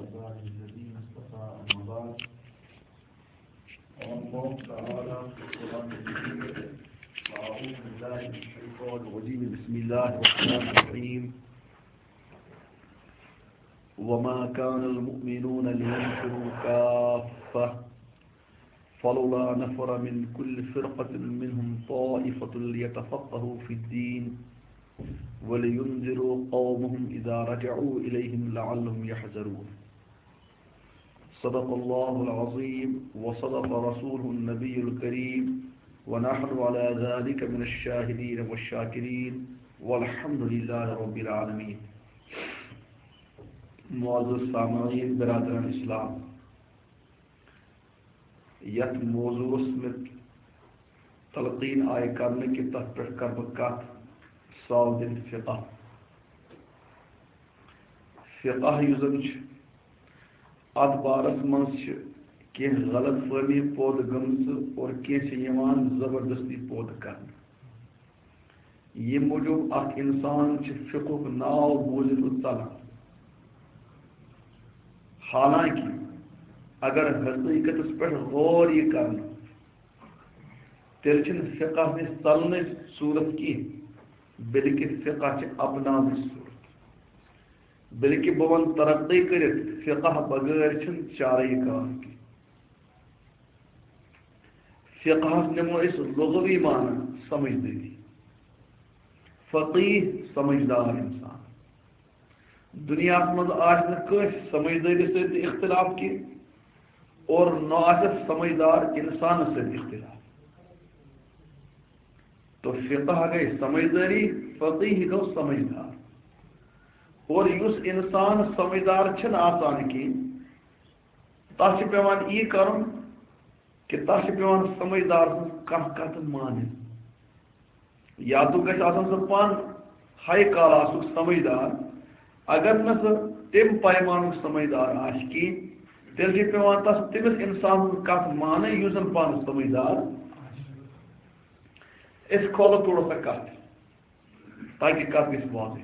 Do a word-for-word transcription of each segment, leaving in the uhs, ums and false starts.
عباده الذين اصطفى، أما بعد. قال الله تعالى في القرآن الكريم، أعوذ بالله من الشيطان الرجيم. بسم الله الرحمن الرحيم. وما كان المؤمنون لينفروا كافة، فلولا نفر من كل فرقة منهم طائفة ليتفقهوا في الدين ولينذروا قومهم إذا رجعوا إليهم لعلهم يحذرون. صدق الله العظيم وصدق رسوله النبي الكريم، ونحن على ذلك من الشاهدين والشاكرين، والحمد لله رب العالمين. معزز سامعین برادران اسلام، یتھ موضوعس مت تلقین آیہِ کرنہٕ کہِ تتھ پٮ۪ٹھ کرٕ بہٕ کتھ، ساو دِنۍ فقہ۔ فقہ یُس زن چھُ، اتھ بارس منٛز چھِ کینٛہہ غلط فہمی پٲدٕ گٔمژٕ اور کینٛہہ چھِ یِوان زبردستی پٲدٕ کرنہٕ۔ ییٚمہِ موٗجوٗب اکھ انسان چھُ فقہُک ناو بوٗزِتھ ژلان۔ حالانکہ اگر حقیقتس پٮ۪ٹھ غور یہِ کرنہٕ، تیٚلہِ چھُنہٕ فقہ نِش ژلنٕچ صوٗرت کینٛہہ، بلکہِ فقہ چھِ اپناونٕچ صوٗرت۔ بلکہِ بہٕ وَنہٕ ترقی کٔرِتھ، فقہ بغٲر چھُنہٕ چارے کار کینٛہہ۔ فقہس نِمو أسۍ لغوی معنی سمجھدٲری۔ فقیہ سمجھدار انسان۔ دُنیاہس منٛز آسہِ نہٕ کٲنٛسہِ سمجھدٲری سۭتۍ تہِ اختلاف کینٛہہ اور نہ آسٮ۪س سمجھدار انسانس سۭتۍ اختلاف۔ تو فقہ گٔے سمجھدٲری، فقیہ گوٚو سمجھدار۔ اور یُس انسان سمجھدار چھُنہٕ آسان کینٛہہ، تَس چھُ پٮ۪وان یی کرُن کہِ تَس چھُ پٮ۪وان سمجھدار سٕنٛز کانٛہہ کتھ مانٕنۍ۔ یا تہٕ گژھِ آسُن سُہ پانہٕ ہاے کلاسُک سمجھدار، اگر نہٕ سُہ تَمہِ پیمانُک سمجھدار آسہِ کینٛہہ، تیٚلہِ چھُ پٮ۪وان تَس تٔمِس انسان سٕنٛز کتھ مانٕنۍ یُس زن پانہٕ سمجھدار آسہِ۔ أسۍ کھولو تھوڑا سا کتھ، تاکہ کتھ گژھِ واضح۔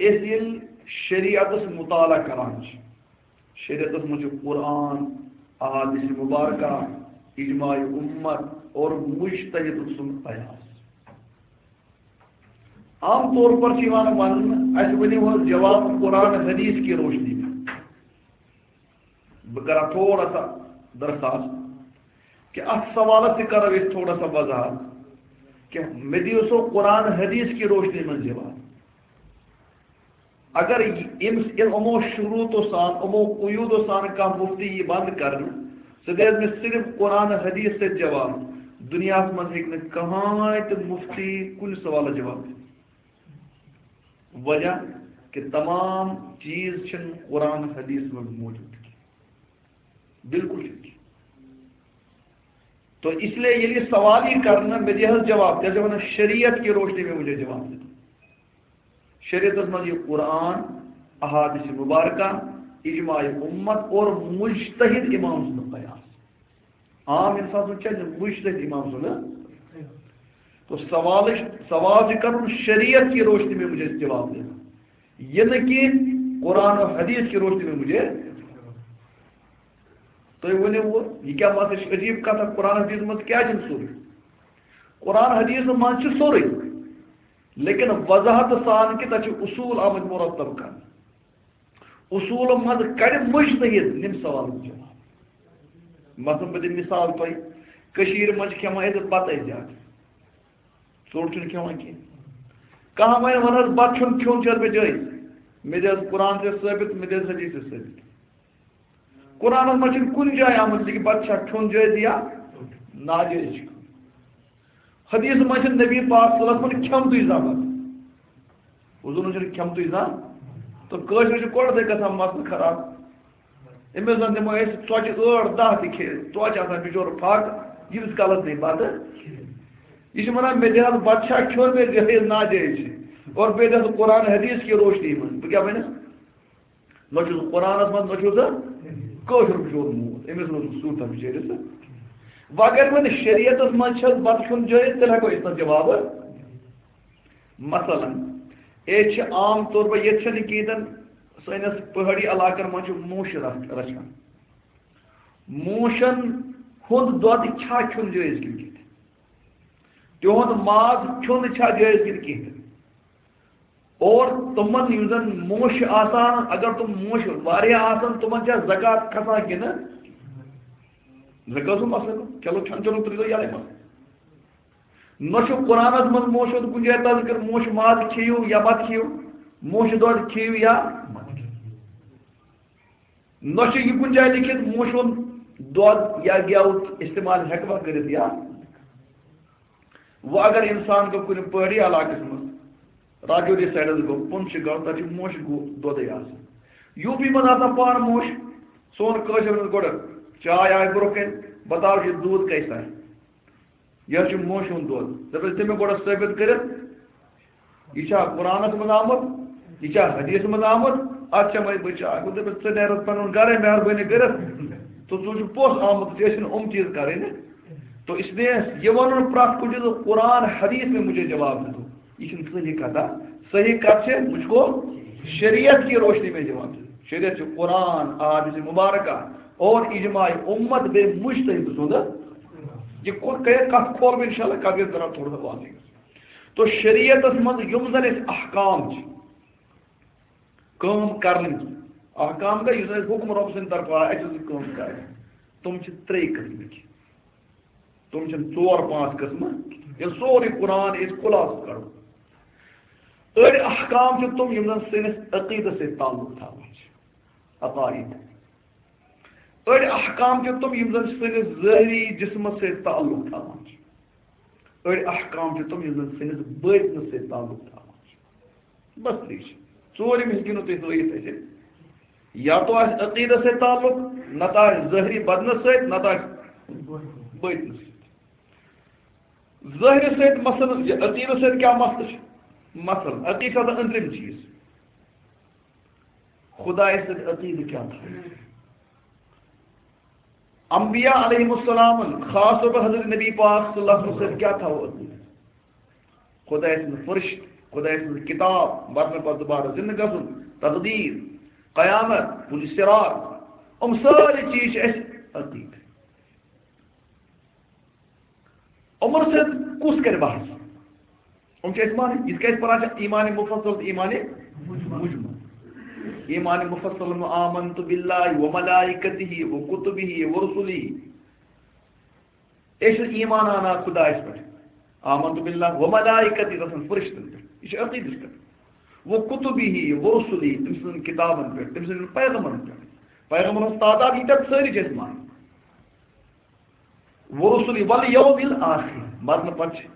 أسۍ ییٚلہِ شریعتس مطالعہ کران چھِ، شریعتس منٛز چھُ قرآن، احادیث مبارکہ، اجماع امت اور مجتہد سُنٛد قیاس۔ عام طور پر چھِ یِوان وننہٕ، اسہِ ؤنِو حظ جواب قرآن حدیث کی روشنی میں۔ بہٕ کرٕ تھوڑا سا درخاست کہِ اتھ سوالس تہِ کرو أسۍ تھوڑا سا وضاحت کہِ مےٚ دِیِو سو قرآن حدیث کی روشنی منٛز جواب۔ اگر یہِ-، أمِس، یِمو شروٗطو سان، یِمو قیوٗدو سان کانٛہہ مُفتی یی بنٛد کرنہٕ، سُہ دِیہِ مےٚ صرف قرآن حدیث سۭتۍ جواب۔ دُنیاہس منٛز ہیٚکہِ نہٕ کٕہٕنۍ تہِ مُفتی کُنہِ سوالس جواب دِتھ۔ وجہ کہِ تمام چیٖز چھِنہٕ قرآن حدیث منٛز موجود کینٛہہ۔ بالکل چھُنہٕ کینٛہہ۔ تو اس لیے ییٚلہِ یہِ سوال یی کرنہٕ، مےٚ دِ حظ جواب، تیٚلہِ چھِ ونان شریعت کی روشنی میں مجھے جواب دِنہٕ۔ شریعتس منٛز یہِ قرآن، احادیث مبارکہ، اجماع امت اور مجتہد امام سُنٛد قیاس۔ عام انسان سُنٛد چھا مجتہد امام سُنٛد؟ تو سوال، سوال چھُ کرُن شریعت کی روشنی میں مجھے جواب دینا، یہ نہ کہ قرآن و حدیث کی روشنی میں مجھے۔ تُہۍ ؤنِو وۄنۍ، یہِ کیٛاہ مسئلہٕ چھِ؟ عجیٖب کتھا، قرآن حدیث منٛز کیٛازِ چھُنہٕ سورُے؟ قرآن حدیث منٛز چھُ سورُے، لیکن وضاحت سان کہِ تَتہِ چھِ اصوٗل آمٕتۍ مرتب کرنہٕ۔ اصوٗلن منٛز کڑِ مجتہد یِم سوالن جواب۔ مثلاً بہٕ دِمہٕ مثال تۄہہِ، کٔشیٖرِ منٛز چھِ کھٮ۪وان أسۍ بتَے زیادٕ، ژوٚٹ چھِنہٕ کھٮ۪وان کینٛہہ۔ کانٛہہ وَنہِ، وَن حظ، بتہٕ چھُنہٕ کھیوٚن چھُ حظ مےٚ جٲیِز؟ مےٚ دِ حظ قرآن تہِ ثٲبت، مےٚ دِ حظ حدیث تہِ ثٲبت۔ قرآنس منٛز چھُنہٕ کُنہِ جایہِ آمُت زِ کہِ بتہٕ چھا کھیوٚن جٲیز یا ناجٲیز چھُ کھیوٚن۔ حدیث منٛز چھُنہٕ نبی پاک صلی اللہ علیہ وسلمن کھیوٚمتُے زانٛہہ بتہٕ۔ حضورن چھُنہٕ کھیوٚمتُے زانٛہہ۔ تہٕ کٲشرِس چھُ گۄڈٕ تہِ گژھان مسلہٕ خراب۔ أمِس زن دِمو أسۍ ژۄچہِ ٲٹھ دَہ تہِ کھیٚیہِ، ژۄچہِ آسان بِچور پھاکہٕ، ییٖتِس کالس نہٕ یہِ بتہٕ۔ یہِ چھُ ونان، مےٚ دِ حظ بتہٕ چھا کھیوٚن، مےٚ دِ حظ ناجٲیز چھِ۔ اور بیٚیہِ دِ حظ قرآن حدیث کی روشنی منٛز۔ بہٕ کیٛاہ ونس؟ نہ چھُس قرآنس منٛز، نہ چھُس کٲشُر بِچور موٗد۔ أمِس نہ اوس صوٗرتھا بِچٲرِس۔ وۄنۍ اگر وۄنۍ شریعتس منٛز چھَس بتہٕ کھیوٚن جٲیز، تیٚلہِ ہٮ۪کو أسۍ تَتھ جواب۔ مثلاً، أسۍ چھِ عام طور پر، ییٚتہِ چھَنہٕ کِہیٖنۍ تہِ نہٕ سٲنِس پہٲڑی علاقن منٛز چھُ موٗش رچھ-، رچھان۔ موٗشن ہُنٛد دۄد چھا کھیوٚن جٲیِز کِنہٕ کِتھ؟ تِہُنٛد ماز کھیوٚن چھا جٲیِز کِنہٕ کِہیٖنۍ؟ اور تِمن یِم زن موٗش چھِ آسان، اگر تِم موٗش واریاہ آسن، تِمن چھا زکوٰۃ کھسان کِنہٕ؟ زکوٰۃ چھُ مسلہٕ، چلو کھٮ۪ن چٮ۪نُک ترٛٲیزیو یَلَے مسلہٕ۔ نہ چھُ قرآنس منٛز موٗشہِ ہُنٛد کُنہِ جایہِ تذکر، موٗشہِ ماز کھیٚیِو یا مت کھیٚیِو، موٗشہِ دۄد کھیٚیِو یا مت کھیٚیِو۔ نہ چھُ یہِ کُنہِ جایہِ لیٚکھِتھ موٗشہِ ہُنٛد دۄد یا گٮ۪و استعمال ہٮ۪کوا کٔرِتھ یا۔ وۄنۍ اگر انسان گوٚو کُنہِ پہٲڑی علاقس منٛز، راجوری سایڈس گوٚو، پُنچھ گوٚو، تتہِ چھُ موٗشہِ گوٚو دۄدٕے آسان۔ یوٗ پی منٛز آسان پانہٕ موٗشہِ، سون کٲشِر منٛز گۄڈٕ چاے آیہِ برٛونٛہہ کنہِ، بتاو یہِ دوٗد کیسا ہے۔ یہِ حظ چھُ موشہِ ہُنٛد دۄد۔ دَپٮ۪س، ژےٚ مےٚ گۄڈٕ ثٲبِت کٔرِتھ، یہِ چھا قرآنَس منٛز آمُت؟ یہِ چھا حدیث منٛز آمُت؟ اَتھ چھا مےٚ بہٕ چاے؟ گوٚو دَپٮ۪س، ژٕ نیرَتھ پَنُن گَرَے، مہربٲنی کٔرِتھ۔ تہٕ ژٕ چھُکھ پوٚز آمُت، ژےٚ ٲسِن یِم چیٖز کَرٕنۍ۔ تو اس لیے یہ ونُن پرٛٮ۪تھ کُنہِ چیٖزُک، قرآن حدیث میں مجھے جواب دے دو، یہِ چھُنہٕ صحیح کَتھا۔ صحیح کَتھ چھِ، مجھ کو شریعت کی روشنی میں جواب دے دو۔ شریعت چھُ قرآن، احادیث مبارکہ اور اجماع امت بیٚیہِ مجتہد سُنٛد۔ یہِ کو-، کَتھ کھولہٕ بہٕ انشاءاللہ، کَتھ گژھِ ذرا تھوڑا سا واضح گژھُن۔ تو شریعتس منٛز یِم زن اَسہِ احکام چھِ، کٲم کرنٕکۍ۔ احکام گٔے یُس اَسہِ حُکم رۄب سٕنٛدِ طرفہٕ آو، اَسہِ ٲس کٲم کرٕنۍ۔ تِم چھِ ترٛے قٕسمٕکۍ۔ تِم چھِنہٕ ژور پانٛژھ قٕسمہٕ۔ ییٚلہِ سورُے قرآن أسۍ خُلاصہٕ کرو۔ أڑۍ احکام چھِ تِم یِم زَن سٲنِس عقیٖدَس سۭتۍ تعلق تھاوان چھِ۔ عقائد۔ أڑۍ احکام چھِ تِم یِم زَن سٲنِس ظٲہری جسمَس سۭتۍ تعلق تھاوان چھِ۔ أڑۍ احکام چھِ تِم یِم زَن سٲنِس بٲطنَس سۭتۍ تعلق تھاوان چھِ۔ بس ترٛے چھِ۔ ژوٗرِم ہیٚکِو نہٕ تُہۍ ہٲیِتھ اَسہِ۔ یا تو آسہِ عقیٖدَس سۭتۍ تعلق، نَتہٕ آسہِ ظٲہری بدنَس سۭتۍ، نَتہٕ آسہِ بٲطنَس سۭتۍ۔ ظٲہرِ سۭتۍ مثلاً، یہِ عقیٖدَس سۭتۍ کیٛاہ مسلہٕ چھُ؟ مثلاً، عقیٖدٕ چھُ آسان أنٛدرِم چیٖز۔ خدایَس سۭتۍ عقیٖدٕ کیٛاہ تھاوو؟ انبیاء علیہم السلامن، خاص طور پر حضرت نبی پاک صلی اللہ علیہ وسلم سۭتۍ کیٛاہ تھاوو عقیٖدٕ؟ خدایَس سٕنٛز فرشت، خدایَس سٕنٛز کِتاب، مرنہٕ پتہٕ دوبارٕ زِنٛدٕ گژھُن، تقدیٖر، قیامت، پُلِ صراط، یِم سٲری چیٖز چھِ اَسہِ عقیٖدٕ۔ عمر سۭتۍ کُس کرِ بحث؟ یِم چھِ أسۍ مانٕنۍ، یِتھ کٔنۍ أسۍ پران چھِ ایمان مفصل تہٕ ایمان مجمل۔ ایمان مفصل، آمنت باللہ و ملائکتہ و کتبہ و رسلہ۔ أسۍ چھِ ایمان اَنان خدایَس پٮ۪ٹھ۔ آمنت باللہ و ملائکتہ، تَتھ منٛز فرشتن پٮ۪ٹھ۔ یہِ چھُ عقیٖدَس پٮ۪ٹھ۔ و کتبہ و رسلہ، تٔمۍ سٕنٛزن کِتابن پٮ۪ٹھ، تٔمۍ سٕنٛدٮ۪ن پیغمبرن پٮ۪ٹھ۔ پیغمبرن ہٕنٛز تعداد ییٖتیٛاہ سٲری چھِ أسۍ مانان۔ ورسلی والیوم الآخر، مرنہٕ پتہٕ چھِ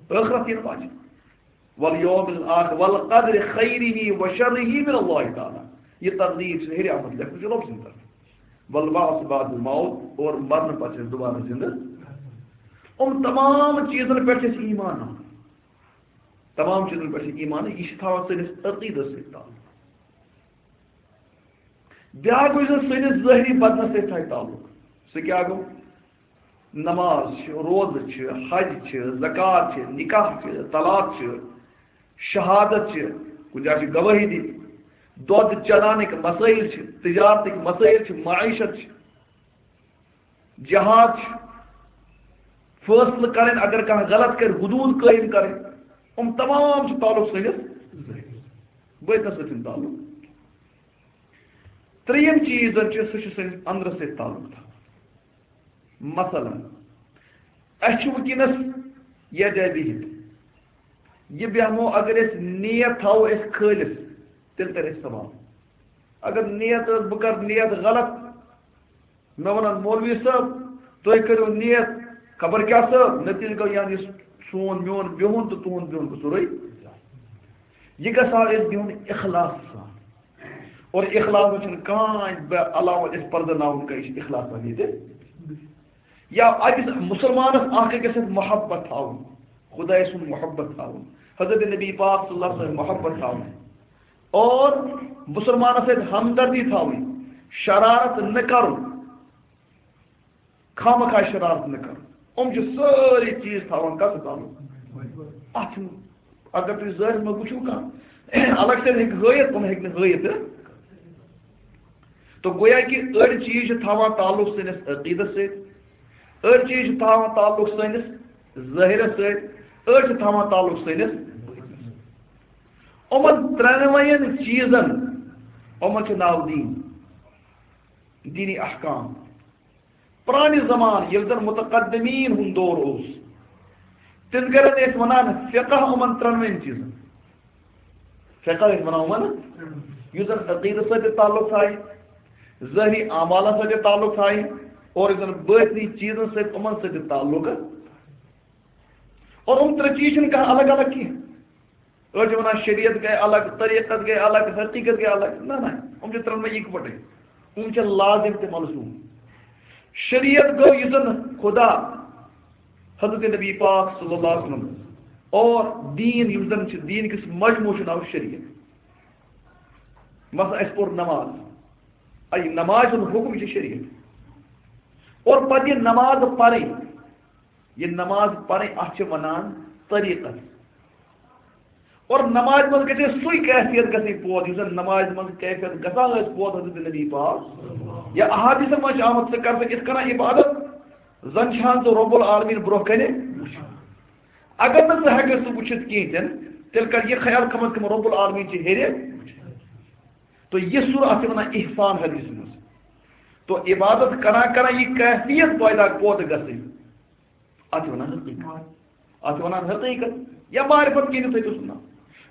ٲخرت یِنہٕ واجِب۔ والیوم الآخر والقدر خیرہ و شرہ من اللہ تعالی۔ یہِ تقدیٖر چھِ ہیٚرِ آمٕژ لیکھنہٕ چھِ رۄب سٕنٛدِ طرفہٕ۔ والبعث بعد الموت، اور مرنہٕ پتہٕ چھِ أسۍ دُبارٕ زِنٛدٕ۔ یِم تمام چیٖزن پٮ۪ٹھ چھِ أسۍ ایمان اَنان۔ تمام چیٖزن پٮ۪ٹھ چھِ ایمان، یہِ چھِ تھاوان سٲنِس عقیٖدس سۭتۍ تعلق۔ بیٛاکھ گوٚو یُس زَن سٲنِس ظٲہری بدنَس سۭتۍ تھایہِ تعلق۔ سُہ کیٛاہ گوٚو؟ نماز چھِ، روزٕ چھِ، حج چھِ، زکوٰۃ چھِ، نکاح چھِ، طلاق چھِ، شہادت چھِ، کُنہِ جایہِ چھِ گوٲہی دِنۍ، دۄد چَلاونٕکۍ مسٲیِل چھِ، تجارتٕکۍ مسٲیِل چھِ، معیشت چھِ۔ جہاد چھُ، فٲصلہٕ کرٕنۍ، اگر کانٛہہ غلط کرِ، حدوٗد قٲیِم کرٕنۍ، یِم تمام چھِ تعلق سٲنِس ظٲہرس، بٲطنس سۭتۍ چھُنہٕ تعلق۔ ترٛیٚیِم چیٖز زَن چھُ، سُہ چھُ سٲنِس اندرس سۭتۍ تعلق تھاوان۔ مثلاً، اَسہِ چھُ وٕنکیٚنس ییٚتہِ بِہِتھ، یہِ بیٚہمو، اگر أسۍ نیت تھاوو أسۍ خٲلِص، تیٚلہِ تَرِ اَسہِ ثواب۔ اگر نیت ٲس، بہٕ کرٕ نیت غلط، مےٚ وَنَن، "مولوی صٲب، تُہۍ کٔرِو نیت خبر کیٛاہ صٲب"، نتیٖجہٕ گوٚو یعنی سون میون بِہُن تہٕ تُہُنٛد بِہُن گوٚو سورُے۔ یہِ گژھِ ہا أسۍ بِہُن اخلاص سان۔ اور اخلاص چھُنہٕ کانٛہہ بے علاوٕ اَسہِ پرزٕناوُن کانٛہہ، یہِ چھُ اخلاص سان ییٚتہِ۔ یا أکِس مُسلمانَس اکھ أکِس سۭتۍ محبت تھاوُن، خدایہِ سُنٛد محبت تھاوُن، حضرت نبی پاک صلی اللہ علیہ وسلم محبت تھاوُن۔ اور مُسلمانَس سۭتۍ ہمدردی تھاوٕنۍ، شرارت نہٕ کرُن، خامخا شرارت نہٕ کرُن۔ یِم چھِ سٲری چیٖز تھاوان کَتھ تعلق؟ اَتھ چھُنہٕ، اگر تُہۍ ظٲہرَس منٛز وٕچھِو کانٛہہ، الگ سے ہیٚکہِ ہٲیِتھ، یِم ہیٚکہِ نہٕ ہٲیِتھ تہٕ۔ تو گویا کہ أڑۍ چیٖز چھِ تھاوان تعلق سٲنِس عقیٖدس سۭتۍ، أڑۍ چیٖز چھِ تھاوان تعلق سٲنِس ظٲہِرس سۭتۍ، أڑۍ چھِ تھاوان تعلق سٲنِس۔ یِمن ترٛٮ۪نوَین چیٖزن، یِمن چھُ ناو دیٖن، دیٖنی احکام۔ پرانہِ زمانہٕ ییٚلہِ زن متقدمین ہُنٛد دور اوس، تِم کرن ٲسۍ ونان فقہ یِمن ترٛٮ۪نوَن چیٖزن۔ فقہ ٲسۍ ونان یِمن، یُس زن عقیدس سۭتۍ تہِ تعلق تھایہِ، ظٲہری اعمالن سۭتۍ تہِ تعلق تھایہِ، اور یُس زن باطنی چیٖزن سۭتۍ، یِمن سۭتۍ تہِ تعلق۔ اور یِم ترٛےٚ چیٖز چھِنہٕ کانٛہہ الگ الگ کینٛہہ۔ أڑۍ چھِ وَنان شریعت گٔے الگ، طریٖقت گٔے الگ، حقیٖقت گٔے الگ۔ نہ، نہ، یِم چھِ ترٛٮ۪نوَے یِکوَٹَے۔ یِم چھِ لازم تہٕ ملزوم۔ شریعت گوٚو یُس زَن خدا حضرت نبی پاک صلی اللہ علیہ وسلم اور دیٖن یُس زَن چھِ، دیٖن کِس مجموعس چھُ ناو شریعت۔ مثلاً اَسہِ پوٚر نماز، اَے نماز ہُنٛد حُکم چھُ شریعت۔ اور پَتہٕ یہِ نماز پَرٕنۍ، یہِ نماز پرٕنۍ، اتھ چھِ ونان طریقت۔ اور نمازِ منٛز گژھِ سُے کیفیت گژھٕنۍ پٲدٕ، یُس زن نمازِ منٛز کیفیت گژھان ٲس پٲدٕ حضرت نبی پاک۔ یا احادیثن منٛز چھِ آمُت، ژٕ کر سا یِتھ کٔنۍ عبادت، زن چھان ژٕ رب العالمین برونٛہہ کنہِ وٕچھُن۔ اگر نہٕ ژٕ ہٮ۪ککھ سُہ وٕچھِتھ کینٛہہ تہِ نہٕ، تیٚلہِ کر یہِ خیال کم از کم رب العالمین چھِ ہیٚرِ۔ تو یہِ سورہ، اتھ چھِ ونان احسان حدیث منٛز۔ تو عبادت کران کران یہِ کیفیت پٲدٕ، پٲدٕ گژھٕنۍ۔ اتھ چھِ ونان حقیقت۔ اتھ چھِ ونان حقیقت یا معرفت کینٛہہ تہِ تھٲیِو سُہ ناو۔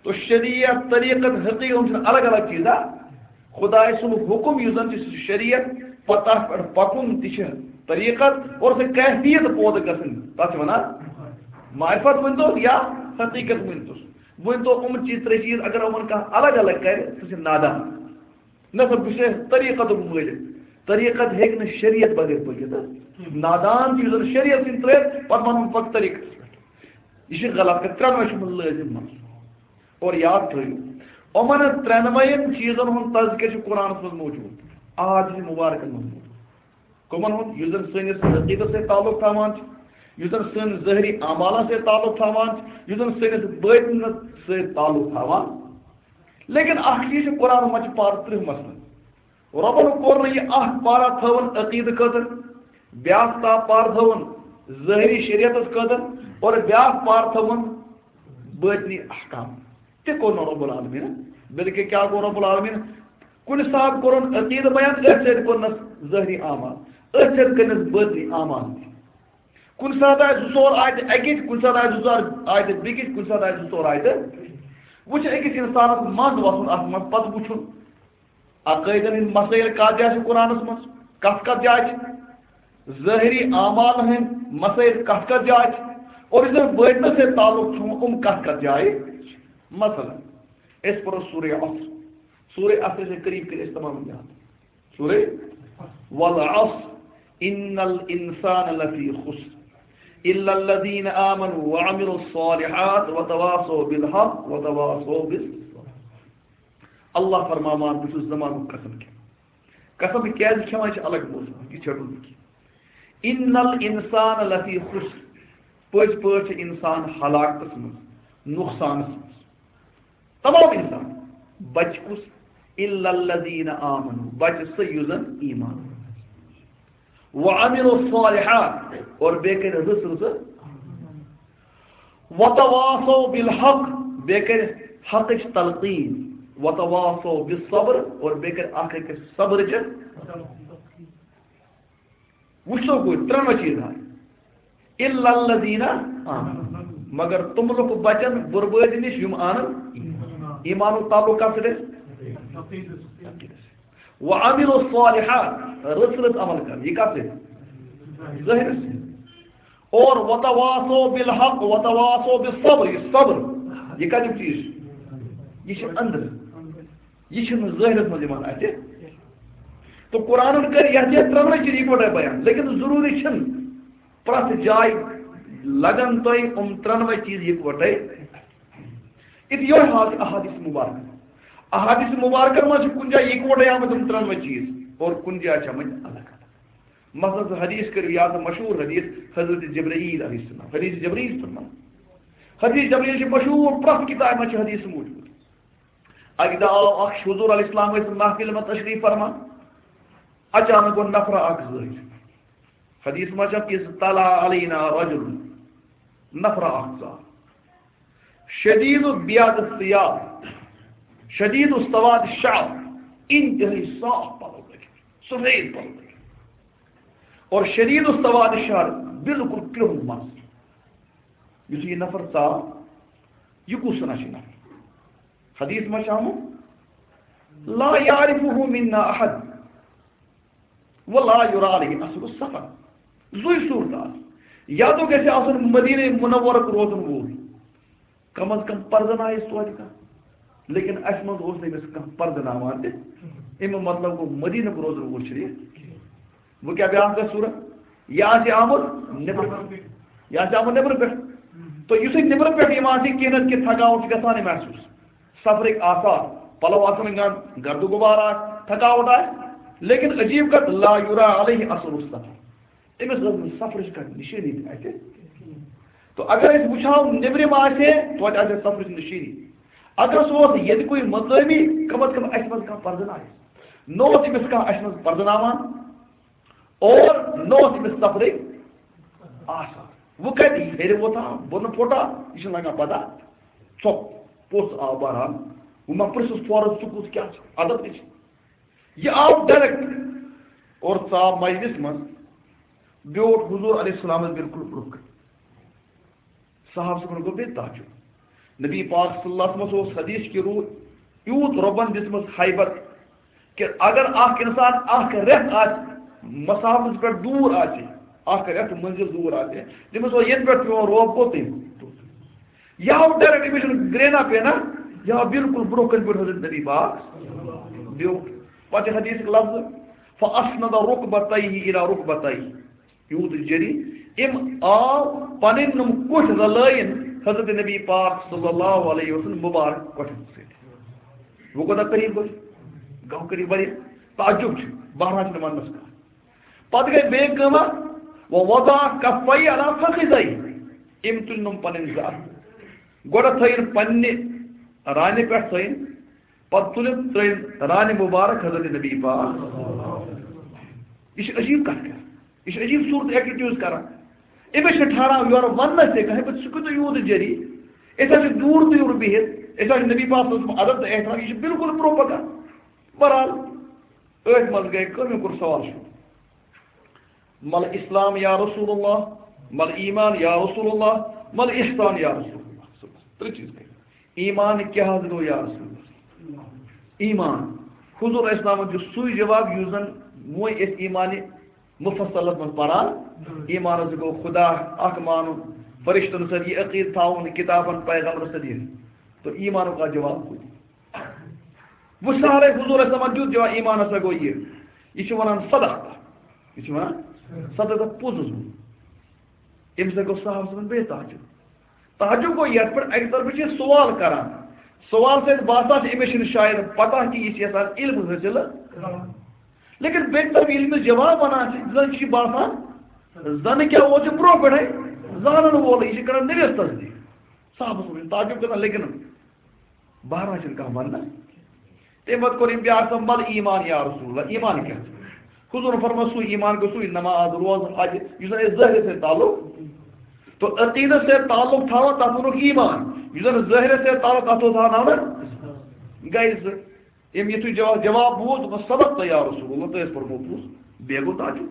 تو شریعت، طریقت، حقیقت، یِم چھِنہٕ الگ الگ چیٖز، ہا؟ خدایہِ سُنٛد حُکم یُس زن چھُ، سُہ چھُ شریعت، پتہٕ تتھ پٮ۪ٹھ پکُن تہِ چھِ طریقت، اور سۄ کیفیت پٲدٕ گژھٕنۍ، تتھ چھِ ونان معرفت ؤنۍتو یا حقیقت ؤنۍتو۔ ؤنۍتو یِم چیٖز، ترٛےٚ چیٖز اگر یِمن کانٛہہ الگ الگ کرِ، سُہ چھُ نادان۔ نہ سا، بہٕ چھُس طریقتُک مٲلِک۔ طریقت ہیٚکہِ نہٕ شریعت بغٲر پٔکِتھ۔ نادان چھُ یُس زن شریعت سٕنٛدۍ ترٛٲوِتھ، پتہٕ ونُن پتہٕ طریقتس پٮ۪ٹھ۔ یہِ چھُ غلط کتھ، ترٛٮ۪نوَے چھِ یِمن لٲزم منٛز۔ اور یاد تھٲیِو، یِمن ترٛٮ۪نوَین چیٖزن ہُنٛد تذکرٕ چھُ قرآنس منٛز موجود، احادیث مبارکن منٛز موجود۔ کٕمن ہُنٛد؟ یُس زن سٲنِس عقیدس سۭتۍ تعلق تھاوان چھُ، یُس زن سٲنِس ظٲہری اعمالن سۭتۍ تعلق تھاوان چھُ، یُس زن سٲنِس باطنس سۭتۍ تعلق تھاوان۔ لیکن اکھ چیٖز چھُ، قرآن منٛز چھِ پارٕ ترٕٛہ مثلاً۔ رۄبن کوٚر نہٕ یہِ اکھ پارا تھٲوٕن عقیدٕ خٲطرٕ، بیاکھ تا-، پارٕ تھٲوٕن ظٲہری شریعتس خٲطرٕ، اور بیاکھ پارٕ تھٲوٕن باطنی احکام۔ تہِ کوٚر نہٕ رب العالمین۔ بلکہِ کیٛاہ گوٚو رب العالمین؟ کُنہِ ساتہٕ کوٚرُن عقیدٕ بیان، أتھۍ سۭتۍ کوٚرنس ظٲہری اعمال، أتھۍ سۭتۍ کٔرنس باطنی اعمال تہِ۔ کُنہِ ساتہٕ آسہِ زٕ ژور آیتہٕ اَکِچ، کُنہِ ساتہٕ آسہِ زٕ ژور آیتہٕ بیٚکِچ، کُنہِ ساتہٕ آسہِ زٕ ژور آیتہٕ۔ وۄنۍ چھُ أکِس اِنسانَس منٛد وَسُن اَتھ منٛز، پَتہٕ وٕچھُن عقٲیدَن ہٕنٛدۍ مسٲیِل کَتھ جایہِ چھِ قرآنَس منٛز، کَتھ کَتھ جایہِ چھِ، ظٲہری اعمالَن ہٕنٛدۍ مسٲیِل کَتھ کَتھ جایہِ چھِ، اور یُس زَن بٲطنَس سۭتۍ تعلق چھُ، یِم کَتھ کَتھ جایہِ چھِ۔ مثلاً، أسۍ پَرو سورہ عصر۔ سورہ عصر چھِ قریب قریب أسۍ تمام یاد۔ سورہ والعصر، ان الانسان لفی خسر، الا الذین آمنوا وعملوا الصالحات وتواصوا بالحق وتواصوا بالصبر۔ اللہ فرماوان، بہٕ چھُس زمانُک قسم کھٮ۪وان۔ قسم کیازِ کھٮ۪وان چھِ الگ موضوع، یہِ چھُ رُت کینٛہہ۔ ان الانسان لفی خسر، پٔزۍ پٲٹھۍ چھُ انسان ہلاکتس منٛز، نقصانس منٛز۔ تمام انسان۔ بچ کُس؟ الا الذین آمنوا، بچ سُہ یُس زن ایمان۔ وعملوا الصالحات، اور بیٚیہِ کٔرۍ رٕژ رٕژ۔ وتواصوا بالحق، بیٚیہِ کٔرۍ حقٕچ تلقین۔ وتواصوا بالصبر، اور بیٚیہِ کٔرۍ اکھ أکِس صبرٕچ۔ وٕچھو گوٚو ترٛٮ۪نوَے چیٖز آے۔ الا الذین آمنوا، مگر تِم لُکھ بچن بربٲدی نِش یِم انن ایمان۔ ایمانُک تعلق کتھ سۭتۍ اَسہِ؟ وعملوا الصالحات، رٕژ رٕژ عمل کرن۔ یہِ کتھ سۭتۍ؟ ظٲہرس سۭتۍ۔ اور وتواصوا بالحق وتواصوا بالصبر، یہِ صبر، یہِ کتیُک چیٖز چھُ؟ یہِ چھُ أنٛدرٕ۔ یہِ چھُنہٕ ظٲہرس منٛز یِوان اَتھِ۔ تہٕ قرآنن کٔرۍ یَتھ یَتھ ترٛٮ۪نوَے چیٖز یِکوَٹَے بیان، لیکن ضروٗری چھِنہٕ پرٛٮ۪تھ جایہِ لگن تۄہہِ یِم ترٛٮ۪نوَے چیٖز یِکوَٹَے۔ اِتہِ یِہوٚے حال چھُ احادیث مبارکہ۔ احادیث مبارکن منٛز چھِ کُنہِ جایہِ یِکوَٹَے آمٕتۍ یِم ترٛٮ۪نوَے چیٖز اور کُنہِ جایہِ چھِ آمٕتۍ الگ الگ۔ مثلاً، سُہ حدیث کٔرِو یاد، مشہوٗر حدیث حضرت جبرائیل علیہ السلام، حدیث جبرائیل فرمان۔ حدیث جبرائیل چھِ مشہوٗر، پرٛٮ۪تھ کِتابہِ منٛز چھِ حدیث موجود۔ اَکہِ دۄہ آو اکھ شخص، حضور علیہ السلام ٲسۍ محفلہِ منٛز تشریٖف فرمان۔ اچانک گوٚو نفرا اکھ ظٲہِر۔ حدیث منٛز چھِ اَتھ، "اذ طلع علینا رجل"، نفرا اکھ ژاو۔ شدید بیاض الثیاب، شدید سواد الشعر، انتہٲئی صاف پلو لٲگِتھ، سفید پلو لٲگِتھ۔ اور شدید سواد الشعر، بالکل کرٛہُن مَس۔ یُتھُے یہِ نفر ژاو، یہِ کُس ہنا چھُ نفر؟ حدیث منٛز چھُ آمُت، "لا یعرفہ منا احد ولا یری علیہ اثر السفر"۔ زُے صورت آسہِ۔ یا تو گژھِ آسُن مدینہ منورک روزن وول، کم از کم پرزنایس توتہِ کانٛہہ۔ لیکن اَسہِ منٛز اوس نہٕ أمِس کانٛہہ پرزناوان تہِ۔ اَمیُک مطلب گوٚو مدینک روزن وول چھُنہٕ یہِ۔ وۄنۍ کیٛاہ بیٛاکھ گژھِ صورت؟ یہِ آسہِ آمُت نیٚبرٕ، یہِ آسہِ آمُت نیٚبرٕ پٮ۪ٹھ۔ تہٕ یُتھُے نیٚبرٕ پٮ۪ٹھ یِوان چھِ، کینٛہہ نتہٕ کینٛہہ تھکاوٹ چھِ گژھان یہِ محسوٗس۔ سفرٕکۍ آثار، پلو آسان گنٛد، گردٕ غبار آسہِ، تھکاوٹ آسہِ، لیکن عجیب کتھ، لا یرا علیہ اثر السفر۔ أمِس ٲس نہٕ سفرٕچ کانٛہہ نِشٲنی تہِ اَتہِ۔ تو اگر أسۍ وٕچھو، نیٚبرِم آسہِ ہے، توتہِ آسہِ ہے سفرٕچ نِشٲنی۔ اگر سُہ اوس ییٚتہِ کُے مقٲمی، کم از کم اَسہِ منٛز کانٛہہ پرزناوِ۔ نہ اوس أمِس کانٛہہ اَسہِ منٛز پرزناوان، اور نہ اوس أمِس سفرٕکۍ آسان۔ وۄنۍ کَتہِ یہِ ہیٚرِ ووتھا، بۄنہٕ پھوٚٹا، یہِ چھُنہٕ لگان پتہ۔ ژۄپ، پوٚژھ آو بہرحال۔ وۄنۍ ما پرٛژھُس فوراً، ژٕ کُس کیٛاہ چھُ؟ ادب تہِ چھِ۔ یہِ آو ڈائریکٹ اور ژاو مجلس منٛز، بیوٗٹھ حضور علیہ السلامس بالکل برونٛہہ کنہِ۔ صحابہٕ صٲبن گوٚو بیٚیہِ تعجب۔ نبی پاک صلی اللہ علیہ وسلمس اوس حدیث کہِ روٗ یوٗت رۄبن دِژمٕژ ہیبت کہِ اگر اکھ انسان اکھ رٮ۪تھ آسہِ مسافرس پٮ۪ٹھ دوٗر آسہِ، اکھ رٮ۪تھ منزل دوٗر آسہِ، تٔمِس اوس ییٚتہِ پٮ۪ٹھ پیوان روب کوٚت تٔمۍ۔ یا آو ڈائریکٹ، أمِس چھُنہٕ گرٛینا پینا، یا آو بالکل برونٛہہ کنہِ پٮ۪ٹھ حضرت نبی پاک بیوٗٹھ۔ پتہٕ چھِ حدیثُک لفظ، "فاسند رکبتیہ الی رکبتیہ"۔ یوٗت جٔری، أمۍ آو پنٕنۍ نُم کوٚٹھۍ رلٲیِن حضرت نبی پاک صلی اللہ علیہ وسلم مبارک کوٚٹھٮ۪ن سۭتۍ۔ وۄنۍ کوٗتاہ قریب گوٚو؟ گوٚو قریب واریاہ۔ تعجب چھُ، بہرحال چھُنہٕ وننس کانٛہہ۔ پتہٕ گٔے بیٚیہِ کٲمہ، "ووضع کفیہ علی فخذیہ"۔ أمۍ تُلۍ نُم پنٕنۍ زٕ اَتھٕ۔ گۄڈٕ تھٲیِن پننہِ رانہِ پٮ۪ٹھ تھٲیِن، پتہٕ تُلِن ترٛٲیِن رانہِ مبارک حضرت نبی پاک۔ یہِ چھِ عجیب کتھ کران، یہِ چھِ عجیب صورت ایٹیٹیوڈ کران۔ أمِس چھِ ٹھہراو یورٕ وننس تہِ کانٛہہ، پتہٕ سُہ کوٗتاہ یوٗت جٔری۔ أسۍ حظ چھِ دوٗر دوٗر بِہِتھ، أسۍ حظ چھِ نبی پاک صلی اللہ علیہ وسلم ادب تہٕ احترام، یہِ چھِ بالکل برونٛہہ پکان۔ بہرحال، أتھۍ منٛز گٔے کٲم، مےٚ کوٚر سوال شروع۔ "مل اسلام یا رسول اللہ، مل ایمان یا رسول اللہ، مل احسان یا رسول اللہ؟" صُبحس ترٛےٚ چیٖز گٔے۔ ایمان کیٛاہ حظ گوٚو یا رسول اللہ؟ ایمان۔ حضور اسلامن دیُت سُے جواب یُس زن وۄنۍ أسۍ ایمان مفصلس منٛز پران۔ ایمان حظ گوٚو خدا اکھ مانُن، فرشتن سۭتۍ یہِ عقیٖد تھاوُن، کتابن، پیغمبرس سۭتۍ یہِ۔ تو ایمانُک اکھ جواب گوٚو۔ وۄنۍ سہلے، حضور اسلامن دیُت جواب، ایمان ہسا گوٚو یہِ۔ یہِ چھِ ونان صدقت۔ یہِ چھِ ونان صدقت، پوٚز اوس ووٚنمُت۔ أمِس ہسا گوٚو صحابہٕ صٲبن بیٚیہِ تعجب۔ تعجب گوٚو یتھ پٮ۪ٹھ اکہِ طرفہٕ چھِ یہِ سوال کران۔ سوال سۭتۍ باسان چھِ أمِس چھِنہٕ شاید پتہ کہِ یہِ چھِ یژھان علم حٲصِل کرُن۔ لیکن بیٚکہِ طرفہٕ ییٚلہِ أمِس جواب ونان چھِ، زن چھِ یہِ باسان، زن کیٛاہ اوس یہِ برونٛہہ پٮ۪ٹھے زانن وول، یہِ چھِ کران نٔوِس تصدیٖق۔ صحابہٕ صٲبن چھِ تعجب کران، لیکن بہرحال چھِنہٕ کانٛہہ ونان۔ تَمہِ پتہٕ کوٚر أمۍ بیٛاکھ سوال، "مل ایمان یا رسول اللہ، ایمان کیٛاہ چھُ؟" حضوٗرن فرموو، سُے ایمان گوٚو سُے نماز، روزٕ، حج، یُس زن اَسہِ ظٲہرس سۭتۍ تعلق۔ تو عقیدس سۭتۍ تعلق تھاوان، تتھ ووٚنُکھ ایمان۔ یُس زن ظٲہرس سۭتۍ تعلق، تتھ اوس تھاوناونہٕ گرِ زٕ۔ أمۍ یُتھُے جواب، جواب بوٗز، دوٚپُن، "صدقت یا رسول اللہ، تۄہہِ ٲس پوٚرمُت پوٚز۔" بیٚیہِ گوٚو تعجب۔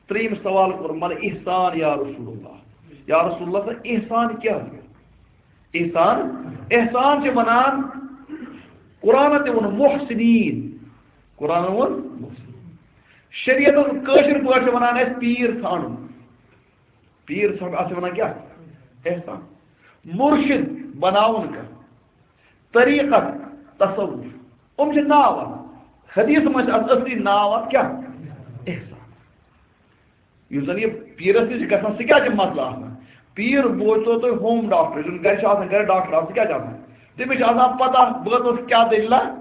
ترٛیٚیِم سوال کوٚر، "مل احسان یا رسول اللہ؟" یا رسول اللہ، تہٕ احسان کیٛاہ گوٚو؟ احسان، احسان چھِ ونان، قرآنن تہِ ووٚن محسنین۔ قرآنن ووٚن محسنین۔ شریعتس کٲشِر پٲٹھۍ چھِ ونان أسۍ پیٖر ژھانڈُن۔ پیٖر ژھانڈُن، اتھ چھِ ونان کیٛاہ؟ احسان۔ مرشد بناوُن کانٛہہ۔ طریقت، تصوف۔ یِم چھِ ناو اتھ۔ حدیث منٛز چھِ اتھ اصلی ناو اتھ کیٛاہ؟ احسان۔ یُس زن یہِ پیٖرس نِش گژھان، سُہ کیٛاہ چھُ مسلہٕ آسان؟ پیٖر بوزتو تُہۍ ہوم ڈاکٹر، یُس زن گرِ چھُ آسان، گرِ ڈاکٹر آسان، سُہ کیٛاہ چھُ آسان؟ تٔمِس چھِ آسان پتہ، بہٕ ٲسٕس کیٛاہ دٔلیٖلہ؟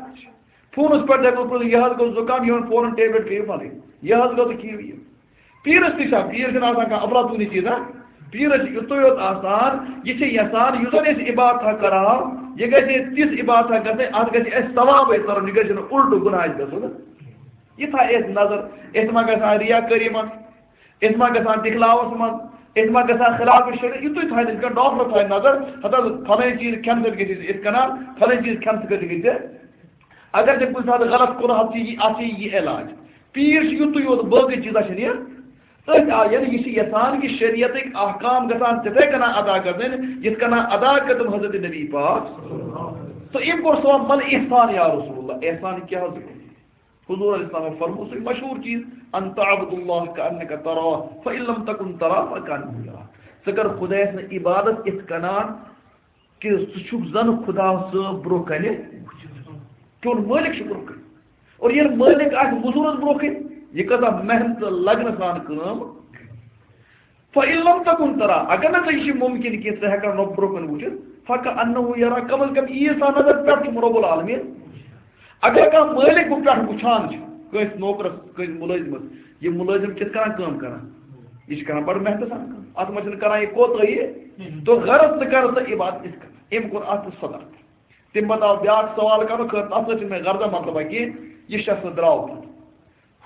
فونس پٮ۪ٹھ دپان، یہِ حظ گوٚو زُکام، یِمن فونن ٹیبلٹ کھیٚیِو پھلٲنۍ، یہِ حظ گوٚو تہٕ کھیٚیِو یہِ۔ پیٖرس تہِ چھا، پیٖر چھُنہٕ آسان کانٛہہ افلاطونی چیٖزا۔ پیٖرس چھُ یُتُے یوت آسان، یہِ چھُ یژھان، یُس زن أسۍ عبادتھا کرہاو، یہِ گژھِ تِژھ عبادتھا گژھٕنۍ، اتھ گژھِ اَسہِ ثوابے ترُن، یہِ گژھِ نہٕ الٹہٕ گُناہ اَسہِ گژھُن۔ یہِ تھایہِ اَسہِ نظر، أسۍ ما گژھان ریا کٲری منٛز، أسۍ ما گژھان دِکھلاوَس منٛز، أسۍ ما گژھان خلاف شریعت۔ یِتُے تھایہِ نہٕ أسۍ کانٛہہ، ڈاکٹر تھایہِ نظر، ہتہٕ حظ فلٲنۍ چیٖز کھٮ۪نہٕ سۭتۍ گژھِ اَسہِ یِتھ کٔنۍ، فلٲنۍ چیٖز کھٮ۪نہٕ سۭتۍ گژھِ ژےٚ۔ اگر ژےٚ کُنہِ ساتہٕ غلط کوٚرہَتھ، ژےٚ یی، اَتھ چھِ یہِ علاج۔ پیٖر چھِ یُتُے یوت، باقٕے چیٖزا چھِنہٕ یہِ۔ أتھۍ آ-، یعنی یہِ چھِ یَژھان کہِ شریعتٕکۍ احکام گژھن تِتھَے کٔنۍ ادا گژھٕنۍ، یِتھ کٔنۍ ادا کٔرۍ تِم حضرت نبی پاک۔ تہٕ أمۍ کوٚر سوال، "مل احسان یا رسول اللہ؟" احسان کیٛاہ حظ گوٚو؟ حضور علیہ السلام فرموو سُے مشہوٗر چیٖز، "ان تعبد اللہ کانک تراہ، فان لم تکن تراہ فکانہ یراک۔" ژٕ کر خدایس نہٕ عبادت یِتھ کٔنۍ کہِ ژٕ چھُکھ زن خدا صٲب برونٛہہ کنہِ وٕچھِتھ۔ چون مٲلِک چھُ برونٛہہ کنہِ۔ اور ییٚلہِ مٲلِک آسہِ مٔزوٗرس برونٛہہ کنہِ، یہِ کۭژاہ محنت تہٕ لگنہٕ سان کٲم۔ فَإِن لَمْ تَكُنْ تَرَى، اگر نہٕ ژےٚ یہِ چھُ مُمکِن کینٛہہ، ژٕ ہٮ۪کھ نہٕ رۄب برونٛہہ کُن وٕچھِتھ، فَكَأَنَّهُ يَرَاكَ، کم از کم یی سا نظر، پٮ۪ٹھ چھُم رۄب العالمین۔ اگر کانٛہہ مٲلِک بہٕ پٮ۪ٹھ وٕچھان چھُ کٲنٛسہِ نوکرس، کٲنٛسہِ مُلٲزمس، یہِ مُلٲزم کِتھ کٔنۍ کٲم کران، یہِ چھُ کران بڑٕ محنتہٕ سان کٲم، اتھ منٛز چھُنہٕ کران یہِ کوتٲہی۔ تو غرض ژٕ کر سا عبادت یِتھ کٔنۍ۔ أمۍ کوٚر اتھ صداقت۔ تَمہِ پتہٕ آو بیٛاکھ سوال کرنہٕ خٲطرٕ، تَتھ سۭتۍ چھُنہٕ مےٚ غرضا مطلب کہِ یہِ شخص درٛاو پتہٕ۔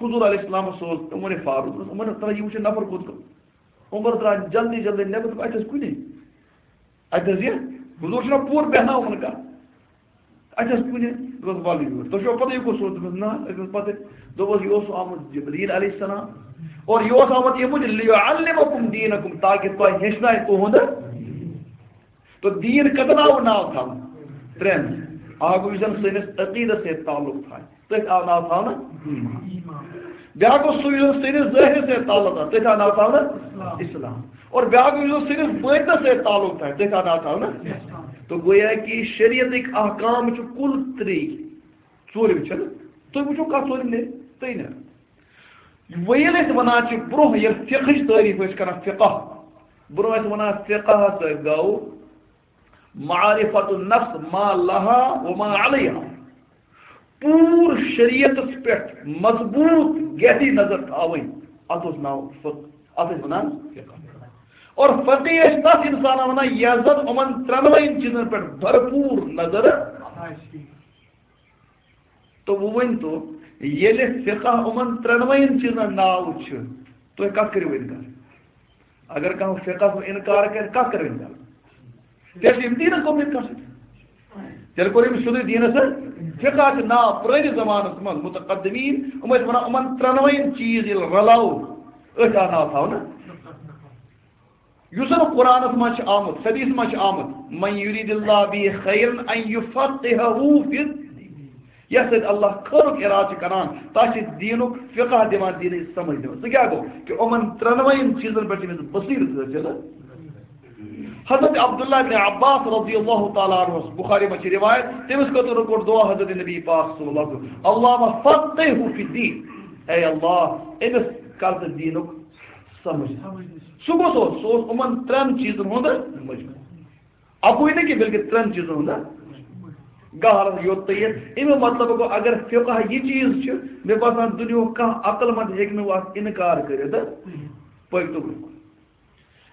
حضور علیہ السلام سوز عمر فاروق، عمر، ترٛاو، یہِ وٕچھِو نفر کوٚت گوٚو۔ عمر درٛاو جلدی جلدی نٮ۪بر، دوٚپ، "اَتہِ ٲس کُنی۔ اَتہِ ٲس یہِ؟" حضور چھُنہ پوٗرٕ بیٚہناوان کانٛہہ۔ "اَتہِ ٲس کُنی؟" دوٚپُس، "وَلہٕ یور۔" تۄہہِ چھُوا پَتہ یہِ کُس اوس؟ دوٚپمَس، "نہ۔" أمِس پَتہٕ دوٚپُس، "یہِ اوس آمُت جبریٖل علیہ السلام۔ اور یہِ اوس آمُت ییٚمہِ موٗجوٗب، لیعلمکم دینکم، تاکہِ تۄہہِ ہیٚچھنایہِ تُہُنٛد۔" تو دین کتن آو ناو تھاونہٕ؟ ترٛٮ۪ن۔ اکھ گوٚو یُس زن سٲنِس عقیدس سۭتۍ تعلق تھایہِ، تٔتھۍ آو ناو تھاونہٕ ایمان۔ بیٛاکھ گوٚو سُہ یُس زن سٲنِس ظٲہرس سۭتۍ تعلق تھایہِ، تٔتھۍ آو ناو تھاونہٕ اسلام۔ اور بیٛاکھ گوٚو یُس زن سٲنِس باطنس سۭتۍ تعلق تھایہِ، تٔتھۍ آو ناو تھاونہٕ۔ تو گویا کہ شریعتٕکۍ احکام چھِ کُل ترٛے، ژوٗرِم چھِنہٕ۔ تُہۍ وٕچھِو کتھ ژوٗرِم نیرِ، تُہۍ نیرِ۔ وۄنۍ ییٚلہِ أسۍ وَنان چھِ، برٛونٛہہ ییٚلہِ فقہٕچ تعریٖف ٲسۍ کران، فقہ، برٛونٛہہ ٲسۍ وَنان، فقہ ہسا گوٚو معرفت النفس ما لها وما عليها۔ پوٗرٕ شریعتس پٮ۪ٹھ مضبوٗط گہری نظر تھاوٕنۍ، اتھ اوس ناو فقہ، اتھ ٲسۍ وَنان فقہ۔ اور فقیہ ٲسۍ تتھ انسانس وَنان، یَس زن یِمن ترٛٮ۪نوَے چیٖزن پٮ۪ٹھ بھرپوٗر نظر آسہِ۔ تو وۄنۍ ؤنۍ تو، ییٚلہِ فقہ یِمن ترٛٮ۪نوَے چیٖزن ناو چھُ، تُہۍ کتھ کٔرِو اِنکار؟ اگر کانٛہہ فقہ ہُک اِنکار کرِ، کتھ کٔرِو اِنکار؟ تیٚلہِ چھِ یِم دیٖنس گوٚمُت اِنکار۔ تیٚلہِ کوٚر أمِس سیوٚدُے دیٖنس سۭتۍ۔ فقہ چھُ ناو پرٛٲنِس زمانس منٛز متقدمین، یِم ٲسۍ وَنان، یِمن ترٛٮ۪نوَے چیٖز ییٚلہِ رلاوو، أتھۍ آو ناو تھاونہٕ۔ یُس زن قرآنس منٛز چھُ آمُت، حدیث منٛز چھُ آمُت، "من یرید اللہ به خیرا ان یفقهہ فی الدین"، یتھ سۭتۍ اللہ خٲرُک ارادٕ چھُ کران، تس چھُ دیٖنُک فقہ دِوان، دیٖنٕچ سمجھ دِوان۔ سُہ کیٛاہ گوٚو؟ کہ یِمن ترٛٮ۪نوَے چیٖزن پٮ۪ٹھ چھُ أمِس بصیرت حٲصِل۔ حضرت عبداللہ ابن عباس رضی اللہ تعالیٰ عنہ، بخاری منٛز چھِ روایت، تٔمِس خٲطرٕ کوٚر دعا حضرت نبی پاک صلی اللہ علیہ وسلم، "اللہم فقہہ فی الدین"، اے اللہ، أمِس کر ژٕ دیٖنُک سمجھ۔ سُہ کُس اوس؟ سُہ اوس یِمن ترٛٮ۪ن چیٖزن ہُنٛد مجموع۔ اَکُے نہٕ کینٛہہ، بلکہِ ترٛٮ۪ن چیٖزن ہُنٛد گہرس یوٚت تہٕ یہِ۔ اَمیُک مطلب گوٚو، اگر فقہ یہِ چیٖز چھُ، مےٚ باسان، دُنیاہُک کانٛہہ عقل مند ہیٚکہِ نہٕ اَتھ اِنکار کٔرِتھ۔ پٔکۍ تو برٛونٛہہ کُن۔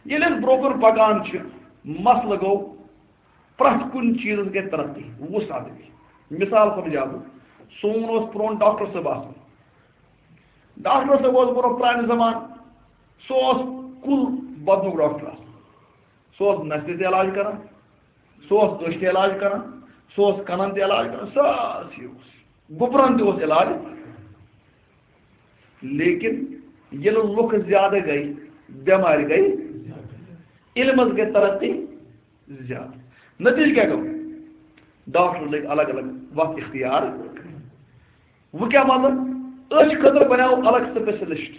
ییٚلہِ أسۍ برٛونٛہہ کُن پکان چھِ، مسلہٕ گوٚو، پرٛٮ۪تھ کُنہِ چیٖزس گٔے ترقی، وُہ ساس گٔے۔ مثال سمجھاو بہٕ، سون اوس پرٛون ڈاکٹر صٲب آسان۔ ڈاکٹر صٲب اوس برٛونٛہہ پرٛانہِ زمانہٕ، سُہ اوس کُل بدنُک ڈاکٹر آسان۔ سُہ اوس نستہِ تہِ علاج کران، سُہ اوس أچھ تہِ علاج کران، سُہ اوس کنن تہِ علاج کران، سارسٕے اوس۔ گُپرن تہِ اوس علاج۔ لیکن ییٚلہِ لُکھ زیادٕ گٔے، بٮ۪مارِ گٔے، علمس گٔے ترقی زیادٕ۔ نتیجہٕ کیٛاہ گوٚو؟ ڈاکٹر لٔگۍ الگ الگ وتھ اختیار۔ وۄنۍ کیٛاہ مطلب؟ أچھ خٲطرٕ بنیو الگ specialist،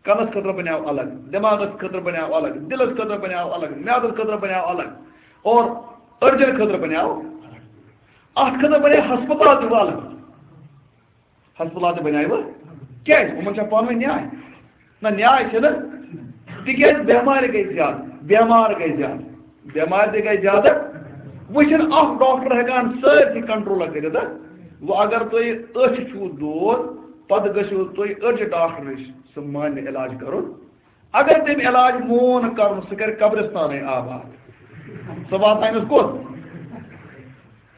کنس خٲطرٕ بنیو الگ، دٮ۪ماغس خٲطرٕ بنیو الگ، دِلس خٲطرٕ بنیو الگ، میادس خٲطرٕ بنیو الگ، اور أڈجن خٲطرٕ بنیو الگ۔ اتھ خٲطرٕ بنے ہسپتال تہِ الگ۔ ہسپتال تہِ بنیو۔ کیٛازِ؟ یِمن چھا پانہٕ ؤنۍ نیاے؟ نہ، نیاے چھِ نہ۔ تِکیٛازِ بٮ۪مارِ گٔے زیادٕ، بٮ۪مار گٔے زیادٕ، بٮ۪مارِ تہِ گٔے زیادٕ۔ وۄنۍ چھِنہٕ اکھ ڈاکٹر ہٮ۪کان سٲرسٕے کنٹرول کٔرِتھ۔ وۄنۍ اگر تُہۍ أچھ چھُو دود، پتہٕ گٔژھِو تُہۍ أڈجہِ ڈاکٹر نِش، سُہ مانہِ علاج کرُن۔ اگر تٔمۍ علاج مون کرُن، سُہ کرِ قبرستانٕے آباد۔ سُہ واتناونس کوٚت؟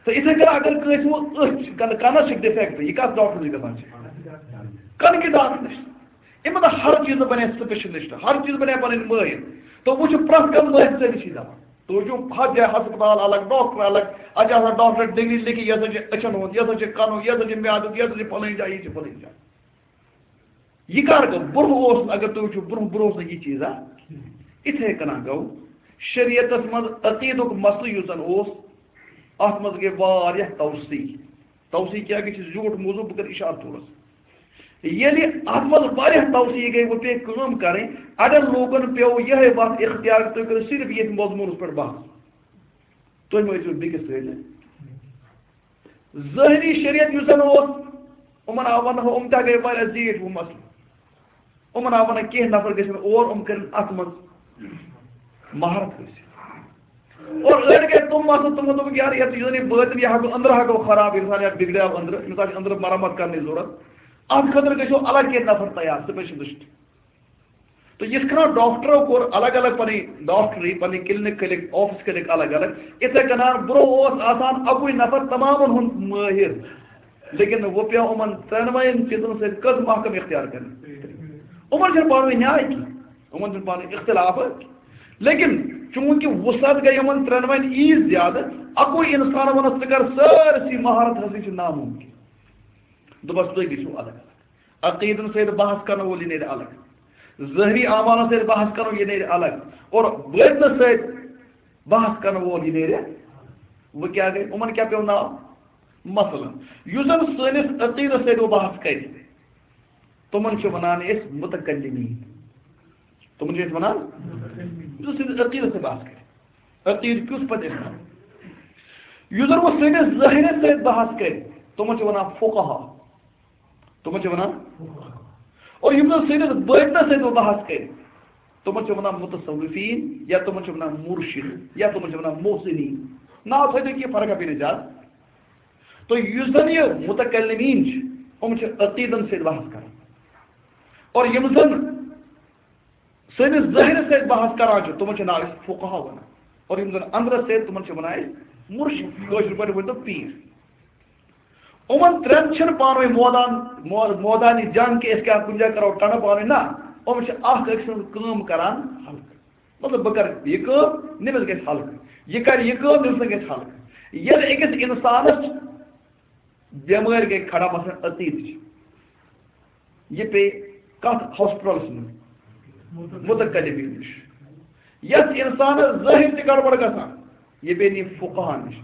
تہٕ یِتھَے کٔنۍ اگر کٲنٛسہِ وۄنۍ أچھ، کن-، کنس چھِ defect، یہِ کتھ ڈاکٹرس نِش گژھان چھِ؟ کَنہٕ کہِ ڈاکٹر نِش۔ یِمَن ہر چیٖزَس بَنہِ specialist، ہر چیٖز بَنہِ پَنٕنۍ مٲہِر۔ تہٕ وۄنۍ چھُ پرٛٮ۪تھ کانٛہہ مٲہِر سٲرِسٕے دَپان۔ تُہۍ وٕچھِو ہَتھ جایہِ ہسپتال الگ، ڈاکٹر الگ، اَتہِ چھِ آسان ڈاکٹر ڈگری لیکھِتھ، یہِ ہسا چھِ أچھَن ہُنٛد، یہِ ہسا چھِ کَنُک، یہِ ہسا چھِ میادُک، یہِ ہسا چھِ فلٲنۍ جایہِ، یہِ چھِ فلٲنۍ جایہِ۔ یہِ کر گوٚو؟ برونٛہہ اوس نہٕ، اگر تُہۍ وٕچھِو، برونٛہہ، برونٛہہ اوس نہٕ یہِ چیٖزا۔ یِتھَے کٔنۍ گوٚو شریعتس منٛز عقیٖدُک مسلہٕ یُس زن اوس، اتھ منٛز گٔے واریاہ توسیع۔ توسیع کیٛاہ گٔے؟ چھِ زیوٗٹھ موضوع، بہٕ کرٕ اِشارٕ تھوڑا سا۔ ییٚلہِ اتھ منٛز واریاہ توسیع گٔے، وۄنۍ پیٚیہِ کٲم کرٕنۍ، اڑٮ۪ن لوٗکن پیوٚو یِہوٚے وتھ اختیار، تُہۍ کٔرِو صرف ییٚتھۍ مضموٗنس پٮ۪ٹھ بحث۔ تُہۍ مہٕ ٲسِو بیٚکِس سۭتۍ۔ ظٲہری شریعت یُس زن اوس، یِمن آو وننہٕ، یِم تہِ گٔے واریاہ زیٖٹھۍ ہُہ مسلہٕ۔ یِمن آو وننہٕ، کینٛہہ نفر گژھن اور، یِم کرن اتھ منٛز مہارت حٲصِل۔ اور أڑۍ گٔے تِم مسلہٕ، تِمو دوٚپُکھ، یار، یتھ یُس زن یہِ بٲطن، یہِ ہٮ۪کو أنٛدرٕ ہٮ۪کو خراب، انسان یا بگڑیو أنٛدرٕ، أمِس آسہِ أنٛدرٕ مرمت کرنٕچ ضروٗرت۔ اتھ خٲطرٕ گژھو الگ کینٛہہ نفر تیار، specialist۔ تہٕ یِتھ کٔنۍ ڈاکٹرو کوٚر الگ الگ پنٕنۍ ڈاکٹری، پنٕنۍ clinic کھٔلِکھ، office کھٔلِکھ الگ الگ، یِتھے کٔنۍ برونٛہہ اوس آسان اَکُے نفر تمامن ہُنٛد مٲہِر، لیکن وۄنۍ پیوٚو یِمن ترٛٮ۪نوَین چیٖزن سۭتۍ کٔژ محکمہٕ اختیار کرٕنۍ؟ یِمن چھُنہٕ پانہٕ ؤنۍ نیاے کینٛہہ، یِمن چھُنہٕ پانہٕ ؤنۍ اختلاف کینٛہہ۔ لیکن چوٗنٛکہِ وُسعت گٔے یِمن ترٛٮ۪نوَین ییٖژ زیادٕ، اَکُے انسان وَنس ژٕ کر سٲرسٕے مہارت حٲصِل چھِ نامُمکِن۔ دوٚپس تُہۍ گٔژھِو الگ الگ۔ عقیدن سۭتۍ بحث کرن وول یہِ نیرِ الگ، ظٲہری اعمالن سۭتۍ بحث کرن یہِ نیرِ الگ، اور باطنس سۭتۍ بحث کرن وول یہِ نیرِ۔ وۄنۍ کیٛاہ گٔے؟ یِمن کیٛاہ پیوٚو ناو؟ مثلاً، یُس زن سٲنِس عقیدس سۭتۍ وۄنۍ بحث کرِ، تِمن چھِ ونان أسۍ متکلمین۔ تِمن چھِ أسۍ ونان، یُس سٲنِس عقیدس سۭتۍ بحث کرِ، عقیدٕ کیُتھ پتہٕ أسۍ کرو۔ یُس زن وۄنۍ سٲنِس ظٲہرس سۭتۍ بحث کرِ، تِمن چھِ ونان فقہا۔ تِمن چھِ ونان، اور یِم زن سٲنِس باطنس سۭتۍ وۄنۍ بحث کرِ، تِمن چھِ ونان متصوفین، یا تِمن چھِ ونان مرشد، یا تِمن چھِ ونان محسنین۔ ناو تھٲیِو تُہۍ، کینٛہہ فرق پیٚیہِ نہٕ زیادٕ۔ تہٕ یُس زن یہِ متکلمین چھِ، یِم چھِ عقیدن سۭتۍ بحث کران۔ اور یِم زن سٲنِس ظٲہرس سۭتۍ بحث کران چھِ، تِمن چھِ ناو أسۍ فقہا ونان۔ اور یِم زن اندرس سۭتۍ، تِمن چھِ ونان أسۍ مرشد، کٲشِر پٲٹھۍ ؤنۍ تو پیٖر۔ یِمن ترٛٮ۪ن چھِنہٕ پانہٕ ؤنۍ مودان، مو-، مودانی جنگ کہِ أسۍ کیٛاہ کُنہِ جایہِ کرو ٹنہٕ پانہٕ ؤنۍ، نہ۔ یِم چھِ اکھ أکۍ سٕنٛز کٲم کران ہلکہٕ۔ مطلب، بہٕ کرٕ یہِ کٲم، نٔمِس گژھِ ہلکہٕ۔ یہِ کرِ یہِ کٲم، نٔمِس گژھِ ہلکہٕ۔ ییٚلہِ أکِس انسانس بٮ۪مٲرۍ گٔے کھڑا، مثلاً عقیدٕچ، یہِ پیٚیہِ کتھ ہاسپٹلس منٛز؟ متکلمین نِش۔ یتھ انسانس ظٲہر تہِ گڑبڑ گژھان، یہِ پیٚیہِ نہٕ فقہا نِش۔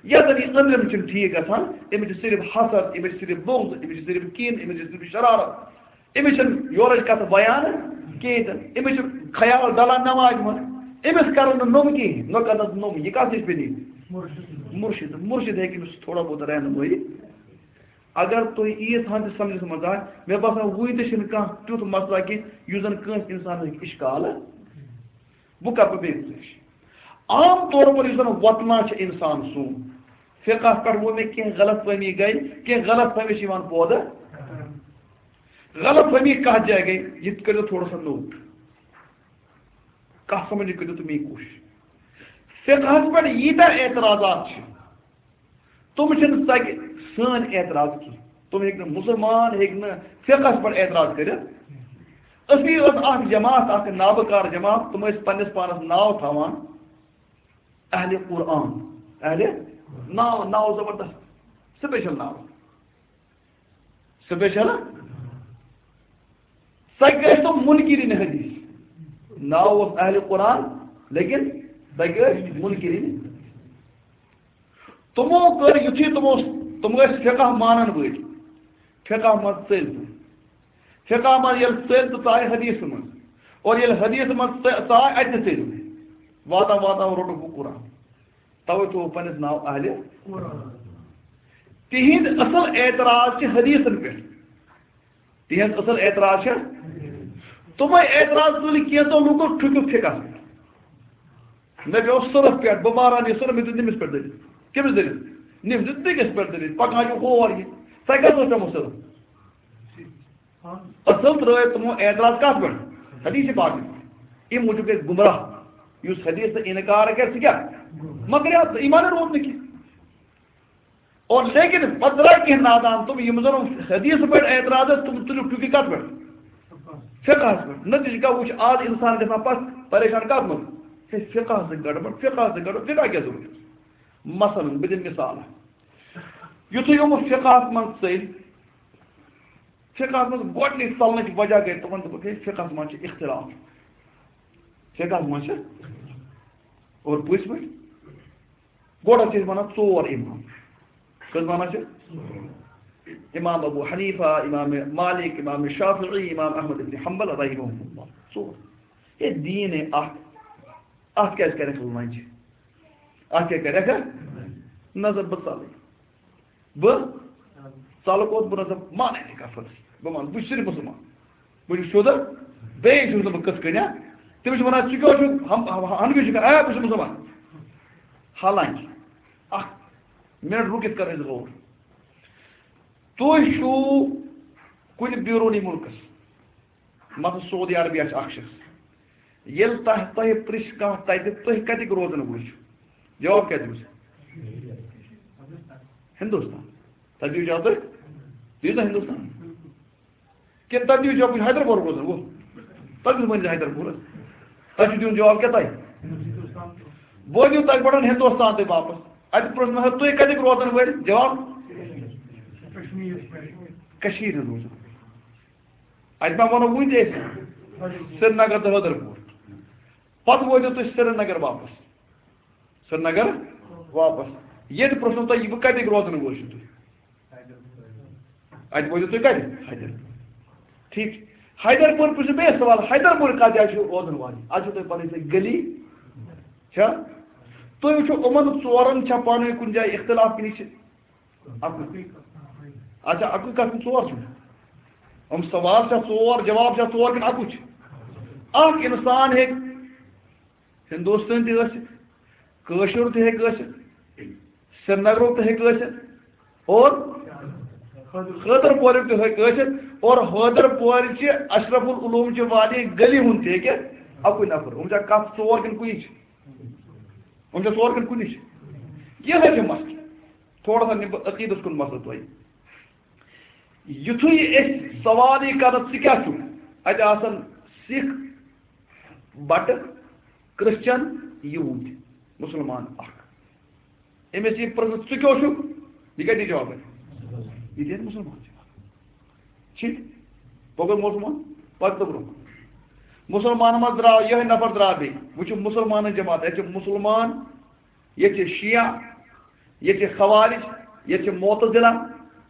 یتھ زن یہِ أنٛدرم چھُنہٕ ٹھیٖک گژھان، أمِس چھُ صرف حسد، أمِس چھُ صرف بغض، أمِس چھُ صرف کینہٕ، أمِس چھُ صرف شرارت، أمِس چھُنہٕ یورٕچ کتھ بیان کِہیٖنۍ تہِ۔ أمِس چھُ خیال ڈلان نمازِ منٛز، أمِس کرن نہٕ نوٚم کِہیٖنۍ، نہ کرنس نوٚم۔ یہِ کتھ نِش پیٚیہِ؟ مرشد۔ مرشد ہیٚکہِ أمِس تھوڑا بہت رہنمٲیی۔ اگر تُہۍ ییٖژ ہن تہِ سمجھس منٛز آے، مےٚ باسان وُنہِ تہِ چھُنہٕ کانٛہہ تیُتھ مسلہٕ کہِ یُس زن کٲنٛسہِ انسانس ہیٚکہِ اشکال۔ بہٕ کرٕ بہٕ بیٚیہِ گُزٲرِش۔ عام طور پر یُس زن وۄتلان چھُ انسان سون، فقہس پٮ۪ٹھ ووٚن مےٚ، کینٛہہ غلط فہمی گٔے، کینٛہہ غلط فہمی چھِ یِوان پٲدٕ۔ غلط فہمی کتھ جایہِ گٔے، یہِ تہِ کٔرِو تھوڑا سا note۔ کتھ سمجھنٕچ کٔرِو تُہۍ میٛٲنۍ کوٗشِش۔ فقہس پٮ۪ٹھ ییٖتیٛاہ اعتراضات چھِ، تِم چھِنہٕ سگہِ سٲنۍ اعتراض کینٛہہ۔ تِم ہیٚکہِ نہٕ، مُسلمان ہیٚکہِ نہٕ فقہس پٮ۪ٹھ اعتراض کٔرِتھ۔ أسی ٲس اکھ جماعت، اکھ نابکار جماعت، تِم ٲسۍ پننِس پانس ناو تھاوان اہلِ قرآن۔ اہلِ، ناو، ناو زبردست، special ناو۔ Special؟ سۄ گٔے تِم منکرین حدیث۔ ناو اوس اہلِ قرآن، لیکن سۄ گٔے منکرین۔ تِمو کٔر یُتھُے تِمو، تِم ٲسۍ فقہ مانن وٲلۍ، فقہ منٛز ژٔلۍ تِم۔ فقہ منٛز ییٚلہِ ژٔلۍ تہٕ ژاے حدیث منٛز، اور ییٚلہِ حدیث منٛز ژ-، ژاے، اَتہِ تہِ ژٔلۍ۔ واتان واتان روٚٹُکھ وۄنۍ قرآن۔ توے تھوٚو پننِس ناو اہلِ۔ تِہِنٛد اصل اعتراض چھِ حدیثن پٮ۪ٹھ۔ تِہِنٛز اصل اعتراض چھِ۔ تِمے اعتراض تُلۍ کینٛژو لوٗکو ٹھُکِتھ فقہس پٮ۪ٹھ۔ مےٚ پیوٚو صرف پٮ۪ٹھ، بہٕ ماران یہِ صرف، مےٚ دیُت نٔمِس پٮ۪ٹھ دٔلیٖل۔ کٔمِس دٔلیٖل؟ نٔمۍ دیُت بیٚکِس پٮ۪ٹھ دٔلیٖل۔ پکان چھُ ہور یہِ۔ تۄہہِ کیٛاہ سوٗنٛچ تۄہہِ مُصرف؟ اصل ترٲے تِمو اعتراض کتھ پٮ۪ٹھ؟ حدیث پاک پٮ۪ٹھ۔ اَمہِ موٗجوٗب گژھِ گمراہ۔ یُس حدیث تہٕ انکار کرِ، سُہ کیٛاہ؟ مگر یتھ ایمان روٗد نہٕ کینٛہہ۔ اور لیکن پتہٕ درٛاے کینٛہہ نادان تِم، یِم زن حدیث پٮ۪ٹھ اعتراض ٲسۍ، تِم تُلِکھ ٹُکہِ کتھ پٮ۪ٹھ؟ فقہس پٮ۪ٹھ۔ نتیجہٕ کیٛاہ وُچھ؟ آز انسان گژھان پتھ پریشان کتھ منٛز؟ ہے، فقہس سۭتۍ گڑبڑ، فقہس سۭتۍ گڑبڑ، فقہ کیٛاہ ضروٗرت؟ مثلاً، بہٕ دِمہٕ مثال۔ یُتھُے یِم فقہس منٛز ژٔلۍ، فقہس منٛز گۄڈٕنِچ ژلنٕچ وجہ گٔے تِمن، دوٚپُکھ، ہے، فقہس منٛز چھِ اختلاف۔ فقہس منٛز چھِ، اور پٔزۍ پٲٹھۍ؟ گۄڈٕ چھِ أسۍ وَنان ژور امام۔ کٔژ وَنان چھِ؟ امام ابو حنیفہ، امام مالک، امام شافعی، امام احمد ابن حنبل رحمہ اللہ۔ ژور۔ ہے، دیٖن ہے اکھ۔ اتھ کیٛازِ کرکھ لنجہِ؟ اتھ کیٛاہ کرکھ؟ نظر بہٕ ژلٕے۔ بہٕ ژلہٕ کوٚت؟ بہٕ نہ سا مانَے نہٕ کفرس۔ بہٕ وَنہٕ، بہٕ چھُس صرف مُسلمان۔ بہٕ چھُس سیوٚد۔ بیٚیہِ چھُس نہٕ بہٕ کِتھ کٔنۍ، ہا؟ تٔمِس چھِ وَنان، "ژٕ کیٛاہ چھُکھ ہم-، ہم-، ہنفی چھُکھ؟" "آ، بہٕ چھُس مُسلمان۔" حالانکہِ، اکھ منٹ رُکِتھ کر أسۍ غور۔ تُہۍ چھِو کُنہِ بیروٗنی مُلکس، مثلاً سعودی عربیہ چھِ اکھ شخص۔ ییٚلہِ تۄہہِ، تۄہہِ پرٛژھِ کانٛہہ تَتہِ، "تُہۍ کَتِکۍ روزَن وٲلۍ چھِو؟" جواب کیٛاہ دِیِو؟ ہِندُستان۔ تَتہِ دِیِو جواب تُہۍ؟ دِیِو نا ہِندُستان؟ کِنہٕ تَتہِ دِیِو جواب، "بہٕ چھُس حیدرآباد روزَن وول"؟ تَتہِ کُس ؤنِو حیدرآبادَس؟ تۄہہِ چھُو دیُن جواب کیٛاہ تۄہہِ؟ بہٕ دِیِو تَتہِ پٮ۪ٹھ ہِندُستان تۄہہِ واپَس۔ اَتہِ پرٛژھ مےٚ، "تُہۍ کَتِکۍ روزَن وٲلۍ؟" جواب؟ کٔشیٖرِ ہِنٛدۍ روزَن۔ اَتہِ ما وَنو وٕنہِ تہِ أسۍ سرینگر تہٕ حٲدرپوٗر۔ پَتہٕ وٲتِو تُہۍ سرینگر واپَس۔ سرینگر واپَس۔ ییٚتہِ پرٛژھنو تۄہہِ، یہِ بہٕ کَتِکۍ روزَن وٲلۍ چھِو تُہۍ؟ اَتہِ وٲتِو تُہۍ کَتہِ؟ حیدر۔ ٹھیٖک۔ حیدرپوٗر پرٛژھِو بیٚیہِ سوال، حیدرپوٗر کَتھ جایہِ چھُو روزَن والٕنۍ؟ اَتہِ چھُو تۄہہِ پَنٕنۍ سۄ گلی۔ چھا؟ تُہۍ وٕچھِو، یِمَن ژورَن چھا پانہٕ ؤنۍ کُنہِ جایہِ اختلاف کِنہٕ یہِ چھِ اَکُے؟ اچھا، اَکُے کَتھ کِنہٕ ژور چھِ؟ یِم سوال چھا ژور، جواب چھا ژور کِنہٕ اَکُے چھُ؟ اَکھ اِنسان ہیٚکہِ ہندوستٲنۍ تہِ ٲسِتھ، کٲشُر تہِ ہیٚکہِ ٲسِتھ، سرینگرُک تہِ ہیٚکہِ ٲسِتھ، اور حٲدرٕ پورُک تہِ ہیٚکہِ ٲسِتھ، اور حٲدرٕ پورِ چہِ اشرف العلوم چہِ والہِ گلی ہُنٛد تہِ ہیٚکہِ اَکُے نفر۔ یِم چھا کَتھ ژور کِنہٕ کُنی چھِ؟ یِم چھا ژور کِنہٕ کُنی چھِ؟ یِہوٚے چھُ مسلہٕ۔ تھوڑا سا نِمہٕ بہٕ عقیٖدَس کُن مسلہٕ تۄہہِ۔ یُتھُے أسۍ سوال یی کرو، "ژٕ کیٛاہ چھُکھ؟" اَتہِ آسَن سِکھ، بَٹہٕ، کرسچن، یہوٗدۍ، مُسلمان اکھ۔ أمِس یی پرٛژھنہٕ، "ژٕ کیٛاہ چھُکھ؟" یہِ کیٛاہ دی جواب اَتہِ؟ یہِ دِیَن مُسلمان جواب۔ ٹھیٖک؟ بہٕ گوٚو مُسلمان، پَتہٕ تہٕ برٛونٛہہ۔ مُسلمان منٛز درٛاو یِہوٚے نفر، درٛاو بیٚیہِ۔ وٕچھِو، مُسلمانَن جماعت، ییٚتہِ چھِ مُسلمان، ییٚتہِ چھِ شیعہ، ییٚتہِ چھِ خوارج، ییٚتہِ چھِ معتزلہ،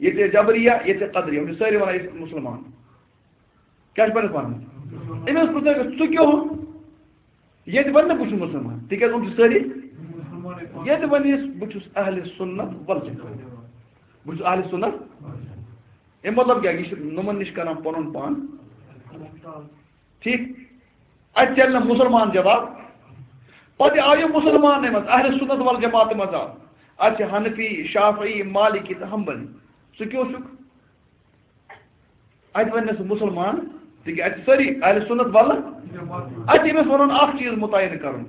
ییٚتہِ چھِ جبریہ، ییٚتہِ چھِ قدریہ۔ یِم چھِ سٲری وَنان، "أسۍ مُسلمان۔" کیٛاہ چھِ پَنٕنِس پانَس؟ أمِس پرٛژھو، "ژٕ کیٛاہ ہُہ؟" ییٚتہِ وَنہِ نہٕ، "بہٕ چھُس مُسلمان"، تِکیٛازِ یِم چھِ سٲری۔ ییٚتہِ وَنہِ یُس، "بہٕ چھُس اہلِ سُنت والجماعت، بہٕ چھُس اہلِ سُنت"۔ اَمہِ مطلب کیٛاہ؟ یہِ چھِ نۄمَن نِش کران پَنُن پان۔ ٹھیٖک؟ اَتہِ چَلہِ نہٕ مُسلمان جواب۔ پَتہٕ آو یہِ مُسلمانٕے منٛز، اہلِ سُنت والجماعت منٛز آو۔ اَتہِ چھِ حنفی، شافعی، مالکی تہٕ حنبلی۔ ژٕ کیٛاہ چھُکھ؟ اَتہِ وَنہِ نہٕ سُہ مُسلمان، تِکیٛازِ اَتہِ چھِ سٲری اہلِ سُنت وَلہٕ۔ اَتہِ چھِ أمِس وَنُن اَکھ چیٖز مُتعین کَرُن۔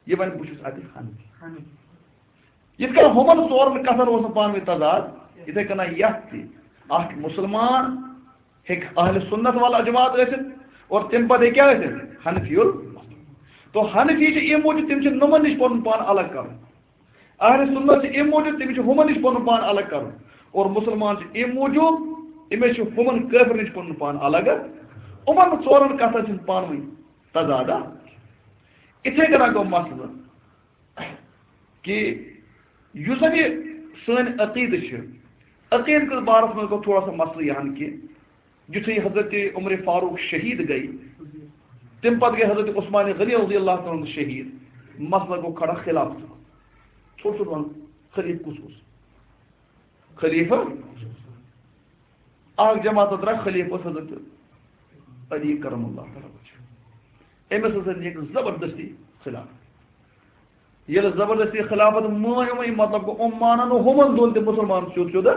یہِ وَنہِ، "بہٕ چھُس اَتہِ حنفی۔" یِتھ کٔنۍ ہُمَن ژورَن کَتھَن اوس نہٕ پانہٕ ؤنۍ تضاد، یِتھَے کٔنۍ یَتھ تہِ۔ اَکھ مُسلمان ہیٚکہِ اہلِ سُنت والجماعت ٲسِتھ اور تَمہِ پَتہٕ ہیٚکہِ کیٛاہ ٲسِتھ؟ حنفی ال۔ تو حنفی چھِ اَمہِ موٗجوٗب، تِم چھِ نۄمَن نِش پَنُن پان الگ کَرُن۔ اہلِ سُنت چھِ اَمہِ موٗجوٗب، تٔمِس چھُ ہُمَن نِش پَنُن پان الگ کَرُن۔ اور مُسلمان چھِ اَمہِ موٗجوٗب، أمِس چھُ ہُمَن کٲفرَن نِش پَنُن پان الگ۔ یِمَن ژورَن کَتھَن چھِنہٕ پانہٕ ؤنۍ تضاد۔ اِتھَے کٔنۍ گوٚو مسلہٕ کہِ یُس زَن یہِ سٲنۍ عقیٖدٕ چھِ، عقیٖدٕ کِس بارَس منٛز گوٚو تھوڑا سا مسلہٕ یہِ ہَن کہِ یُتھُے حضرت عمر فاروق شہیٖد گٔے، تَمہِ پَتہٕ گٔے حضرت عثمان غنی رضی اللہ تعالیٰ عنہ شہیٖد۔ مسلہٕ گوٚو کھڑا خلافتُک۔ ژھوٚٹ ژھوٚٹ وَن، خلیٖفہٕ کُس اوس؟ خلیٖفہٕ اَکھ جماعت درٛاو، خلیٖفہٕ اوس حضرت علی کرم اللہ تعالیٰ وجہہ۔ أمِس ہسا نیٖکھ زبردستی خلاف۔ ییٚلہِ زبردستی خلافت مٲنۍ یِمَے، مطلب گوٚو، یِم مانن نہٕ ہُمَن دۄن تہِ مُسلمان سیوٚد سیوٚد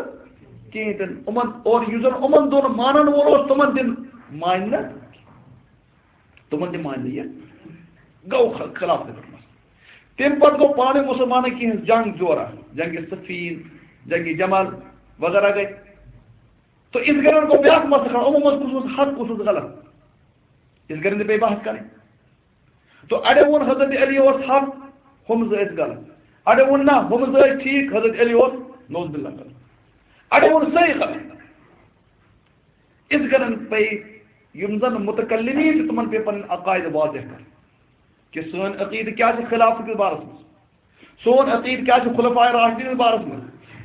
کِہیٖنۍ تہِ نہٕ۔ یِمَن، اور یُس زَن یِمَن دۄن مانن وول اوس، تِمَن تہِ مانہِ نہٕ، تِمَن تہِ مانہِ نہٕ یہِ۔ گوٚو خ-، خلافت پٮ۪ٹھ مسلہٕ۔ تَمہِ پَتہٕ گوٚو پانَے مُسلمانَن کینٛہہ جنگ جورا، جنگ صفین، جنگِ جمل وغیرہ گٔے۔ تہٕ یِتھ کٔنۍ گوٚو بیٛاکھ مسلہٕ کھڑا، یِمو منٛز کُس اوس حق، کُس اوس غلط۔ یِتھ کٔنۍ تہِ پیٚیہِ بحث کَرٕنۍ۔ تہٕ اَڑیو ووٚن حضرت علی اوس حق، ہُم زٕ ٲسۍ غلط۔ اَڑیو ووٚن نہ، ہُم زٕ ٲسۍ ٹھیٖک، حضرت علی اوس نعوذ باللہ غلط۔ اَڑیو ووٚن سٲری غلط۔ یِتھ کٔنۍ پیٚیہِ یِم زَن متکلمین چھِ، تِمَن پیٚیہِ پَنٕنۍ عقائد واضح کَرٕنۍ کہِ سٲنۍ عقیدٕ کیٛاہ چھِ خلافت کِس بارَس منٛز، سون عقیدٕ کیٛاہ چھُ خلفائے راشدین کِس بارَس منٛز،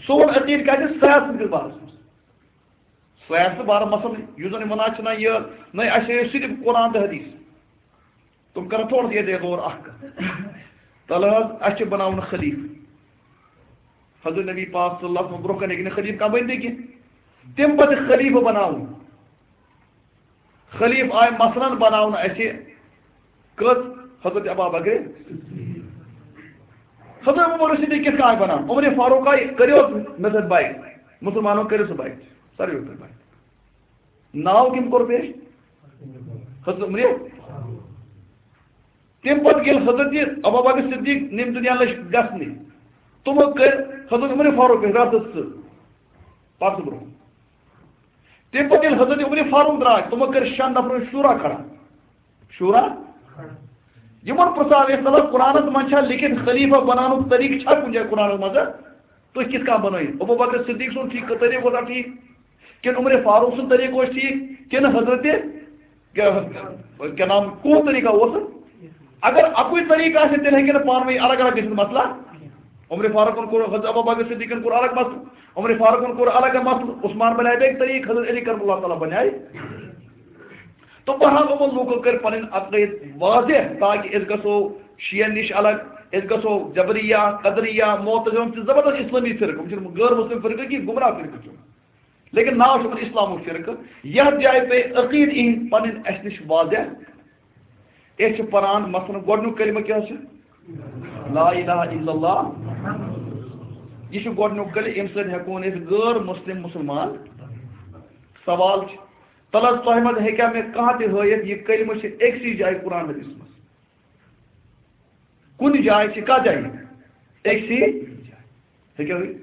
سون عقیدٕ کیٛاہ چھُ سیاست کِس بارَس منٛز۔ سیاست بارٕ مسلہٕ یُس زَن یِم وَنان چھِنہ یہِ، نہ اَسہِ چھِ صرف قرآن تہٕ حدیث۔ تِم کَرَن تھوڑا سا ییٚتہِ غور اَکھ کَتھ۔ تَلہٕ حظ اَسہِ چھِ بَناوُن خلیٖفہٕ۔ حضرت نبی پاک صلی اللہ علیہ وسلم برونٛہہ کَنہِ ہیٚکہِ نہٕ خلیٖفہٕ کانٛہہ بٔنِتھ کینٛہہ۔ تَمہِ پَتہٕ خلیٖفہٕ بَناوُن۔ خلیٖفہٕ آے مثلاً بَناونہٕ اَسہِ کٔژ؟ حضرت ابا بکر۔ حضرت عمر صدیق کِتھ کٔنۍ آے بَناونہٕ؟ عمر فاروق آے، کٔرِو حظ مےٚ سۭتۍ بیعت۔ مُسلمانو کٔرِو سُہ بیعت۔ ساروِیو کٔر بیعت۔ ناو کٔمۍ کوٚر پیش؟ حضرت عمر۔ تَمہِ پَتہٕ ییٚلہِ حضرت ابا بکر صدیق نِم دُنیا لٔج گژھنہِ، تِمو کٔر حضرت عمر فاروق پیش راتَس ژٕ پَتہٕ برونٛہہ۔ تَمہِ پَتہٕ ییٚلہِ حضرت عمر فاروق درٛاے، تِمو کٔر شٮ۪ن نفرن شورا کھڑا۔ شورا؟ یِمن پرٛژھاو یَتھ تَلہٕ قرآنَس منٛز چھا لیکھِتھ خلیٖفہ بَناونُک طریٖقہٕ چھا کُنہِ جایہِ قرآنَس منٛز؟ تُہۍ کِتھ کٔنۍ بَنٲیِو؟ ابو بکر صدیق سُنٛد ٹھیٖک طریٖقہٕ اوسا ٹھیٖک؟ کِنہٕ عمر فاروق سُنٛد طریٖقہٕ اوس ٹھیٖک؟ کِنہٕ حضرت کیٛاہ، کیٛاہ نام، کُس طریٖقہ اوس؟ اگر اَکُے طریٖقہٕ آسہِ، تیٚلہِ ہیٚکہِ نہٕ پانہٕ ؤنۍ الگ الگ گٔژھِتھ مسلہٕ۔ عمر فاروقن کوٚر، حضرت ابو بکر صدیقن کوٚر الگ مسلہٕ، عمر فاروقن کوٚر الگ مسلہٕ، عثمان بنیٛاے بیٚیہِ طریٖقہٕ، حضرت علی کرم اللہ تعالیٰ بنیٛاے۔ تو بہرحال یِمو لوٗکو کٔرۍ پنٕنۍ عقٲیِد واضح تاکہِ أسۍ گژھو شیعن نِش الگ، أسۍ گژھو جبریہ، قدریہ، معتزلہ، یِم چھِ زبردست اسلٲمی فرقہٕ، یِم چھِنہٕ غٲر مسلم فرقہٕ کینٛہہ، گمراہ فرقہٕ چھِ یِم۔ لیکن ناو چھُ یِمن اسلامُک فرقہٕ۔ یتھ جایہِ پیٚیہِ عقیٖد یِہِنٛدۍ پنٕنۍ اَسہِ نِش واضح۔ أسۍ چھِ پران مثلاً گۄڈٕنیُک کلمہٕ کیٛاہ چھُ؟ لا الہ الا اللہ۔ یہِ چھُ گۄڈٕنیُک کلمہٕ، اَمہِ سۭتۍ ہٮ۪کون أسۍ غٲر مسلم مسلمان۔ سوال چھُ، تَلہٕ حظ تۄہہِ منٛز ہیٚکیٛاہ مےٚ کانٛہہ تہِ ہٲیِتھ، یہِ کلمہٕ چھِ أکسٕے جایہِ قرآن حدیثس منٛز؟ کُنہِ جایہِ چھِ، کَتھ جایہِ؟ أکسٕے جایہِ۔ ہیٚکیٛاہ ہٲیِتھ؟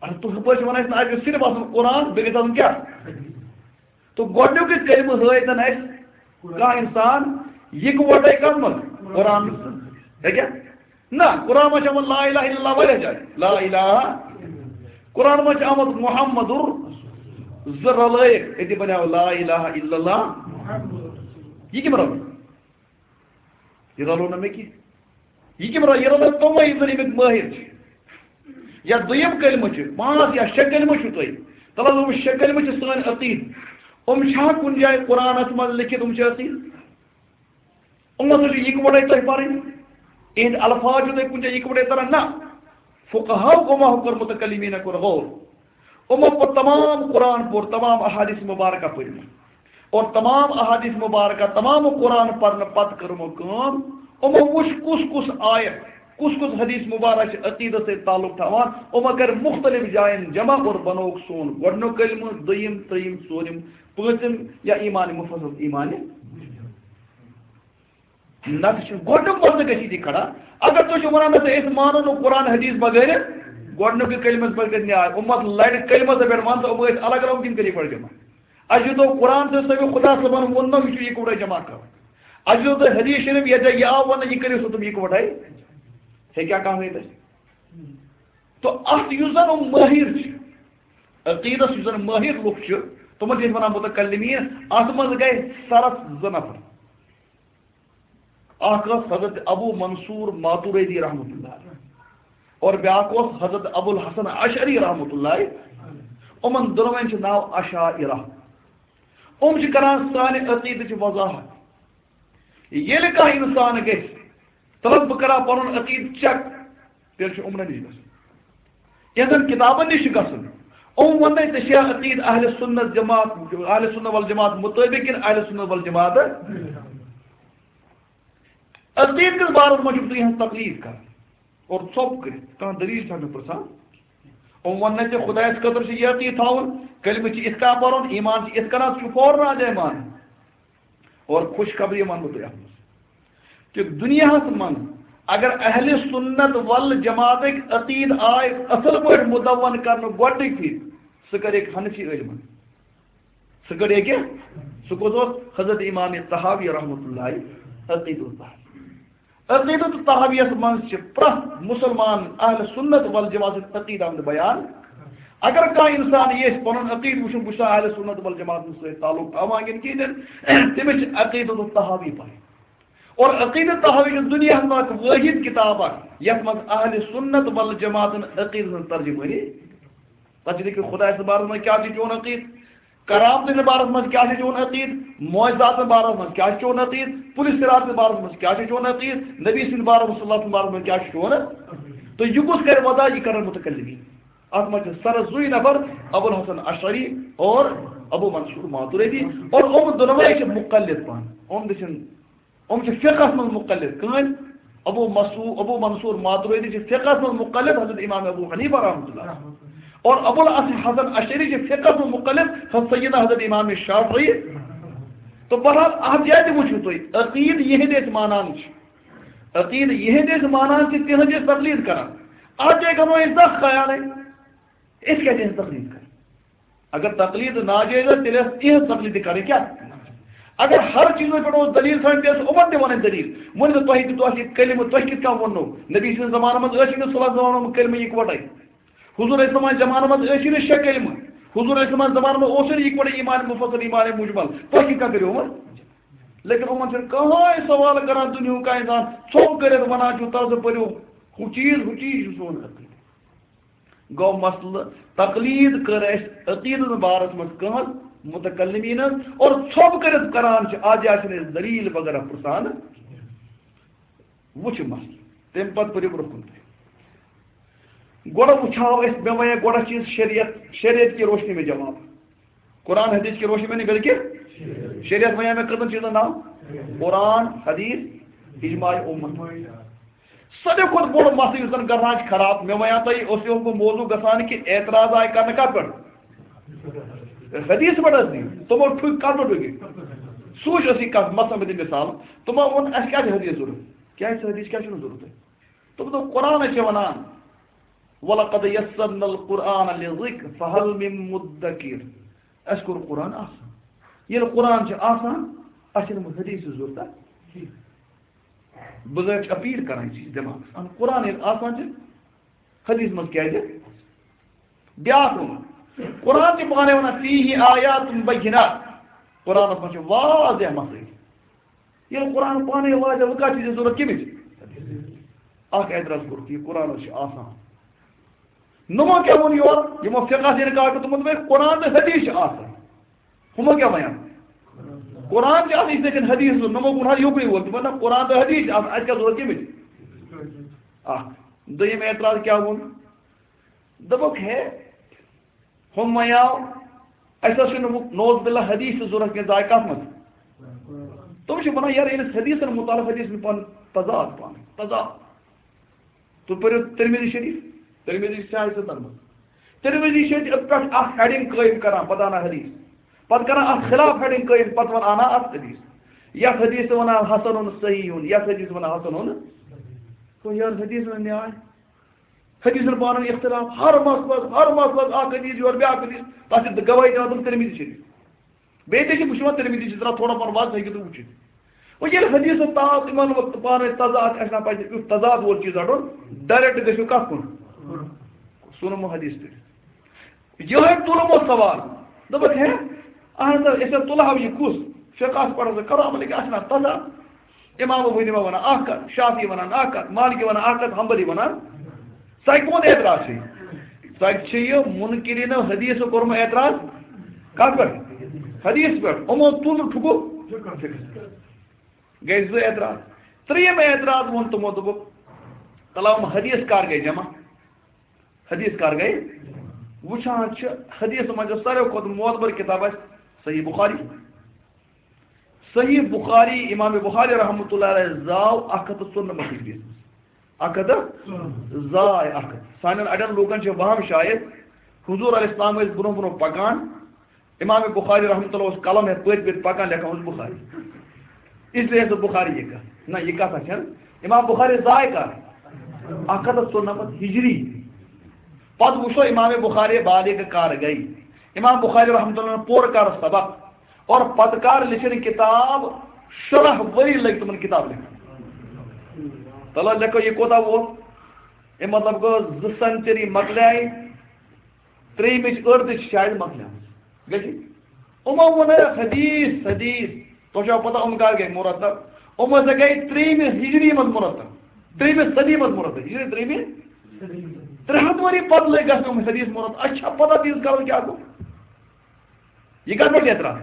اَدٕ تُہۍ ہُپٲرۍ چھِو وَنان، اَسہِ نہٕ، اَسہِ گژھِ صرف آسُن قرآن، بیٚیہِ گژھِ آسُن کیٛاہ؟ تہٕ گۄڈٕنیُک یُس کلمہٕ ہٲیِتھ اَسہِ کانٛہہ اِنسان، یِکوَٹَے کَتھ منٛز؟ قرآنَس منٛز۔ ہیٚکیٛاہ؟ نہ، قرآن منٛز چھِ آمُت لا الہ الا اللہ واریاہ جایہِ۔ لا الہ۔ قرآن منٛز چھِ آمُت محمد زٕ رلٲیِتھ، أتی بنیٛاو لا الہ الا اللہ۔ یہِ کٔمۍ رلٲو؟ یہِ رلوو نہٕ مےٚ کینٛہہ۔ یہِ کٔمۍ رلٲو؟ یہِ رلٲو تِمے یِم زَن اَمِکۍ مٲہِر چھِ۔ یا دوٚیِم کلمہٕ چھِ، پانٛژھ یا شےٚ کلمہٕ چھِو تُہۍ۔ تَلہٕ حظ، یِم شےٚ کلمہٕ چھِ سٲنۍ عقیٖد۔ یِم چھا کُنہِ جایہِ قرآنَس منٛز لیکھِتھ، یِم چھِ عقیٖد؟ یِمَن ہسا چھُ یِکوَٹَے تۄہہِ پَرٕنۍ۔ یِہِنٛدۍ الفاظ چھِو تۄہہِ کُنہِ جایہِ یِکوَٹَے تَران؟ نہ۔ فقہاو گوٚو ما کوٚر، متکلمیٖن کوٚر غور۔ یِمو پوٚر تمام قرآن، پوٚر تمام احادیث مبارکہ پٔرمٕتۍ۔ اور تمام احادیث مبارکہ، تمام قرآن پرنہٕ پتہٕ کٔر یِمو کٲم، یِمو وُچھ کُس کُس آیت، کُس کُس حدیث مبارک چھِ عقیدس سۭتۍ تعلق تھاوان، یِمو کٔرۍ مختلف جاین جمع اور بنووُکھ سون گۄڈٕنیُک کلمہٕ، دوٚیِم، ترٛیٚیِم، ژوٗرِم، پٲنٛژِم یا ایمان مفصل ایمان۔ نتہٕ چھُ گۄڈٕنیُک مسلہٕ گژھِ ییٚتی کھڑا۔ اگر تُہۍ چھِو وَنان، نہ سا، أسۍ مانو نہٕ قرآن حدیث بغٲر، گۄڈٕنیُکُے کلمس پٮ۪ٹھ گژھِ نیاے۔ اُمت لڑِ کلمس پٮ۪ٹھ، وَن سا، یِم ٲسۍ الگ الگ، تِم کٔرِو گۄڈٕ جمع۔ اَسہِ دیُتو قرآن تہٕ سٲنِس خدا صٲبن ووٚن نہ، یہِ چھُ یِکوَٹے جمع کرُن۔ اَسہِ دیُتو حدیث شریف، یَتھ جایہِ یہِ آو وَننہٕ، یہِ کٔرِو سا تِم یِکوَٹے۔ ہیٚکیٛاہ کانٛہہ ؤنِتھ اَسہِ؟ تہٕ اَتھ یُس زَن یِم مٲہِر چھِ، عقیٖدس یُس زَن مٲہِر لُکھ چھِ، تِمن چھِ أسۍ وَنان متکلمیٖن۔ اَتھ منٛز گٔے سرس زٕ نفر۔ اکھ اوس حضرت ابو منصور ماتوریدی رحمۃ اللہ علیہ اور بیاکھ اوس حضرت ابو الحسن اشعری رحمۃ اللہ علیہ۔ یِمن دۄنوَے چھُ ناو اشاعرہ۔ یِم چھِ کران سانہِ عقیدٕچ وضاحت۔ ییٚلہِ کانٛہہ اِنسان گژھِ، تَلہٕ بہٕ کرٕ ہا پنُن عقیدٕ check، تیٚلہِ چھُ یِمنٕے نِش گژھُن۔ یِہنٛدٮ۪ن کِتابن نِش چھُ گژھُن۔ یِم وَنَے ژےٚ چھا عقیدٕ اہل سنت جماعت، اہل سنت والجماعت مطٲبق کِنہٕ اہل سنت والجماعت؟ عقیدٕ کِس بارس منٛز چھُکھ ژٕ یِہنٛز تقلید کران اور ژھۄپ کٔرِتھ کانٛہہ دٔلیٖل چھا مےٚ پرٛژھان؟ یِم وَنَے ژےٚ خدایَس خٲطرٕ چھُ یہِ عقیدٕ تھاوُن، کلمہٕ چھِ یِتھ کٔنۍ پَرُن، ایمان چھِ یِتھ کٔنۍ، ژٕ چھُکھ فوراً اَتھ جایہِ مانان۔ اور خوشخبری وَنہٕ بہٕ تۄہہِ اَتھ منٛز کہِ دُنیاہَس منٛز اگر اہل سنت والجماعتٕکۍ عقیٖدٕ آے اصل پٲٹھۍ مدون کرنہٕ گۄڈٕنِکۍ پھِرِ، سُہ کریکھ حنفی عٲلمن۔ سُہ کریکھ کیٛاہ؟ سُہ کُس اوس؟ حضرت امام طحاوی رحمۃ اللہ عقیدہ الطحاوی۔ عقیدہ الطحاویس منٛز چھِ پرٛٮ۪تھ مسلمان اہل سنت والجماعت سٕنٛدۍ عقیٖدٕ آمٕتۍ بیان۔ اگر کانٛہہ انسان یژھِ پنُن عقیٖدٕ وٕچھُن، بہٕ چھُس اہل سنت والجماعت سۭتۍ تعلق تھاوان کِنہٕ کِہیٖنۍ، تٔمِس چھِ عقیدہ الطحاوی پرٕنۍ۔ اور عقیدہ طحاوی چھُ دُنیاہَس منٛز اکھ وٲحد کِتاب اکھ، یَتھ منٛز اہل سنت والجماعتن عقیدٕ ہٕنٛز ترجمٲنی۔ تَتھ چھِ لیکھِتھ خدایہِ سٕنٛدِ بارس منٛز کیٛاہ چھُ چون عقیٖدٕ، کرامتہٕ سٕنٛدِ بارس منٛز کیٛاہ چھُ چون عقیٖدٕ، معجزاتن بارس منٛز کیٛاہ چھُ چون عقیٖدٕ، پُلہِ صراط سٕنٛدِ بارس منٛز کیٛاہ چھُ چون عقیٖدٕ، نبی سٕنٛدِ بارس منٛز، صلی اللہ علیہ وسلم بارس منٛز کیٛاہ چھُ چون عقیٖدٕ۔ تہٕ یہِ کُس کرِ وضاح؟ یہِ کرن متکلمین۔ اَتھ منٛز چھِ سرس زٕے نفر، ابو الحسن اشعری اور ابو منصور ماتوریدی، اور یِم دۄنوَے چھِ مقلد پانہٕ۔ یِم تہِ چھِنہٕ، یِم چھِ فقہس منٛز مقلد۔ کٕہٕنۍ؟ ابو مسعو-، ابو منصور ماتوریدی چھِ فقہس منٛز مقلد حضرت امام ابو حنیفہ رحمۃ اللہ، اور ابو الحسن اشعری چھِ فقہس منٛز مقلد حضرت سیدنا حضرت امام شافعی۔ تو بہرحال، اَتھ جایہِ تہِ وٕچھِو تُہۍ، عقیٖدٕ یِہِنٛدۍ أسۍ مانان چھِ، عقیٖدٕ یِہِنٛدۍ أسۍ مانان چھِ، تِہٕنٛز أسۍ تقلید کران۔ اَتھ جایہِ کرو أسۍ دَہ خیالٕے، أسۍ کیٛازِ یِہٕنٛز تقلید کرو؟ اگر تقلید ناجٲیز ٲس، تیٚلہِ ٲس یِہٕنٛز تقلید تہِ کرٕنۍ کیٛاہ؟ اگر ہر چیٖزس پٮ۪ٹھ اوس دلیٖل تھاوٕنۍ، تیٚلہِ ٲس یِمن تہِ ونٕنۍ دلیٖل۔ ؤنِو تۄہہِ کہِ تۄہہِ یہِ کلمہٕ تۄہہِ کِتھ کٔنۍ ووٚنوٕ؟ نبی سٕنٛدِس زمانس منٛز ٲسی نہٕ صلی اللہ علیہ وسلم کلمہٕ یِکوٹے۔ حضور علیہ السلام زمانس منٛز ٲسی نہٕ شےٚ کلمہٕ۔ حضور علیہ السلام زمانس منٛز اوسُے نہٕ یِکوٹے ایمان مفصل، ایمان مجمل۔ تۄہہِ کِتھ کٔنۍ کٔرِو وۄنۍ؟ لیکن یِمن چھُنہٕ کٕہٕنۍ سوال کران دُنیاہُک کانٛہہ انسان۔ ژھوٚپ کٔرِتھ ونان چھُ، تَلہٕ ژٕ پٔرِو ہُہ چیٖز، ہُہ چیٖز چھُ سون عقیٖدٕ۔ گوٚو مسلہٕ، تقلید کٔر اَسہِ عقیٖدٕ بارس منٛز کٕہٕنٛز؟ متکلمینن۔ اور ژھوٚپ کٔرِتھ کران چھِ، آز چھِنہٕ أسۍ دلیٖل وغیرہ پرژھان۔ وٕچھ مسلہٕ، تَمہِ پتہٕ پٔرِو برٛونٛہہ کُن تُہۍ۔ گۄڈٕ وٕچھاو أسۍ، مےٚ وَنے گۄڈٕ چیٖز شریعت، شریعت کی روشنی میں جواب۔ قرآن حدیث کی روشنی میں نہیں، بلکہ شریعت وَنے مےٚ کٔژَن چیٖزن ناو؟ قرآن، حدیث، اجماع امت۔ ساروی کھۄتہٕ بوٚڑ مسلہٕ یُس زن گژھان چھُ خراب، مےٚ وَنیو تۄہہِ، اوس یِہُنٛد موضوع گژھان کہِ اعتراض آیہِ کرنہٕ کتھ پٮ۪ٹھ؟ حدیث پٮ۪ٹھ حظ دِیِو۔ تِمو ٹھُکۍ کتھ پٮ۪ٹھ ٹھُکۍ؟ سوٗنچ ٲس یہِ کتھ، مثلاً بہٕ دِمہٕ مثال، تِمو ووٚن، "اسہِ کیٛازِ حدیث ضروٗرت؟ کیٛازِ چھِ حدیث، کیٛازِ چھُنہٕ ضروٗرت تۄہہِ؟" تِمو دوٚپ، "قرآنس چھِ ونان، ولقد یسرنا القرآن للذکر فہل من مدکر۔" اسہِ کوٚر قرآن آسان۔ ییٚلہِ قرآن چھُ آسان، اَسہِ چھِنہٕ وۄنۍ حدیثٕچ ضروٗرت کِہیٖنۍ۔ بہٕ زَن چھُس اپیٖل کران یہِ چیٖز دٮ۪ماغَس۔ اَہَن، قرآن ییٚلہِ آسان چھِ، حدیث منٛز کیٛازِ؟ بیٛاکھ ووٚن، قرآن چھِ پانَے وَنان، "فیہ آیات بینات"۔ قرآنَس منٛز چھِ واضح مسائل۔ ییٚلہِ قرآن پانَے واضح، وۄنۍ کَتھ چھِ ژےٚ ضوٚرَتھ کَمِچ؟ اَکھ اعتراض کوٚرُکھ، یہِ قرآنَس چھِ آسان۔ نوٚمو کیٛاہ ووٚن یورٕ؟ یِمو فقہَس اِنکار کوٚر، تِمو دوٚپ، "ہے، قرآن تہٕ حدیث چھِ آسان۔" ہُمو کیٛاہ وَنان؟ قرآن چھِ آسان، یِتھَے کٔنۍ حدیث چھُ۔ نوٚمو ووٚن حظ یُکنُے ووت۔ تِمو ووٚن، "نہ، قرآن تہٕ حدیث چھِ آسان، اَسہِ کیٛاہ ضوٚرَتھ کَمِچ؟" اَکھ۔ دوٚیِم اعتراض کیٛاہ ووٚن؟ دوٚپُکھ، ہے، ہُم وَنیٛاو، اَسہِ حظ چھُنہٕ وۄنۍ نعوذ باللہ حدیث تہِ ضوٚرَتھ کینٛہہ، ژٕ آے کَتھ منٛز؟ تِم چھِ وَنان، یارٕ، ییٚلہِ أسۍ حدیثَن مُتعلِق، حدیثَن پَنُن تضاد پانہٕ، تضاد۔ تُہۍ پٔرِو ترمذی شریف، ترمذی چھِ آیہِ ستن منٛز۔ ترمذی چھِ أتھۍ پٮ۪ٹھ اَکھ heading قٲیِم کران، پَتہٕ اَنان حدیث۔ پَتہٕ کران اَتھ خلاف heading قٲیِم، پَتہٕ وَنان اَنان اَتھ حدیث۔ یَتھ حدیث وَنان حسن صحیح، یَتھ حدیث وَنان حسن۔ گوٚو یارٕ، حدیث وَنان نیاے۔ حدیثن پانہٕ ؤنۍ اختلاف، ہر مسلس، ہر مسلس اکھ حدیث یورٕ بیٛاکھ حدیث، تتھ چھِ گواہی دِوان تِم ترمذی شریف۔ بیٚیہِ تہِ چھِ، بہٕ چھُس وَنان ترمذی چھِ ذرا تھوڑا پہن واضح، ہیٚکِو تُہۍ وٕچھِتھ۔ وۄنۍ ییٚلہِ حدیثن تاو تِمن وقت پانہٕ ؤنۍ تضاد آسہِ نا، پَزِ یُتھ تضاد وول چیٖز رَٹُن، direct گٔژھِو کَتھ کُن؟ سُنمو حدیث پٮ۪ٹھ۔ یِہوٚے تُلمو سوال۔ دوٚپُکھ، ہے، اہن حظ، أسۍ حظ تُلہو یہِ کُس؟ فقہس پٮ۪ٹھ حظ کرو عمل، یہِ کیٛاہ چھُنہ تضاد؟ امام ابو حنیفہ ونان اکھ کتھ، شافعی ونان اکھ کتھ، مالکی ونان اکھ کتھ، حنبلی ونان۔ سۄ کون اعتراض چھُ؟ سۄ چھُ یہِ منکرینو حدیث کوٚرمُت اعتراض۔ کتھ پٮ۪ٹھ؟ حدیث پٮ۪ٹھ۔ یِمو تُل ٹھُکُر۔ گٔے زٕ اعتراض۔ ترٛیٚیِم اعتراض ووٚن تِمو، دوٚپُکھ، تَلہٕ ہم حدیث کر گٔے جمع؟ حدیث کر گٔے؟ وٕچھان چھِ، حدیث منٛز یۄس ساروی کھۄتہٕ معتبر کتاب آسہِ، صحیح بخاری۔ صحیح بخاری، امام بخاری رحمۃ اللہ علیہ زاو اکھ ہتھ تہٕ ژُنَمتھ ہجری۔ اکھ ہتھ تہٕ زاے اکھ ہتھ۔ سانٮ۪ن اڑٮ۪ن لوٗکن چھِ وہم شاید، حضور علیہ السلام ٲسۍ برونٛہہ برونٛہہ پکان، امام بخاری رحمۃ اللہ اوس قلم ہٮ۪تھ پٔتۍ پٔتۍ پکان، لیکھان اوس بخاری۔ اس لیے ٲس بخاری یہِ کتھ۔ نہ، یہِ کتھ چھنہٕ۔ امام بخاری زاے کر؟ اکھ ہتھ تہٕ ژُنَمَتھ ہجری۔ پتہٕ وٕچھو امام بخاری بالغ کر گٔے۔ امام بخاری رحمۃ اللہ پوٚر کر سبق، اور پتہٕ کر لیٚچھِن کتاب؟ شُراہ ؤری لٔگۍ تِمن کتاب لیکھنس۔ تلو لیکھو، یہِ کوٗتاہ ووت؟ اَمہِ مطلب گوٚو زٕ سینچری مۄکلیے، ترٛیٚیِمِچ أڑ تہِ چھِ شاید مۄکلیمٕژ۔ گٔے ٹھیٖک؟ یِمو ووٚن ہے حدیث، حدیث۔ تۄہہِ چھوا پتہ یِم کر گٔے مرتب؟ یِم ہسا گٔے ترٛیٚیِمہِ ہجری منٛز مرتب، ترٛیٚیِمہِ صدی منٛز مرتب، ہجری ترٛیٚیِمہِ۔ ترٛےٚ ہتھ ؤری پتہٕ لٔگۍ گژھنہِ یِم حدیث مرتب۔ اَسہِ چھا پتہ تیٖژ کالس کیٛاہ گوٚو؟ یہِ کتھ پٮ۪ٹھ اعتراض؟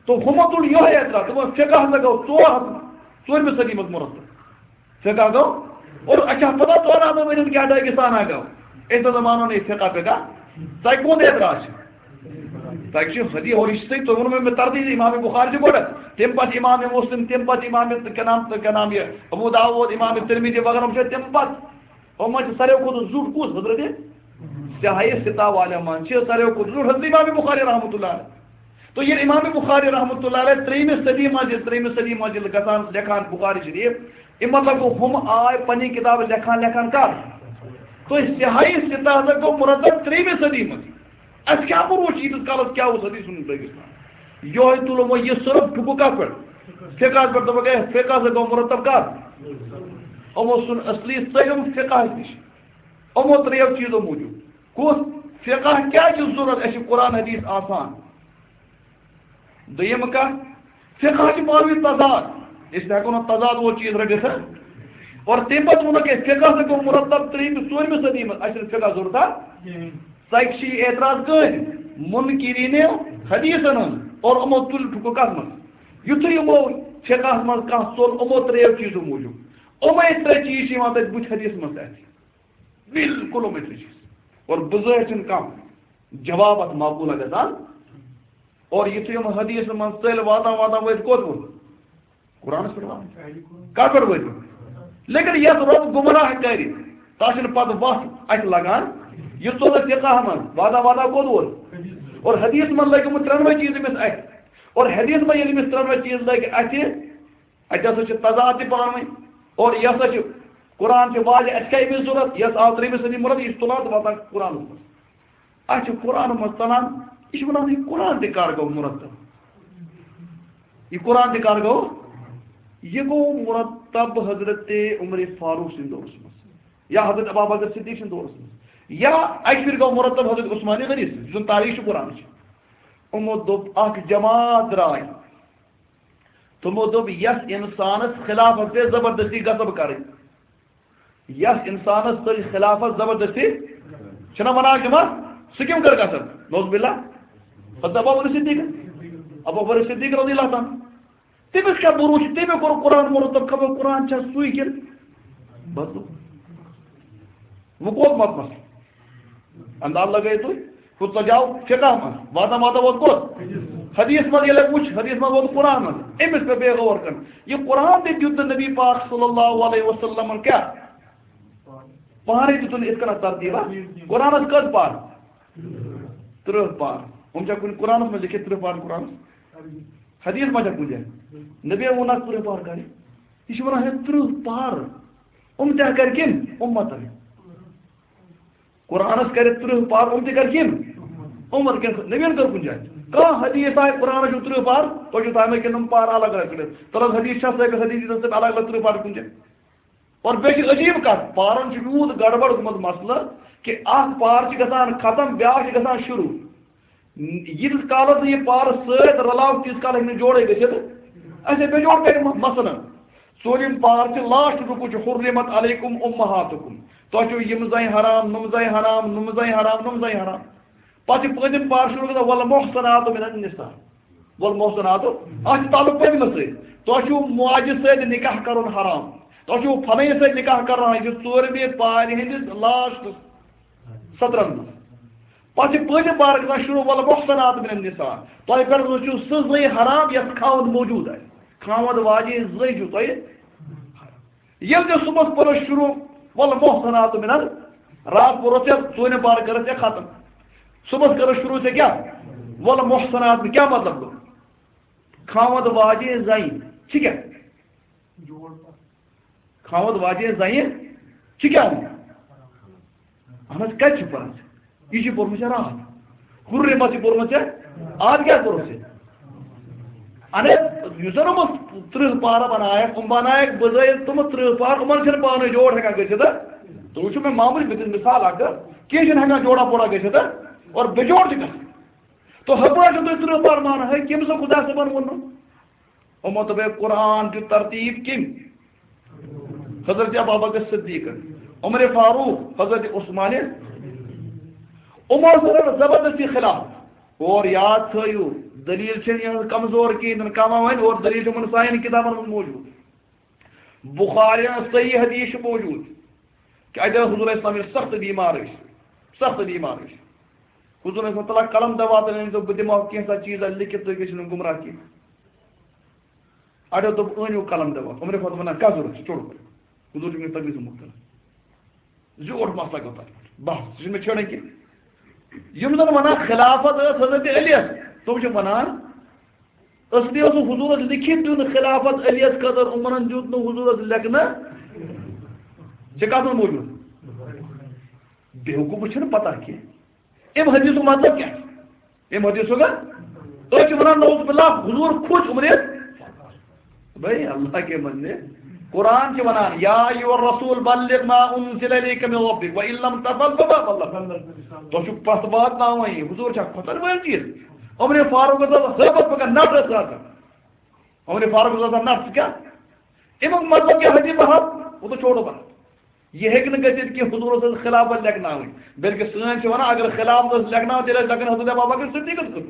تو ہُمو تُل یِہوٚے اعتراض، دوٚپُن، فقہ ہسا گوٚو ژور ہتھ، ژوٗرمہِ صدی منٛز مرتب۔ فقہ گوٚو، اور اچھا، پتہ ژور ہتھ ؤرین کیٛاہ دٲگِستانہ گوٚو؟ أسۍ نہ زانو نہٕ یہِ فقہ فقہ۔ تۄہہِ کُن اعتراض چھُ؟ تۄہہِ چھُ حدیث، اور یہِ چھُ صحیح، تۄہہِ ووٚنمُو مےٚ ترتیٖب، امام بخاری چھُ گۄڈٕ، تَمہِ پتہٕ امام مسلم، تَمہِ پتہٕ امام کیٛاہ نام، کیٛاہ نام یہِ، ابو داؤد، امام ترمذی وغیرہ چھِ تَمہِ پتہٕ۔ یِمن منٛز چھِ ساروٕے کھۄتہٕ زیُٹھ کُس؟ حضرت سیاہی ستا والٮ۪ن منٛز چھِ ساروٕے کھۄتہٕ زیُٹھ حضرت امام بخاری رحمۃ اللہ علیہ۔ تو ییٚلہِ امام بخاری رحمۃ اللہ علیہ ترٛیٚیِمہِ صدی منٛز ییٚلہِ، ترٛیٚیِمہِ صدی منٛز ییٚلہِ گژھان لیکھان بخاری شریف، اَمہِ مطلب گوٚو، ہُم آے پنٕنۍ کتاب لیکھان لیکھان کر؟ تو سیاہی ستا ہسا گوٚو مرتب ترٛیٚیِمہِ صدی منٛز۔ اَسہِ کیٛاہ بروسہٕ چھُ ییٖتِس کالس کیٛاہ اوس حدیث سُنن لٲگِتھ؟ یِہوٚے تُلو وۄنۍ یہِ صرف ٹھُکہٕ کتھ پٮ۪ٹھ؟ فقہس پٮ۪ٹھ۔ دوٚپُکھ، ہے، فقہ ہسا گوٚو مرتب کر؟ یِمو ژھُن اصلی ژٔلِم فقہس نِش۔ یِمو ترٛیٚیو چیٖزو موٗجوٗب۔ کُس؟ فقہ کیٛازِ چھُ ضروٗرت؟ اَسہِ چھُ قرآن حدیث آسان۔ دوٚیِم کَتھ، فقہ چھُ پانہٕ ؤنۍ تضاد۔ أسۍ تہِ ہٮ۪کو نہٕ تضاد وول چیٖز رٔٹِتھ، ہہ؟ اور تَمہِ پَتہٕ ووٚنُکھ اَسہِ، فقہ ہسا گوٚو مرتب ترٛیٚیِمہِ، ژوٗرمہِ صدی منٛز۔ اَسہِ چھُنہٕ فقہ ضروٗرت، ہہ؟ ژَکہِ چھِ یہِ اعتراض کٕہٕنۍ؟ منکرینِ حدیثن ہُنٛد۔ اور یِمو تُلۍ ٹھُکہٕ کَتھ منٛز؟ یُتھُے یِمو فقہس منٛز کانٛہہ ژوٚل، یِمو ترٛیٚیو چیٖزو موٗجوٗب۔ یِمے ترٛےٚ چیٖز چھِ یِوان تَتہِ بُتھِ حدیث منٛز تہِ اَتھِ۔ بالکل یِمے ترٛےٚ چیٖز۔ اور بُزٲرۍ چھِنہٕ کانٛہہ جواب اَتھ معقوٗل گژھان۔ اور یُتھُے یِم حدیث منٛز ژٔلۍ واتان واتان وٲتۍ کوٚت ووت؟ قرآنس پٮ۪ٹھ واتان۔ کَتھ پٮ۪ٹھ وٲتۍ؟ لیکن یَتھ رۄب گمراہ کَرِ، تَس چھِنہٕ پَتہٕ وَتھ اَتھِ لگان۔ یہِ ژوٚل اَسہِ فقہ منٛز، واتان واتان کوٚت ووت؟ اور حدیث منٛز لٔگۍ یِم ترٛٮ۪نوَے چیٖز أمِس اَتھِ۔ اور حدیث منٛز ییٚلہِ أمِس ترٛٮ۪نوَے چیٖز لٔگۍ اَتھِ، اَتہِ ہسا چھِ تضاد تہِ پانہٕ ؤنۍ۔ اور یہِ ہسا چھُ، قرآن چھُ واضح، اَسہِ کیٛاہ أمِس ضوٚرَتھ؟ یَس آو ترٛیٚیِمہِ صدی مراد، یہِ چھُ تُلان تہٕ واتان قرآنَس منٛز۔ اَسہِ چھُ قرآنَس منٛز ژَلان، یہِ چھُ وَنان، یہِ قرآن تہِ کَر گوٚو مُرتب؟ یہِ قرآن تہِ کَر گوٚو؟ یہِ گوٚو مُرتب حضرت عمر فاروق سٕنٛدِ دورَس منٛز، یا حضرت ابا بکر صدیق سٕنٛدِ دورَس منٛز، یا اَکہِ پھِرِ گوٚو مُرتب حضرت عثمان غنی سٕنٛدِ، یُس زَن تاریخ چھُ قرآنٕچ۔ یِمو دوٚپ، اَکھ جماعت درٛاے، تِمو دوٚپ، یَس اِنسانَس خلافت پے زبردستی غصب کَرٕنۍ، یَس اِنسانَس تُہۍ خلافت زبردستی چھِنہ وَنان تِمَن، سُہ کٔمۍ کٔر غصب؟ نعوذ باللہ۔ حضرت ابو بکر صدیق، ابو بکر صدیق رضی اللہ تعالیٰ عنہ۔ تٔمِس کیٛاہ بروسہٕ چھُ؟ تٔمۍ کوٚر قرآن مرتب، خبر قرآن چھا سُے کِنہٕ بدلو؟ وۄنۍ کوٚت ووت مسلہٕ؟ انداز لگٲیِو تُہۍ، ہُتھ پٲٹھۍ آو فقہ منٛز، واتان واتان ووت کوٚت؟ حدیث منٛز۔ ییٚلہِ وٕچھ، حدیث منٛز ووت قرآن منٛز، أمِس پٮ۪ٹھ بیٚیہِ غور کَرُن۔ یہِ قرآن تہِ دیُت نہٕ نبی پاک صلی اللہ علیہ وسلمن کیٛاہ؟ پانَے دیُتُن یِتھ کٔنۍ ترتیٖبا۔ قرآنَس کٔژ پار؟ تٕرٛہ پار۔ یِم چھا کُنہِ قرآنَس منٛز لیکھِتھ تٕرٛہ پار قرآنَس؟ حدیث ما چھا کُنہِ جایہِ؟ نبی ووٚن اَتھ تٕرٛہ پار کَرِ۔ یہِ چھِ وَنان ہے تٕرٛہ پار۔ یِم تہِ کَرِ کٔمۍ؟ اُمتَن۔ قرآنس کرِ تٕرٛہ پار، یِم تہِ کر کِم؟ عمر کِن نبین کٔر کُنہِ جایہِ؟ کانٛہہ حدیث آے قرآنس چھُ تٕرٛہ پار، تۄہہِ چھُو تھاومٕتۍ کِنہٕ یِم پار الگ الگ کٔڑِتھ؟ تَلہٕ حدیث چھا ثٲبت، حدیث ییٖتیٛاہ تِم الگ الگ تٕرٛہ پار کُنہِ جایہِ؟ اور بیٚیہِ چھِ عجیٖب کَتھ، پارن چھُ یوٗت گڑبڑ گوٚمُت مسلہٕ کہِ اکھ پار چھِ گژھان ختم، بیٛاکھ چھِ گژھان شروٗع۔ ییٖتِس کالس نہٕ یہِ پارٕ سۭتۍ رلاو، تیٖتِس کالس ہیٚکہِ نہٕ جوڑے گٔژھِتھ۔ اَسہِ ہے بے جوڑ کرِ مہ-، مثلاً، ژوٗرِم پار چھِ، لاسٹ رُکوٗ چھُ، حُرِّمَتْ عَلَيْكُمْ أُمَّهَاتُكُمْ۔ تۄہہِ چھُو یِم زَنہِ حرام، نُم زَنہِ حرام، نُم زَنہِ حرام، نُم زَنہِ حرام۔ پتہٕ چھِ پٲنٛژِم پار شروع گژھان، وَالْمُحْصَنَاتُ مِنَ النِّسَاءِ۔ وَالْمُحْصَنَاتُ، اَتھ چھُ تعلق پٔتمہِ سۭتۍ۔ تۄہہِ چھُو ماجہِ سۭتۍ نِکاح کَرُن حرام۔ تۄہہِ چھُو فلٲنۍ سۭتۍ نِکاح کَرُن حرام۔ یہِ چھُ ژوٗرمہِ پارِ ہِنٛدِس لاسٹَس سطرن منٛز۔ پتہٕ چھِ پٲنٛژِم پارٕ گژھان شروع، وَالْمُحْصَنَاتُ مِنَ النِّسَاءِ۔ تۄہہِ پٮ۪ٹھ چھُو سُہ زٔنۍ حرام، یَتھ خاوند موجود آسہِ۔ خاوند واجیٚنۍ زٔنۍ چھُو تۄہہِ۔ ییٚلہِ تہِ صُبحَس پٔرِو شروع، وَالْمُحْصَنَاتُ مِنَ ال-، راتھ پوٚرُتھ ژےٚ ژوٗرِم پارٕ کٔرٕتھ ژےٚ ختم۔ صُبحَس کٔرٕتھ شروع ژےٚ کیٛاہ؟ وَالْمُحْصَنَاتُ، کیٛاہ مطلب گوٚو؟ خاوند واجیٚنۍ زَنہِ چھِ کیٛاہ؟ محمد واجہ زنہِ چھِ کیٛاہ وَنان؟ اہن حظ، کَتہِ چھِ پَران ژےٚ؟ یہِ چھِ پوٚرمُت ژےٚ راتھ۔ ہُرے ما چھِ پوٚرمُت ژےٚ؟ آز کیٛاہ کوٚرُتھ ژےٚ؟ اَنے، یُس زَن یِمو تٕرٛہ پارٕ بَنایَکھ، یِم بَنایَکھ بِزٲیِتھ تِمہٕ تٕرٛہ پارٕ، یِمَن چھِنہٕ پانہٕ جوڑ ہٮ۪کان گٔژھِتھ۔ تُہۍ وٕچھِو، مےٚ معموٗلی، بہٕ دِمہٕ مِثال اَکھ، کینٛہہ چھِنہٕ ہٮ۪کان جوڑا پوڑا گٔژھِتھ، اور بے جوڑ چھِ گژھان۔ تو ہپٲرۍ چھِو تُہۍ تٕرٛہ پارٕ مانان، ہے، کٔمۍ سا خۄدا صٲبَن ووٚنمُت؟ یِمو دوٚپ، ہے، قرآن دیُت ترتیٖب کٔمۍ؟ حضرت ابوبکر صدیقن، عمر فاروق، حضرت عثمان۔ عمر رَٹھ زبردستی خلاف۔ اور یاد تھٲیِو، دلیل چھَنہٕ یِہٕنٛز کمزور کِہیٖنۍ، تِم کم وۄنۍ، اور دلیل چھِ یِمن سانٮ۪ن کِتابن منٛز موجود۔ بخاری ہٕنٛز صحیح حدیث چھِ موجود کہ اَتہِ ٲس حضور اسلام ییٚلہِ سخت بیمار ٲسۍ، سخت بیمار ٲسۍ۔ حضور اسلام تعالیٰ قلم دوا تہٕ أنۍ تہٕ بہٕ دِمہٕ کینٛژھا چیٖزا لیکھِتھ، تُہۍ گٔژھِو نہٕ گمراہ کینٛہہ۔ اَڑیو دوٚپ، "أنِو قلم دوا۔" عمر فاطمہ وَنان، "کَس ضوٚرَتھ چھُ؟ چوٚڑ پَتہٕ۔" حضور چھُ وٕنکیٚس تقریٖرَس منٛز مُبتلا۔ زیوٗٹھ مسلہٕ گوٚو تَتھ پٮ۪ٹھ۔ بَس، یہِ چھُنہٕ مےٚ چھیڑٕنۍ کینٛہہ۔ یِم زَن وَنان خلافت ٲس حضرت علیَس، تِم چھِ وَنان، اصلی اوس نہٕ حضوٗرَس لیکھِتھ دیُن خلافت علیَس خٲطرٕ، عمرَن دیُت نہٕ حضوٗرَس لیکھنہٕ۔ ژےٚ کَتھ منٛز موٗجوٗد؟ بیوقوٗفَس چھَنہٕ پَتہ کینٛہہ۔ اَمہِ حدیثُک مطلب کیٛاہ چھُ؟ اَمہِ حدیثُک ہا؟ أسۍ چھِ وَنان، نعوذ باللہ، حضوٗر کھوٚت عمرِ۔ بھائی، اللہ کے بندے، قرآن چھِ وَنان، یا ایھا الرسول بلغ ما انزل الیک من ربک وان لم تفعل فما بلغت۔ تۄہہِ چھُ پَتھ واتناوان یہِ، حضوٗر چھا کھۄتَن وٲلۍ چیٖز؟ عمرِ فاروق ٲس ہٲبَتھ پَکان، نَٹھ ٲس آسان۔ عمرِ فاروق ٲس آسان نَٹھ، ژٕ کیٛاہ؟ اَمیُک مطلب کیٛاہ؟ حدیث بہت، وہ تو چھوڑو بہت۔ یہِ ہیٚکہِ نہٕ گٔژھِتھ کہِ حضوٗرَس ٲس خلافت لیکھناوٕنۍ، بلکہِ سٲنۍ چھِ وَنان، اگر خلافت ٲس لیکھناوٕنۍ، تیٚلہِ ٲسۍ لیکھان حضرت ابوبکر صدیقَس خٲطرٕ۔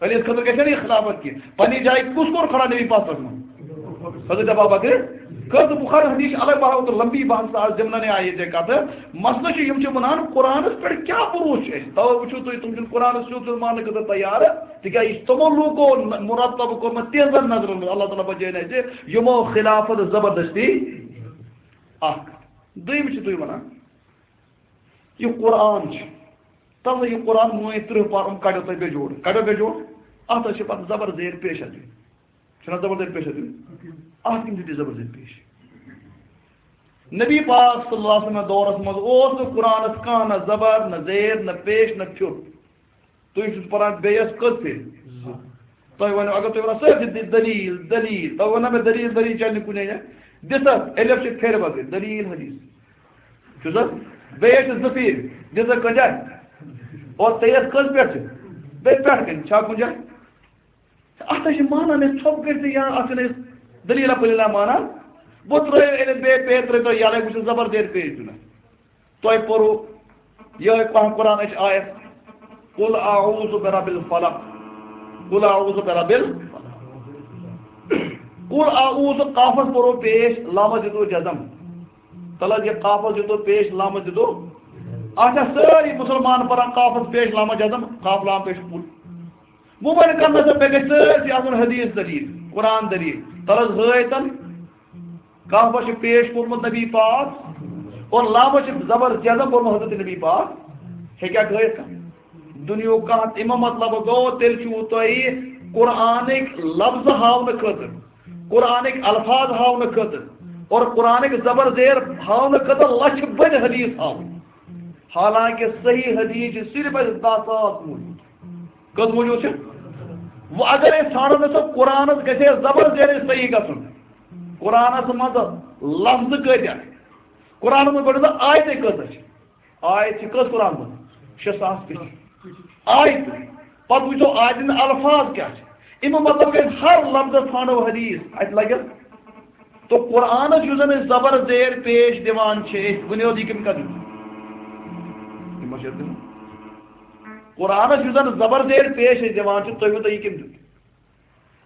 علیَس خٲطرٕ گژھِ نہٕ یہِ خلافت کینٛہہ۔ پننہِ جایہِ کُس کوٚر کھڑا نبی پاک صلی اللہ علیہ وسلم؟ حضرت ابوبکر۔ کٔژ بخاری حدیث چھِ الگ بحث، تہٕ لمبی بحث، آز دِمہٕ نہٕ یہِ ییٚتہِ کَتھٕ۔ مسئلہٕ چھُ، یِم چھِ وَنان، قرآنَس پٮ۪ٹھ کیٛاہ بروسہٕ چھُ اَسہِ؟ تَوَے وٕچھِو تُہۍ، تِم چھِنہٕ قرآنَس سیوٚد سیوٚد ماننہٕ خٲطرٕ تیار، تِکیٛازِ یہِ چھُ تِمو لوٗکو نہ-، مرتب کوٚرمُت تِہنٛزَن نظرَن منٛز، اللہ تعالیٰ بچٲیِن اَسہِ، یِمو خلافت زبردستی۔ اَکھ۔ دوٚیِم چھِ تُہۍ وَنان، یہِ قرآن چھُ، تَلہٕ یہِ قرآن مٲنۍ تٕرٛہ پَر، یِم کَڑیو تۄہہِ بے جوڑ، کَڑیو بے جوڑ، اَتھ حظ چھِ پَتہٕ زبر زیر پیش اَتھ دیُن۔ چھُنہ زبر زیر پیش اَتھ دیُن؟ اَتھ کٔمۍ دیُت یہِ زبر زیر پیش؟ نبی پاک صلی اللہ علیہ وسلم دورس منٛز اوس نہٕ قرآنَس کانٛہہ نہ زبر، نہ زیر، نہ پیش، نہ پھیُر۔ تُہۍ چھِو پَران بیٚیَس کٔژ پھِرِ؟ زٕ۔ تۄہہِ وَنو، اگر تُہۍ وَنان، "سٲرسٕے دِ-، دٔلیٖل، دٔلیٖل"، تۄہہِ وَنو مےٚ، "دٔلیٖل، دٔلیٖل چَلہِ نہٕ کُنے جایہِ"، دِژ حظ، الف چھِ پھِرِ بغٲر، دٔلیٖل حدیث۔ چھُس حظ؟ بیٚیہِ ٲسِس زٕ پھِرِ، دِژ حظ کُنہِ جایہِ؟ اور تیٚیَس کٔژ پٮ۪ٹھ چھِ؟ بیٚیہِ پٮ۪ٹھ کَنہِ، چھا کُنہِ جایہِ؟ اَتھ حظ چھِ مانان أسۍ ژھۄپہٕ کٔرِتھ یا اَتھ چھِنہٕ أسۍ دٔلیٖلہ پٔلیٖلہ مانان۔ بہٕ ترٛٲیِو أمِس بیٚیہِ پے ترٛٲیِو تُہۍ یَلَے، بہٕ چھُس زبر زیر پیش دِوان۔ تۄہہِ پوٚرُو یِہوٚے پَہَم قرآنٕچ آیت، "قل اعوذ برب الفلق، قل اعوذ برب الفلق۔" قل اعوذ، قافَس پوٚرُو پیش، لامَس دِتُو جزم۔ تَلہٕ حظ یہِ قافَس دِتُو پیش، لامَس دِتُو۔ اَتھ چھا سٲری مُسلمان پَران قافَس پیش، لامَس جزم، قاف لام پیش پوٚر؟ وۄنۍ وَنہِ کَرنَس مےٚ گژھِ سٲرسٕے آسُن حدیث دٔلیٖل، قرآن دٔلیٖل۔ تَلہٕ حظ ہٲے تَن۔ کانٛہہ ما چھُ پیش کوٚرمُت نبی پاک اور لامہ چھُ زبر جزم کوٚرمُت حضرت نبی پاک؟ ہیٚکیٛاہ گٲیِتھ کانٛہہ؟ دُنیاہُک کانٛہہ تہِ؟ اَمیُک مطلب گوٚو، تیٚلہِ چھُو تۄہہِ قرآنٕکۍ لفظ ہاونہٕ خٲطرٕ، قرآنٕکۍ الفاظ ہاونہٕ خٲطرٕ اور قرآنٕکۍ زبر زیر ہاونہٕ خٲطرٕ لَچھِ بٔدۍ حدیث ہاوٕنۍ۔ حالانکہ صحیح حدیث چھِ صرف اَسہِ دَہ ساس موٗجوٗد۔ کٔژ موٗجوٗد چھِ؟ وۄنۍ اگر أسۍ ژھانڈو نہ سا قرآنَس گژھِ ہے زبر زیرٕے صحیح گژھُن۔ قرآنَس منٛز لفظ کۭتیٛاہ؟ قرآنَس منٛز گۄڈٕ آیتَے کۭژاہ چھِ؟ آیت چھِ کٔژ قرآن منٛز؟ شےٚ ساس تہِ چھِ۔ آیت۔ پَتہٕ وٕچھو آیتَن الفاظ کیٛاہ چھِ۔ اَمیُک مطلب گٔے ہر لفظَس ژھانڈو حدیث، اَتہِ لَگٮ۪س۔ تو قرآنَس یُس زَن أسۍ زبر زیر پیش دِوان چھِ، أسۍ ؤنِو حظ یہِ کٔمۍ کَتھ دیُت؟ یہِ ما چھِ اَتھ دِوان؟ قرآنَس یُس زَن زبر زیر پیش أسۍ دِوان چھِ، تُہۍ ؤنِو تُہۍ یہِ کٔمۍ دیُت؟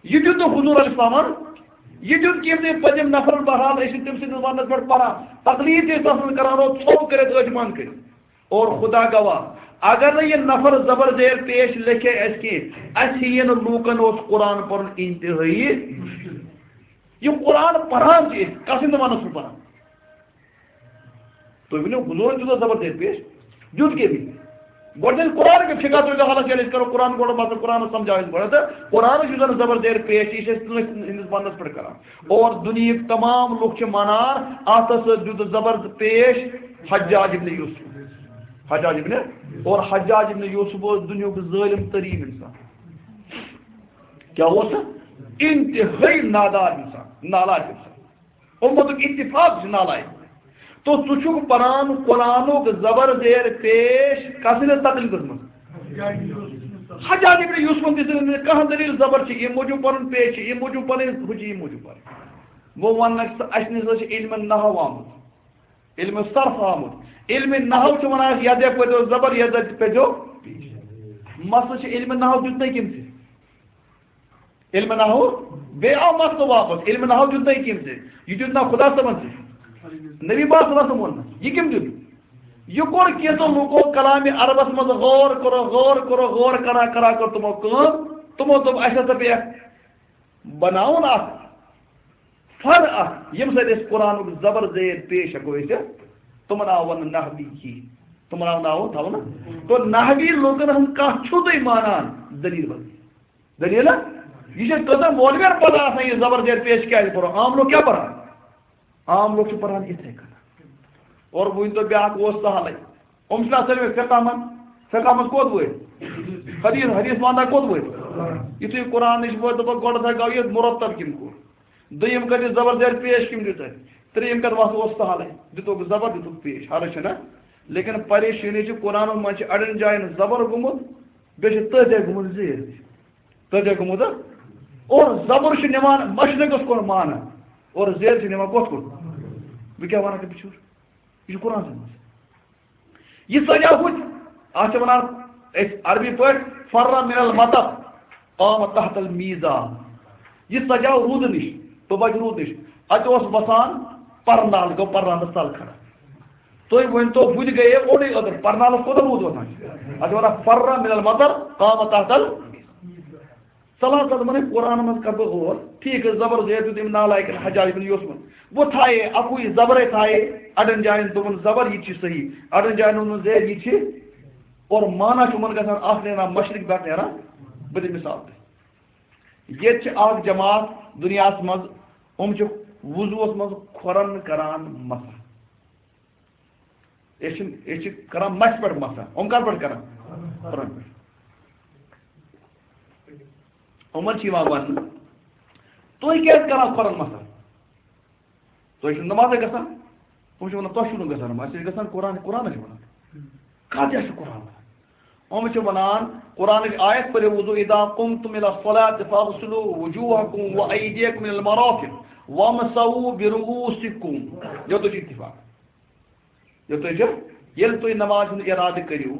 یہِ دیُت نہٕ حضور علیہ السلامن، یہِ دیُت کینٛہہ تہِ پٔتِم نفرن۔ بہرحال، أسۍ چھِ تٔمۍ سٕنٛدِس وننس پٮ۪ٹھ پران، تقلید تہِ ٲسۍ تَس منٛز کران، اور ژھوٚپ کٔرِتھ أچھ بنٛد کٔرِتھ۔ اور خدا گواہ، اگر نہٕ یہِ نفر زبر زیر پیش لیکھے اَسہِ کینٛہہ، اَسہِ یی نہٕ لوٗکن اوس قرآن پرُن انتہٲیی۔ یہِ قرآن پران چھِ أسۍ، کس ہٕنٛدِ زمانس چھُ پران؟ تُہۍ ؤنِو، حضوٗرن دیُت زبر زیر پیش، دیُت کٔمۍ؟ گۄڈٕ چھِ أسۍ قرآن کہِ فقہ تُلِو حالس، ییٚلہِ أسۍ کرو قرآن گۄڈٕ، مطلب قرآنس سمجھاو أسۍ گۄڈٕ، تہٕ قرآنس یُس زن زبر زیر پیش چھِ، یہِ چھِ أسۍ کٲنٛسہِ ہٕنٛدِس وننس پٮ۪ٹھ کران۔ اور دُنیہٕکۍ تمام لُکھ چھِ ونان، اتھ ہسا دیُت زبر پیش حجاج ابن یوسف۔ حجاج ابن، اور حجاج ابن یوسف اوس دُنیہُک ظٲلم تریٖن انسان۔ کیٛاہ اوس سُہ؟ انتہٲیی نادار انسان، نالائق انسان۔ امتُک اتفاق چھُ نالائق۔ تو ژٕ چھُکھ پران قرآنُک زبر زیر پیش کس سٕنٛدِس تقریٖبس منٛز؟ حجاج ابن یوسفن دِژ نہٕ کانٛہہ دلیل زبر چھِ ییٚمہِ موٗجوٗب پرُن، پیش چھِ ییٚمہِ موٗجوٗب پرٕنۍ، ہُہ چھِ ییٚمہِ موٗجوٗب پرٕنۍ۔ وۄنۍ ونکھ ژٕ، اسہِ نِش ہسا چھِ علم نحو آمُت، علم صرف آمُت۔ علم نحو چھُ ونان یتھ جایہِ پٔرۍزیو زبر، یتھ جایہِ پٔرۍزیو پیش۔ مسلہٕ چھُ علم نحو دیُت نہٕ کٔمۍ ژےٚ؟ علم نحو، بیٚیہِ آو مسلہٕ واپس، علم نحو دیُت نہٕ کٔمۍ ژےٚ؟ یہِ دیُت نہ خدا صٲبن ژےٚ؟ نبی پاک صلی اللہ علیہ وسلم ووٚن نہ۔ یہِ کٔمۍ دیُت؟ یہِ کوٚر کینٛژو لوٗکو کلامِ عربس منٛز غور کوٚر، غور کوٚر، غور کران کران کٔر تِمو کٲم، تِمو دوٚپ، اسہِ ہسا پیٚیہِ بناوُن اکھ فن اکھ، ییٚمہِ سۭتۍ أسۍ قرآنُک زبر زیر پیش ہٮ۪کو أسۍ۔ تِمن آو وننہٕ نحوی کی، تِمن آو ناو تھاونہٕ۔ تو نحوی لوٗکن ہُنٛد کتھ چھُو تُہۍ مانان؟ دلیل ؤنِو۔ دٔلیٖل ہا؟ یہِ چھِ کٔژَن مولوِیَن پَتہ آسان، یہِ زبر زیر پیش کیٛازِ پَرو؟ عام لوٗکھ کیٛاہ پَران؟ عام لوٗکھ چھِ پَران یِتھَے کٔنۍ۔ اور وۄنۍ تو بیٛاکھ اوس سہلٕے۔ یِم چھِنہ سٲلِم فقہ منٛز، فقہ منٛز کوٚت وٲتۍ؟ حدیث، حدیث وانٛدہ کوٚت وٲتۍ؟ یُتھُے قرآنٕچ وٲتۍ، دوٚپُکھ، گۄڈٕ تھا گوٚو یہِ مُرتب کٔمۍ کوٚر؟ دوٚیِم کَتہِ زبر زیر پیش کٔمۍ دیُت اَتہِ؟ ترٛیٚیِم کَتہِ وَسہٕ اوس سہلٕے، دِتُکھ زبر، دِتُکھ پیش، حرج چھَنہ؟ لیکن پریشٲنی چھِ، قرآنَس منٛز چھِ اَڑٮ۪ن جایَن زبر گوٚمُت، بیٚیہِ چھِ تٔتھۍ جایہِ گوٚمُت زیر۔ تٔتھۍ جایہِ گوٚمُت، ہا؟ اور زبر چھُ نِوان مشرقس کُن معنہٕ، اور زیر چھُ نِوان کوٚت کُن؟ بہٕ کیٛاہ وَنان ژےٚ بِچور؟ یہِ چھُ قرآنس منٛز۔ یہِ سجاو ہُتھ، اَتھ چھِ وَنان أسۍ عربی پٲٹھۍ فرّ من المطر قام تحت المیزان۔ یہِ سجاو روٗدٕ نِش، تہٕ بچہِ روٗدٕ نِش۔ اَتہِ اوس وَسان پرنال، گوٚو پرنالس تل کھڑا۔ تُہۍ ؤنۍ تو، بہٕ تہِ گٔیے اوٚڑُے أدٕر، پرنالس کوٗتاہ روٗد وَسان چھُ؟ اَتھ چھِ وَنان فرّ من المطر قام تحت ال-، ژٕ لاگ ژٕ دَپان، قرآن منٛز کَرٕ بہٕ غور، ٹھیٖک حظ، زبر زیر دیُت أمۍ نالایکن حجاج بن یوسفن۔ وۄنۍ تھایے اَکُے زبرے تھایے، اَڑٮ۪ن جایَن دوٚپُن زبر، یہِ تہِ چھِ صحیح، اَڑٮ۪ن جایَن ووٚنُن زیر، یہِ تہِ چھِ۔ اور معنی چھُ یِمَن گژھان اَکھ نیران مشرق، بیٛاکھ نیران۔ بہٕ دِمہٕ مثال تۄہہِ۔ ییٚتہِ چھِ اَکھ جماعت دُنیاہَس منٛز، یِم چھِ وضوٗوَس منٛز کھۄرَن کران مسح۔ أسۍ چھِنہٕ، أسۍ چھِ کران مَسہِ پٮ۪ٹھ مسح۔ یِم کَتھ پٮ۪ٹھ کران؟ کھۄرَن پٮ۪ٹھ۔ یِمَن چھِ یِوان وَننہٕ، تُہۍ کیٛازِ کران کھۄرَن مسح؟ تُہۍ چھِو نمازے گژھان؟ یِم چھِ وَنان، تۄہہِ چھُو نہٕ گژھان نماز، أسۍ چھِ گژھان قرآن، قرآنَس چھِ وَنان۔ کَتھ جایہِ چھُ قرآن وَنان؟ یِم چھِ وَنان، قرآنٕچ آیت پٔرِو، وضو، اذا قمتم الی الصلاۃ فاغسلوا وجوہکم و ایدیکم الی المرافق وامسحوا برؤوسکم۔ یوتُے چھُ اتفاق۔ یوٚتُے چھُ، ییٚلہِ تُہۍ نماز ہُنٛد اِرادٕ کٔرِو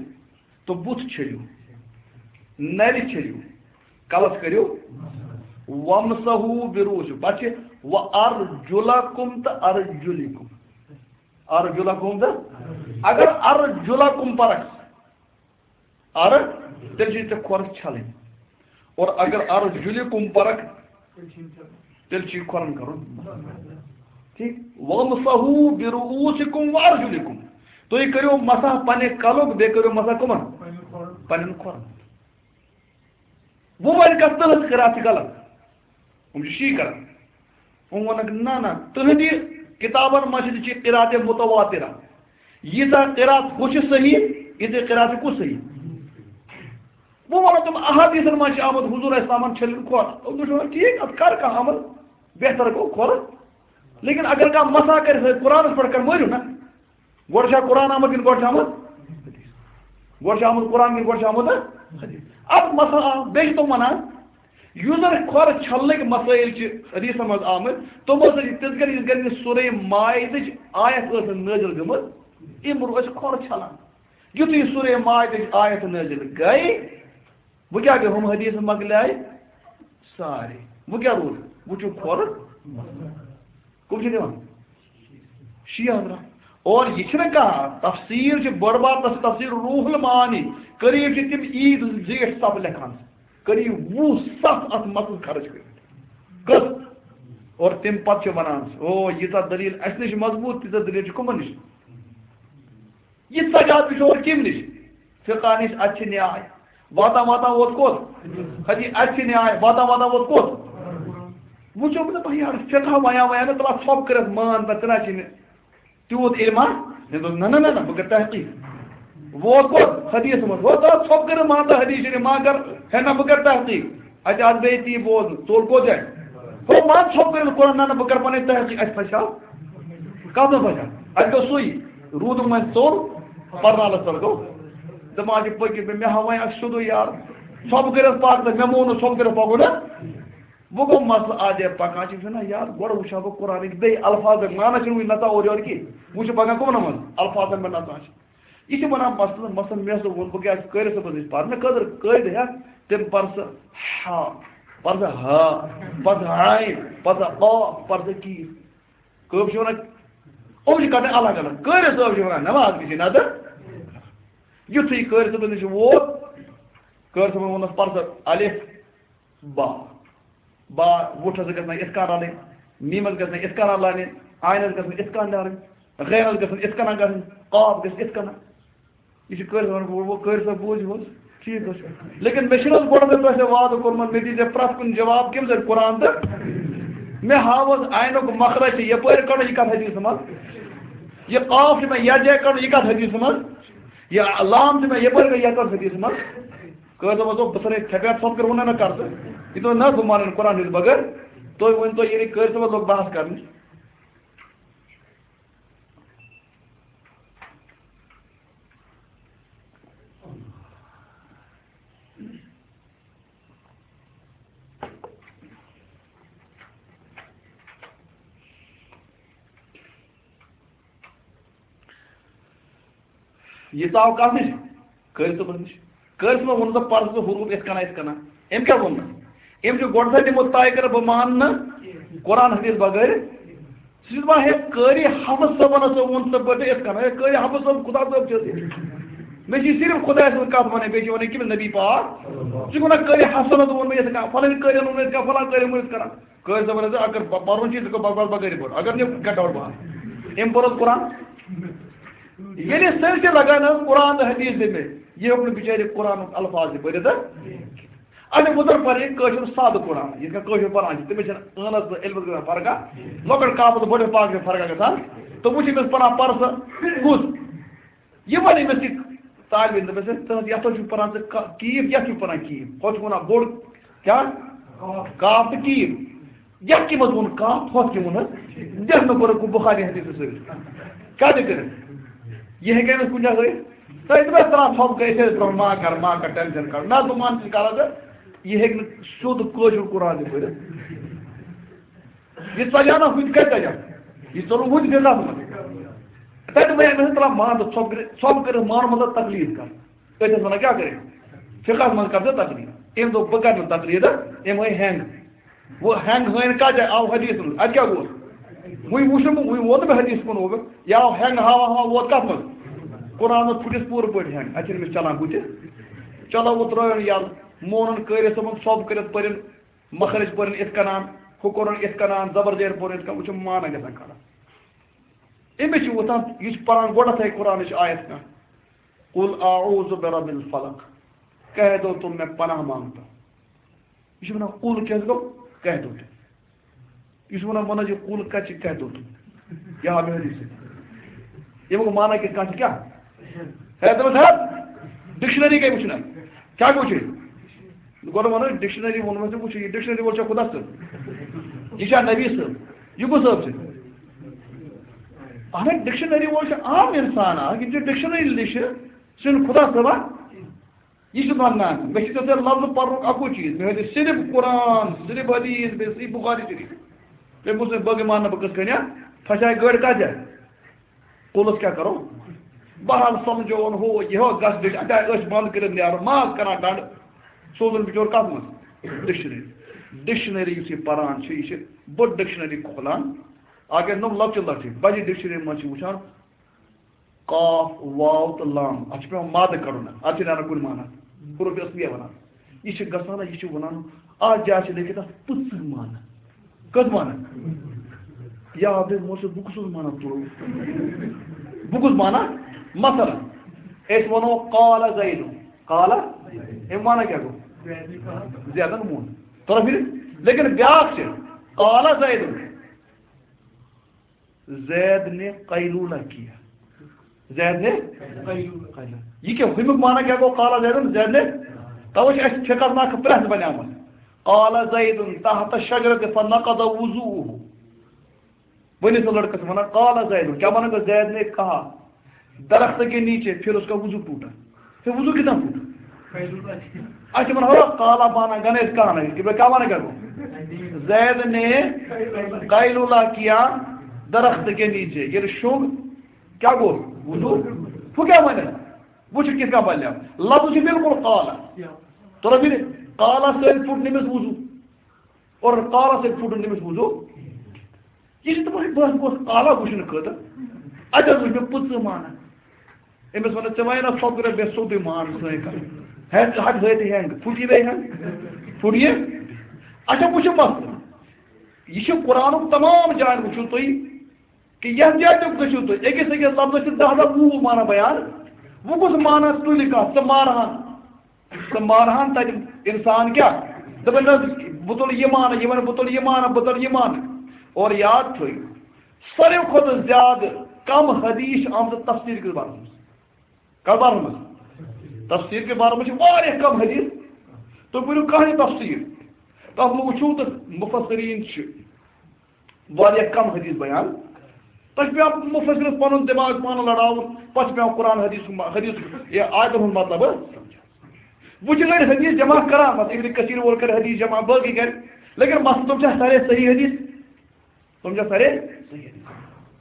تہٕ بُتھ چھٔلِو، نَرِ چھٔلِو، کَلَس کٔرِو، وَامْسَحُوا بِرُءُوسِکُم، پَتہٕ چھِ وَأَرْجُلَکُم تہٕ أَرْجُلِکُم۔ أَرْجُلَکُم تہٕ، اگر أَرْجُلَکُم پَرَکھ، أر، تیٚلہِ چھِ ژےٚ کھۄر چھَلٕنۍ۔ اور اگر أَرْجُلِکُم پَرَکھ، تیٚلہِ چھُ یہِ کھۄرَن کَرُن۔ ٹھیٖک؟ وَامْسَحُوا بِرُءُوسِکُم وَأَرْجُلِکُم۔ تُہۍ کٔرِو مسح پننہِ کلُک، بیٚیہِ کٔرِو مسح کٕمَن؟ پننٮ۪ن کھۄرَن۔ وۄنۍ وَنہِ کَتھ تُہٕنٛز قرات چھِ غلط۔ یِم چھِ شی کران۔ یِم وَنَکھ، نہ، نہ، تُہٕنٛدِ کِتابَن منٛز چھِ قرات متواترہ۔ ییٖژاہ قرات ہُہ چھِ صحیح، ییٖژاہ قرات چھِ کُس صحیح؟ وۄنۍ وَنو تِم، احادیثن منٛز چھِ آمُت حضور علیہ السلامن چھٔلِن کھۄر۔ تِم چھِ وَنان، ٹھیٖک، اَتھ کر کانٛہہ عمل، بہتر گوٚو کھۄر۔ لیکن اگر کانٛہہ مسح کرِ، سُہ قرآنس پٮ۪ٹھ کر، مٲرِو نا۔ گۄڈٕ چھا قرآن آمُت کِنہٕ گۄڈٕ چھُ آمُت حدیث؟ گۄڈٕ چھُ آمُت قرآن کِنہٕ گۄڈٕ چھُ آمُت حدیث؟ اَتھ مسح آ، بیٚیہِ چھِ تِم وَنان، یُس زَن کھۄر چھلنٕکۍ مسائل چھِ حدیثن منٛز آمٕتۍ، تِمو سۭتۍ چھِ تِتھ کٔنۍ، یِتھ کٔنۍ یہِ سورہ مائدٕچ آیت ٲس نازل گٔمٕژ، امہِ برونٛہہ ٲسۍ کھۄر چھلان۔ یُتھُے سورہ مائدٕچ آیت نازل گٔے، وۄنۍ کیٛاہ گٔے؟ ہُم حدیث مۄکلے سارے۔ وۄنۍ کیٛاہ روٗد؟ وۄنۍ چھُ کھۄر۔ کٕم چھِ دِوان؟ شیعہ حضرات۔ اور یہِ چھِنہٕ کانٛہہ تفسیر، چھِ بٔڑ بار تفسیر، تفسیر روح المعانی۔ قریب چھِ تِم عیٖد زیٹھ صف لیکھان۔ قریب وُہ صف اَتھ متن خرٕچ کٔرِتھ۔ کٔژ؟ اور تَمہِ پتہٕ چھِ وَنان، او، ییٖژاہ دٔلیٖل اَسہِ نِش مضبوٗط، تیٖژاہ دٔلیٖل چھِ کٕمَن نِش؟ یہِ سجاد پِشور کَمہِ نِش؟ فقہ نِش اَتہِ چھِ نیاے۔ واتان واتان ووت کوٚت؟ حدیث اَتہِ چھِ نیاے۔ واتان واتان ووت کوٚت؟ وۄنۍ چھُ دَپان، یارٕ، فقہ وَیا وَیا نہٕ، تَلہ ژھۄپ کٔرِتھ مان، تَتھ تہِ نہ چھِ نہٕ تیوٗت علما۔ مےٚ دوٚپ، نہ، نہ، نہ، نہ، بہٕ کَرٕ تحقیٖق۔ ووت کوٚت؟ حدیث منٛز۔ ووت، تَلہ ژھۄپ کٔرِتھ مان تہٕ حدیث شریٖف ما کَر، ہے نہ، بہٕ کَرٕ تحقیٖق۔ اَتہِ آسہٕ بیٚیہِ تی بوزُن، ژوٚل کوٚت جایہِ؟ ہو، مان ژھۄپ کٔرِتھ قرآن، نہ، نہ، بہٕ کَرٕ پَنٕنۍ تحقیٖق۔ اَتہِ پھَسیو۔ کَتھ منٛز پھَسیو؟ اَتہِ گوٚو سُے۔ روٗدُم وۄنۍ ژوٚل، پَرنالَس تَل گوٚو۔ دَپان چھِ پٔکِو، مےٚ، مےٚ ہاو وۄنۍ اَکھ سیوٚدُے یار۔ ژھۄپ کٔرِتھ پَکھ تہٕ مےٚ مون نہٕ ژھۄپ کٔرِتھ پَکُن نہ۔ وۄنۍ گوٚو مسلہٕ اَتھ جایہِ پَکان چھِ، وٕچھِو نہ یار، گۄڈٕ وٕچھِ ہا بہٕ قرآنٕکۍ بیٚیہِ الفاظ، معنہ چھِنہٕ وٕنہِ نَژان اورٕ یورٕ کِہیٖنۍ۔ وٕچھِ پَکان کٕمَن منٛز الفاظن پٮ۪ٹھ نَژان چھِ۔ یہِ چھِ وَنان مثلاً، مثلاً مےٚ ہسا ووٚن، بہٕ کیٛاہ چھُس قٲرِس صٲبَس نِش پَرٕ، مےٚ خٲطرٕ قٲعدٕ ہٮ۪تھ، تٔمۍ پَر سا ہا، پَر سا ہا، پَر سا عاین، پَر سا قاف، پَر سا کیف۔ کٲم چھِ وَنان، یِم چھِ کَڑٕنۍ الگ الگ۔ قٲرِس صٲب چھِ وَنان نٮ۪ماز گژھِ نَدٕر۔ یُتھُے قٲرِس صٲبَس نِش ووت، قٲرِس صٲبَن ووٚننَس، پَر سا الف، با۔ با، وُٹھس گژھن اِتھ کٔنۍ رَلٕنۍ، میٖمس گژھن اِتھ کٔنۍ رَلٕنۍ، آینس گژھن اِتھ کٔنۍ رَلٕنۍ، غینس گژھن اِتھ کٔنۍ گژھٕنۍ، قاف گژھِ اِتھ کٔنۍ۔ یہِ چھُ قٲرِس وَنان، وۄنۍ، وۄنۍ قٲرِس صٲب بوٗزِو حظ، ٹھیٖک حظ چھُ۔ لیکن مےٚ چھُنہٕ حظ گۄڈٕ تۄہہِ سۭتۍ وعدٕ کوٚرمُت، مےٚ دیٖزیو پرٛٮ۪تھ کُنہِ جواب کَمہِ ذٔریعہٕ؟ قرآن تہٕ۔ مےٚ ہاو حظ آینُک مخرج چھُ یَپٲرۍ کَڑُن، یہِ کَتھ حدیثہٕ منٛز؟ یہِ قاف چھُ مےٚ یَتھ جایہِ کَڑُن، یہِ کَتھ حدیثہٕ منٛز؟ یہِ لام چھُ مےٚ یَپٲرۍ کَڑُن، یہِ کَتھ حدیثہٕ منٛز؟ قٲضۍ صٲبَس دوٚپ، بہٕ ژھٕنَے ژھٮ۪پھ ژھۄپ کٔر ووٚنُے نہ کر ژٕ۔ یہِ دوٚپ، نہ، بہٕ مانَن قرآن ہٕنٛدِ بغٲر۔ تُہۍ ؤنۍ تو، ییٚلہِ قٲضۍ صٲبَس لوٚگ بحث کَرنہِ۔ یہِ ژاو کَتھ نِش؟ قٲضۍ صٲبَس نِش۔ قٲضۍ صٲبَن ووٚن، ژٕ پَر ژٕ حروٗف یِتھ کَنۍ، یِتھ کَنۍ۔ أمۍ کیٛاہ ووٚن؟ أمۍ چھُ گۄڈٕ سا نِمُت طے کٔرِتھ، بہٕ مانہٕ نہٕ قرآن حدیث بغٲر۔ سُہ چھُ دَپان، ہے، قٲری حفص صٲبَن ہسا ووٚن ژٕ پٲٹھۍ یِتھ کٔنۍ۔ ہے، قٲری حفص صٲب خدا صٲب چھِ حظ۔ مےٚ چھِ صرف خۄداے سٕنٛز کَتھ وَنٕنۍ، بیٚیہِ چھِ وَنٕنۍ کٔمِس؟ نبی پاک۔ سُہ چھُ وَنان، قٲری حفصَن ہسا ووٚن مےٚ یِتھ کٔنۍ، فَلٲنۍ قٲرِن ووٚن مےٚ یِتھ کٔنۍ، فَلٲنۍ قٲرِن ووٚن یِتھ کٔنۍ۔ قٲضۍ صٲبَن ہسا، اگر پ-، پَرُن چھُ، ژٕ کَر بَکواس بغٲرٕے پَر۔ اگر نہٕ، get out باہر۔ أمۍ پوٚر حظ قرآن۔ ییٚلہِ سٲرسٕے لگان حظ قرآن تہٕ حدیث دِمے، یہِ ہیوٚک نہٕ بِچارِ قرآنُک الفاظ تہِ پٔرِتھ حظ۔ اَسہِ وۄنۍ زَن پَرِ کٲشُر سادٕ قرآن، یِتھ کٔنۍ کٲشُر پَران چھِ، تٔمِس چھَنہٕ عٲنَس تہٕ علمَس گژھان فرقہ، لۄکٕٹ کاف تہٕ بٔڑِس پاف چھِ فرقہ گژھان۔ تہٕ وٕچھ أمِس پَران پَر سا کُس۔ یہِ وَنہِ أمِس یہِ طالب علم، دوٚپمَس، ہے، تُہٕنٛز یَتھ حظ چھُ پَران ژٕ کا-، کیٖف، یَتھ چھُ پَران کیٖف، ہُتھ چھُ وَنان بوٚڑ کیٛاہ؟ کاف تہٕ کیٖف۔ یَتھ کیٛاہ منٛز ووٚن کاف، ہُتھ کیٛاہ ووٚن حظ؟ یَتھ نہٕ کوٚرُکھ بُخاری حدیثَس سۭتۍ۔ کیٛاہ تہِ کٔرِتھ؟ یہِ ہیٚکہِ أمِس کُنہِ جایہِ ہٲیِتھ؟ تۄہہِ تہِ بس ترٛاو ژھۄپہٕ گٔے، أسۍ ٲسۍ برٛونٛہہ ما کر، ما کر، ٹٮ۪نشن کر۔ نہ، بہٕ مانہٕ تہِ کَران تہٕ یہِ ہیٚکہِ نہٕ سیوٚد کٲشُر قرآن تہِ پٔرِتھ۔ یہِ ژَلیو نہ ہُتہِ کَتہِ ژَلیو؟ یہِ ژوٚل وُنہِ تہِ نَس منٛز۔ تَتہِ وَنہِ أمِس ترٛاو مان تہٕ ژھۄپہٕ کٔرِتھ، ژھۄپہٕ کٔرِتھ مانُن مطلب تقلید کَرُن۔ أتھۍ ٲس وَنان کیٛاہ کَرِ؟ فِقہَس منٛز کَر ژٕ تقلید۔ أمۍ دوٚپ، بہٕ کَرٕ نہٕ تقلید، أمۍ ہٲے ہینٛگ۔ وۄنۍ ہینٛگ ہٲے نہٕ کَتھ جایہِ؟ آو حدیث منٛز۔ اَتہِ کیٛاہ گوٚو؟ وۄنۍ وُچھ نہٕ بہٕ، وۄنۍ ووت نہٕ مےٚ حدیث کُن اوبہٕ۔ یہِ آو ہینٛگ ہاوان ہاوان ووت کَتھ منٛز؟ قرآنَس پھُٹِس پوٗرٕ پٲٹھۍ ہینٛگ۔ اَتہِ چھِنہٕ أمِس چَلان بُتھِ۔ چلو وۄنۍ ترٛٲیُن یَلہٕ۔ مونُن قٲرِتھ صٲبُن ژھۄپہٕ کٔرِتھ پٔرِن، مخرج پٔرِن اِتھ کَنان، ہُہ کوٚرُن اِتھ کَنان، زبر زیر پوٚرُن اِتھ کَنان، وۄنۍ چھُ معنہ گژھان خراب۔ أمِس چھُ وۄتھان، یہِ چھُ پَران گۄڈَتھَے قرآنٕچ آیت کانٛہہ، "قل اعوذ برب الفلق"، کہہ دو تم میں پناہ مانگتا۔ یہِ چھُ وَنان، "قل کیٛاہ گوٚو؟ کہہ دو تم۔" یہِ چھُ وَنان، وَنان چھُ، "قل کَتہِ چھِ، کہہ دو تم؟" یہِ آو مےٚ حدیث سۭتۍ۔ ییٚمیُک معنہ کِتھ کٔنۍ چھُ کیٛاہ؟ ہے، دوٚپمَس، ہے، ڈکشنری گٔے وٕچھنہٕ۔ کیٛاہ گوٚو چھُ؟ گۄڈٕ وَنو، ڈکشنری ووٚنمَس ژےٚ وٕچھِو، یہِ ڈکشنری وول چھا خۄدا صٲب؟ یہِ چھا نبی صٲب؟ یہِ کُس صٲب چھُ؟ اَہَن حظ، ڈکشنری وول چھُ عام اِنسان اَکھ، یِم چھِ ڈکشنری لیٚچھِ، سُہ چھُنہٕ خۄدا صٲبا۔ یہِ چھُ وَنان، مےٚ چھُ ژےٚ سۭتۍ لفظ پَرنُک اَکُے چیٖز، مےٚ ہیٚتہِ صرف قرآن، صرف حدیث، بیٚیہِ صحیح بخاری شریٖف۔ تٔمۍ ووٚن، "بہٕ کیٛاہ مانہٕ، بہٕ کِتھ کٔنۍ ہا؟ پھسے گٲڑۍ کَتھ جایہِ؟ قُلَس کیٛاہ کَرو؟" بہرحال سَمجھووُن ہُہ یہِ ہُہ گژھ بیٚیہِ اَتہِ آے أچھ بنٛد کٔرِتھ نیرُن، ماز کَران ڈَنڈٕ۔ سوزُن بِچور کَتھ منٛز؟ ڈکشنری۔ ڈکشنری یُس یہِ پَران چھُ، یہِ چھِ بٔڑ ڈکشنری کھولان۔ اَکھ گٔے نۄم لۄکچہِ لۄکچہِ، بَجہِ ڈکشنری منٛز چھِ وٕچھان، قاف، واو تہٕ لام، اَتھ چھُ پٮ۪وان مادٕ کَڑُن، اَتھ چھِ نیران کُنہِ معنہ، حروف اصلیہ وَنان۔ یہِ چھِ گژھان، یہِ چھِ وَنان، اَتھ جایہِ چھِ لیکھِتھ اَتھ پٕژٕ معنہ۔ کٔژ معنہ؟ یا بے موسم، بہٕ کُس اوس معنہ تُلو؟ بہٕ کُس معنہ؟ مثلاً، أسۍ وَنو قال زید۔ قال، أمۍ وَنان کیٛاہ گوٚو؟ زیدن ووٚن۔ ترٛوو فِرِ؟ لیکن بیٛاکھ چھِ، قال زید۔ زید نے قیلولہ کیا۔ زید نے قیلولہ۔ یہِ کیٛاہ؟ ہُمیُک معنی کیٛاہ گوٚو؟ قال زیدن، زید نے۔ توے چھِ اَسہِ فقہس منٛز اکھ پرٛٮ۪س بنیمٕژ۔ قال زید تحت الشجرة فنقض وضوءه۔ ؤنِو سا لڑکس وَنان، قال زید، کیٛاہ وَنان گوٚو؟ زید نے کہا، درخت کے نیچے، پھر اس کا وضو ٹوٹا۔ پھر وضو کتنا ٹوٹا؟ اچھا، من ہوا قال بانا گنے اس کا نہیں، کہ کیا وَنان گوٚو؟ زید نے قیلولہ کیا درخت کے نیچے، ییٚلہِ شۄنٛگ، کیٛاہ گوٚو؟ وضو۔ ہُہ کیٛاہ وَنان؟ وٕچھ کِتھ کٔنۍ بَنیو۔ لفظ چھُ بالکل قال۔ ترٛوو فِرِ؟ قال سۭتۍ پھُٹ نٔمِس وضو۔ اور قال سۭتۍ پھُٹُن تٔمِس وضو۔ یہِ چھِ تِمَن بہٕ گوٚژھ قال وٕچھنہٕ خٲطرٕ۔ اَتہِ حظ وٕچھ مےٚ پٕژٕ مانان۔ أمِس وَنان، "ژےٚ وَنے نہ سۄ کَرے مےٚ سیوٚدُے مان سٲنۍ کَتھ۔ ہٮ۪نٛگ حد ہٲے تہِ ہٮ۪نٛگ۔ پھُٹ یہِ بیٚیہِ ہٮ۪نٛگ؟ پھُٹ یہِ؟" اچھا، وٕچھِو مسلہٕ۔ یہِ چھُ قرآنُک تمام جایَن وٕچھِو تُہۍ کہِ یَتھ جایہِ تہِ گٔژھِو تُہۍ، أکِس أکِس لفظَس چھِ دَہ دَہ وُہ وُہ معنی بیان۔ وۄنۍ کُس معنی تُلہِ کانٛہہ؟ ژٕ مارہَن۔ تہٕ مارہَن تَتہِ اِنسان کیٛاہ؟ دَپان، "نہ، بہٕ تُلہٕ یہِ مانہٕ"، یہِ وَنہِ، "بہٕ تُلہٕ یہِ مانہٕ، بہٕ تُلہٕ یہِ مانہٕ۔" اور یاد تھٲیِو، ساروی کھۄتہٕ زیادٕ کَم حدیث چھِ آمژٕ تفسیٖر کِس بارَس منٛز۔ کَتھ بارَس منٛز؟ تفسیٖر کِس بارَس منٛز چھِ واریاہ کَم حدیث۔ تُہۍ پٔرِو کانٛہہ تہِ تفسیٖر، تَتھ منٛز وٕچھِو تہٕ مُفسریٖن چھِ واریاہ کم حدیث بیان۔ تۄہہِ چھُ پٮ۪وان مُفسرس پنُن دٮ۪ماغ پانہٕ لڑاوُن، پتہٕ چھُ پٮ۪وان قرآن حدیث، حدیث یا آیتن ہُنٛد مطلب۔ وۄنۍ چھِ أڑۍ حدیث جمع کران، پتہٕ ابن کثیر وول کرِ حدیث جمع، باقٕے کرِ، لیکن مسلہٕ تِم چھا سارے صحیح حدیث؟ تِم چھا سارے صحیح حدیث؟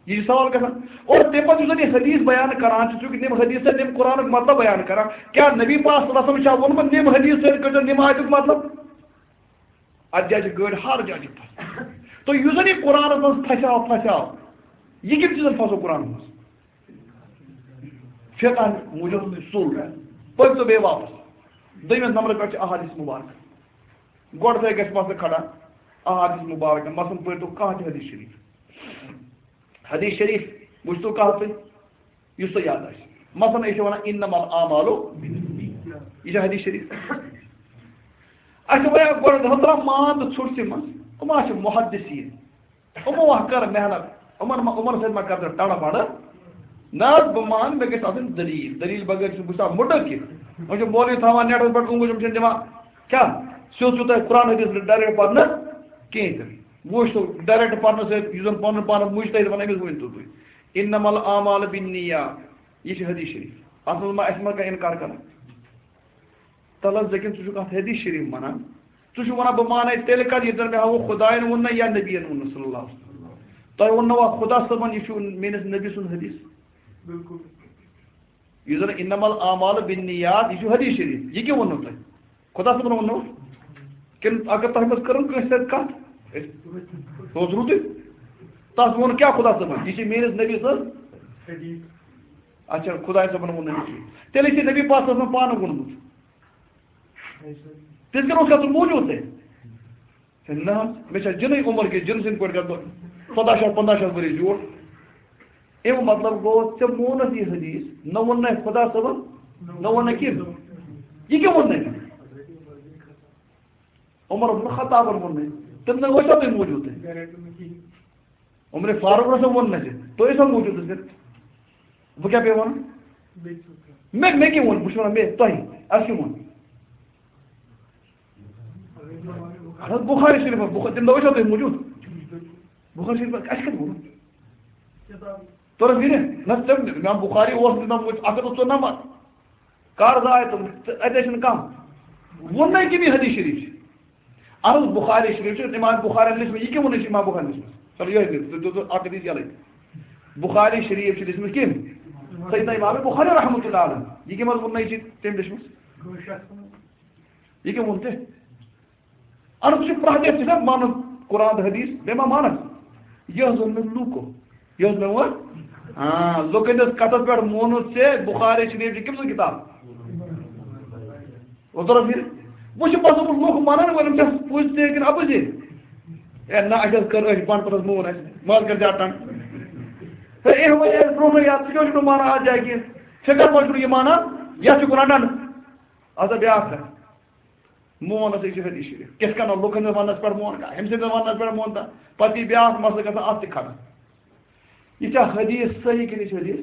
یہِ چھُ سوال گژھان۔ اور تَمہِ پتہٕ یُس زن یہِ حدیث بیان کران چھُ، چونکہ تِم حدیث چھِ تِم قرآنُک مطلب بیان کران، کیٛاہ نبی پاک صلی اللہ علیہ وسلم چھا ووٚنمُت، "نِم حدیث سۭتۍ کٔرۍزیو نِم آیتُک مطلب"؟ اتھ جایہِ چھِ گٲڑۍ ہر جایہِ چھِ پھسان۔ تہٕ یُس زن یہِ قرآنس منٛز پھسیو، پھسیو، یہِ کٔمۍ چیٖزن پھسو قرآنس منٛز؟ فقہن موٗجوٗب سُل۔ پٔرۍ تو بیٚیہِ واپس۔ دوٚیمِس نمبرس پٮ۪ٹھ چھِ احادیث مبارکہ۔ گۄڈٕ تۄہہِ گژھِ مسلہٕ کھڑا، احادیث مبارکہ۔ مثلاً پٔرۍ تو کانٛہہ تہِ حدیث شریف۔ حدیث شریف وٕچھ تو کانٛہہ تُہۍ؟ یُس تۄہہِ یاد آسہِ۔ مثلاً، أسۍ چھِ وَنان، "انما الاعمال بالنیات۔" یہِ چھِ حدیث شریف۔ اَسہِ وَنہِ گۄڈٕ، حضرت مان تہٕ ژھوٚٹ تِمن، یِم ہا چھِ محدثیٖن۔ یِمو ہا کٔر محنت، یِمن ما، یِمن سۭتۍ ما کَرٕ ژٕ ٹَڑٕ بَڑٕ؟ نہ حظ، بہٕ مان، مےٚ گژھِ آسٕنۍ دٔلیٖل۔ دٔلیٖل بغٲر چھُنہٕ بہٕ چھُس مُٹہٕ کینٛہہ۔ وۄنۍ چھُ مولوی تھاوان نیٹَس پٮ۪ٹھ اونٛگُج، یِم چھِنہٕ دِوان کیٛاہ؟ سیوٚد چھُو تۄہہِ قرآن حدیث ڈایریکٹ پَرنہٕ کِہیٖنۍ تہِ نہٕ۔ وۄنۍ وٕچھ تو، ڈایریکٹ پَرنہٕ سۭتۍ یُس زَن پَنُن پانَس مُجتہد وَنان، أمِس ؤنۍ تو تُہۍ۔ انما الاعمال بالنیات، یہِ چھِ حدیث شریف۔ اَتھ منٛز ما اَسہِ ما کانٛہہ اِنکار کَران؟ تَلہٕ حظ لیکن ژٕ چھُکھ اَتھ حدیث شریف وَنان۔ ژٕ چھُکھ وَنان، بہٕ مانَے تیٚلہِ کَتھ، ییٚلہِ زَن مےٚ ہاوُکھ خۄدایَن ووٚن نہ یا نبیَن ووٚن نہٕ صلی اللہ علیہ وسلم۔ تۄہہِ ووٚننوا خۄدا صٲبَن، یہِ چھُ میٛٲنِس نبی سُنٛد حدیث؟ بِلکُل۔ یُس زَن انما الاعمال بالنیات، یہِ چھُ حدیث شریف۔ یہِ کیٛاہ ووٚنوُ تۄہہِ؟ خۄدا صٲبَن ووٚننوا؟ کِنہٕ اگر تۄہہِ منٛز کٔرٕن کٲنٛسہِ سۭتۍ کَتھ؟ سُہ اوس رُتُے۔ تَس ووٚن کیٛاہ خۄدا صٲبَن؟ یہِ چھِ میٛٲنِس نبی سٕنٛز۔ حدیث۔ اچھا، خۄداے صٲبَن ووٚن نہٕ کِہیٖنۍ۔ تیٚلہِ چھِ نبی پاک صٲبَن پانہٕ ووٚنمُت۔ تیٚلہِ کَرٕ اوس گژھُن موٗجوٗد تیٚلہِ۔ ہے نہ حظ، مےٚ چھا جِنٕے عمر کہِ جِن سٕنٛدۍ پٲٹھۍ گژھٕ بہٕ ژۄداہ شیٚتھ پنٛداہ شیٚتھ ؤری زیوٗٹھ؟ اَمیُک مطلب گوٚو، ژےٚ مونُتھ یہِ حدیث، نہ ووٚن نہ خۄدا صٲبَن، نہ ووٚن نہ کِہیٖنۍ۔ یہِ کیٛاہ ووٚن نہٕ؟ عمر بن خطابَن ووٚن نہٕ۔ تِم نہ ٲسۍ تُہۍ موٗجوٗد تیٚلہِ۔ عمر فاروق رسول ووٚن نہٕ اَسہِ، تُہۍ ٲسوا موٗجوٗد اَسہِ؟ بہٕ کیٛاہ پیٚیہِ وَنُن؟ مےٚ، مےٚ کیٛاہ ووٚن؟ بہٕ چھُس وَنان مےٚ، تۄہہِ، اَسہِ کیٛاہ ووٚن؟ اَہَن حظ، بُخاری شریٖفَس، بُخ-، تَمہِ دۄہ ٲسوا تُہۍ موٗجوٗد؟ بُخاری شریٖفَس، اَسہِ کَتہِ ووٚن؟ توٚرُم فِکرِ؟ نہ، ژےٚ، اِمام بُخاری اوس، اِمام مسلم، اَکھ ہَتھ تہٕ ژُنَمَتھ۔ کر زاے تِم؟ تہٕ اَتہِ ٲسۍ نہٕ کانٛہہ۔ ووٚن نَے کٔمۍ یہِ حدیث شریٖف چھِ؟ اَہَن حظ، بُخاری شریٖف چھُ، اِمام بُخاری لیٚچھمٕژ، یہِ کیٛاہ ووٚنُے چھُ اِمام بُخاری لیٚچھمٕژ؟ چلو، یِہوٚے لیٚکھ، تُہۍ، تُہۍ، تُہۍ اَکھ حدیث یَلَے۔ بُخاری شریٖف چھِ لیٚچھمٕژ کٔمۍ؟ سیدنا اِمام بُخاری رحمتہ اللہ علیہ۔ یہِ کٔمۍ حظ ووٚن نَے چھِ تٔمۍ لیٚچھمٕژ؟ یہِ کیٛاہ ووٚن تۄہہِ؟ اَہَن حظ، سُہ چھُ پرٛٮ۪تھ کینٛہہ، ژٕ چھُکھ مانان قرآن تہٕ حدیث، بیٚیہِ ما مانَکھ؟ یہِ حظ ووٚن مےٚ لوٗکو۔ یہِ حظ مےٚ ووٚن، آ، لُکَن ہٕنٛدِس کَتھَس پٮ۪ٹھ مونُتھ ژےٚ بُخاری شریٖف چھِ کٔمۍ سٕنٛز کِتاب؟ اوترٕ پھِرِ۔ وۄنۍ چھِ پَتہٕ لُکھ مانان وٲلۍ، یِم چھا پوٚز تہِ کِنہٕ اَپُزے؟ ہے نہ، اَسہِ حظ کٔر، أسۍ بَنڈپوٗرَس مون اَسہِ، مَہ حظ کَر زیادٕ ٹنٛگ۔ ہے، ہے، وۄنۍ ییٚلہِ برونٛہہ یَتھ، ژٕ کیٛاہ چھُکھ نہٕ مانان اَتھ جایہِ کینٛہہ؟ فقہ منٛز چھُنہٕ یہِ مانان، یَتھ چھُ گُناہ ڈنڈ۔ اَتھ بیٛاکھ کَتھ۔ مون ہسا یہِ چھُ حدیث شریف۔ کِتھ کٔنۍ لُکن ہٕنٛدِس وننس پٮ۪ٹھ مون کانٛہہ، ہُمۍ سٕنٛدِس وننس پٮ۪ٹھ مون تا۔ پتہٕ یی بیٛاکھ مسلہٕ گژھان اَتھ تہِ ختم۔ یہِ چھا حدیث صحیح کِنہٕ یہِ چھُ حدیث؟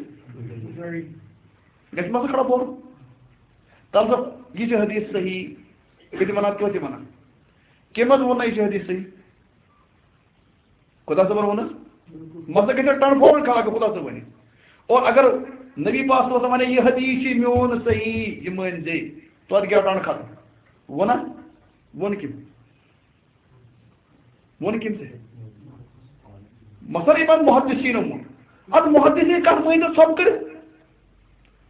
گژھِ مسلہٕ کھڑا بولُن۔ تَلہٕ سا، یہِ چھُ حدیث صحیح۔ یہِ تہِ وَنان، توتہِ وَنان۔ کٔمۍ حظ ووٚن نہ یہِ چھُ حدیث صحیح؟ خدا صٲبن ووٚن حظ؟ مسلہٕ گژھِ ٹرانسفارم کھڑا کہِ خدا صٲب ونہِ۔ اور اگر نبی پاک صلی اللہ علیہ وسلم ونے، "یہِ حدیث چھُ میون صحیح، یہِ مٲنۍ زِ"، توتہِ گٔیو ٹنڈ ختم۔ ووٚنا؟ ووٚن کٔمۍ؟ ووٚن کٔمۍ ژےٚ؟ مثلاً یِمن محدثیٖنن ووٚن۔ ادٕ محدثیٖن کتھ مٲنۍ تو ژھۄپہٕ کٔرِتھ؟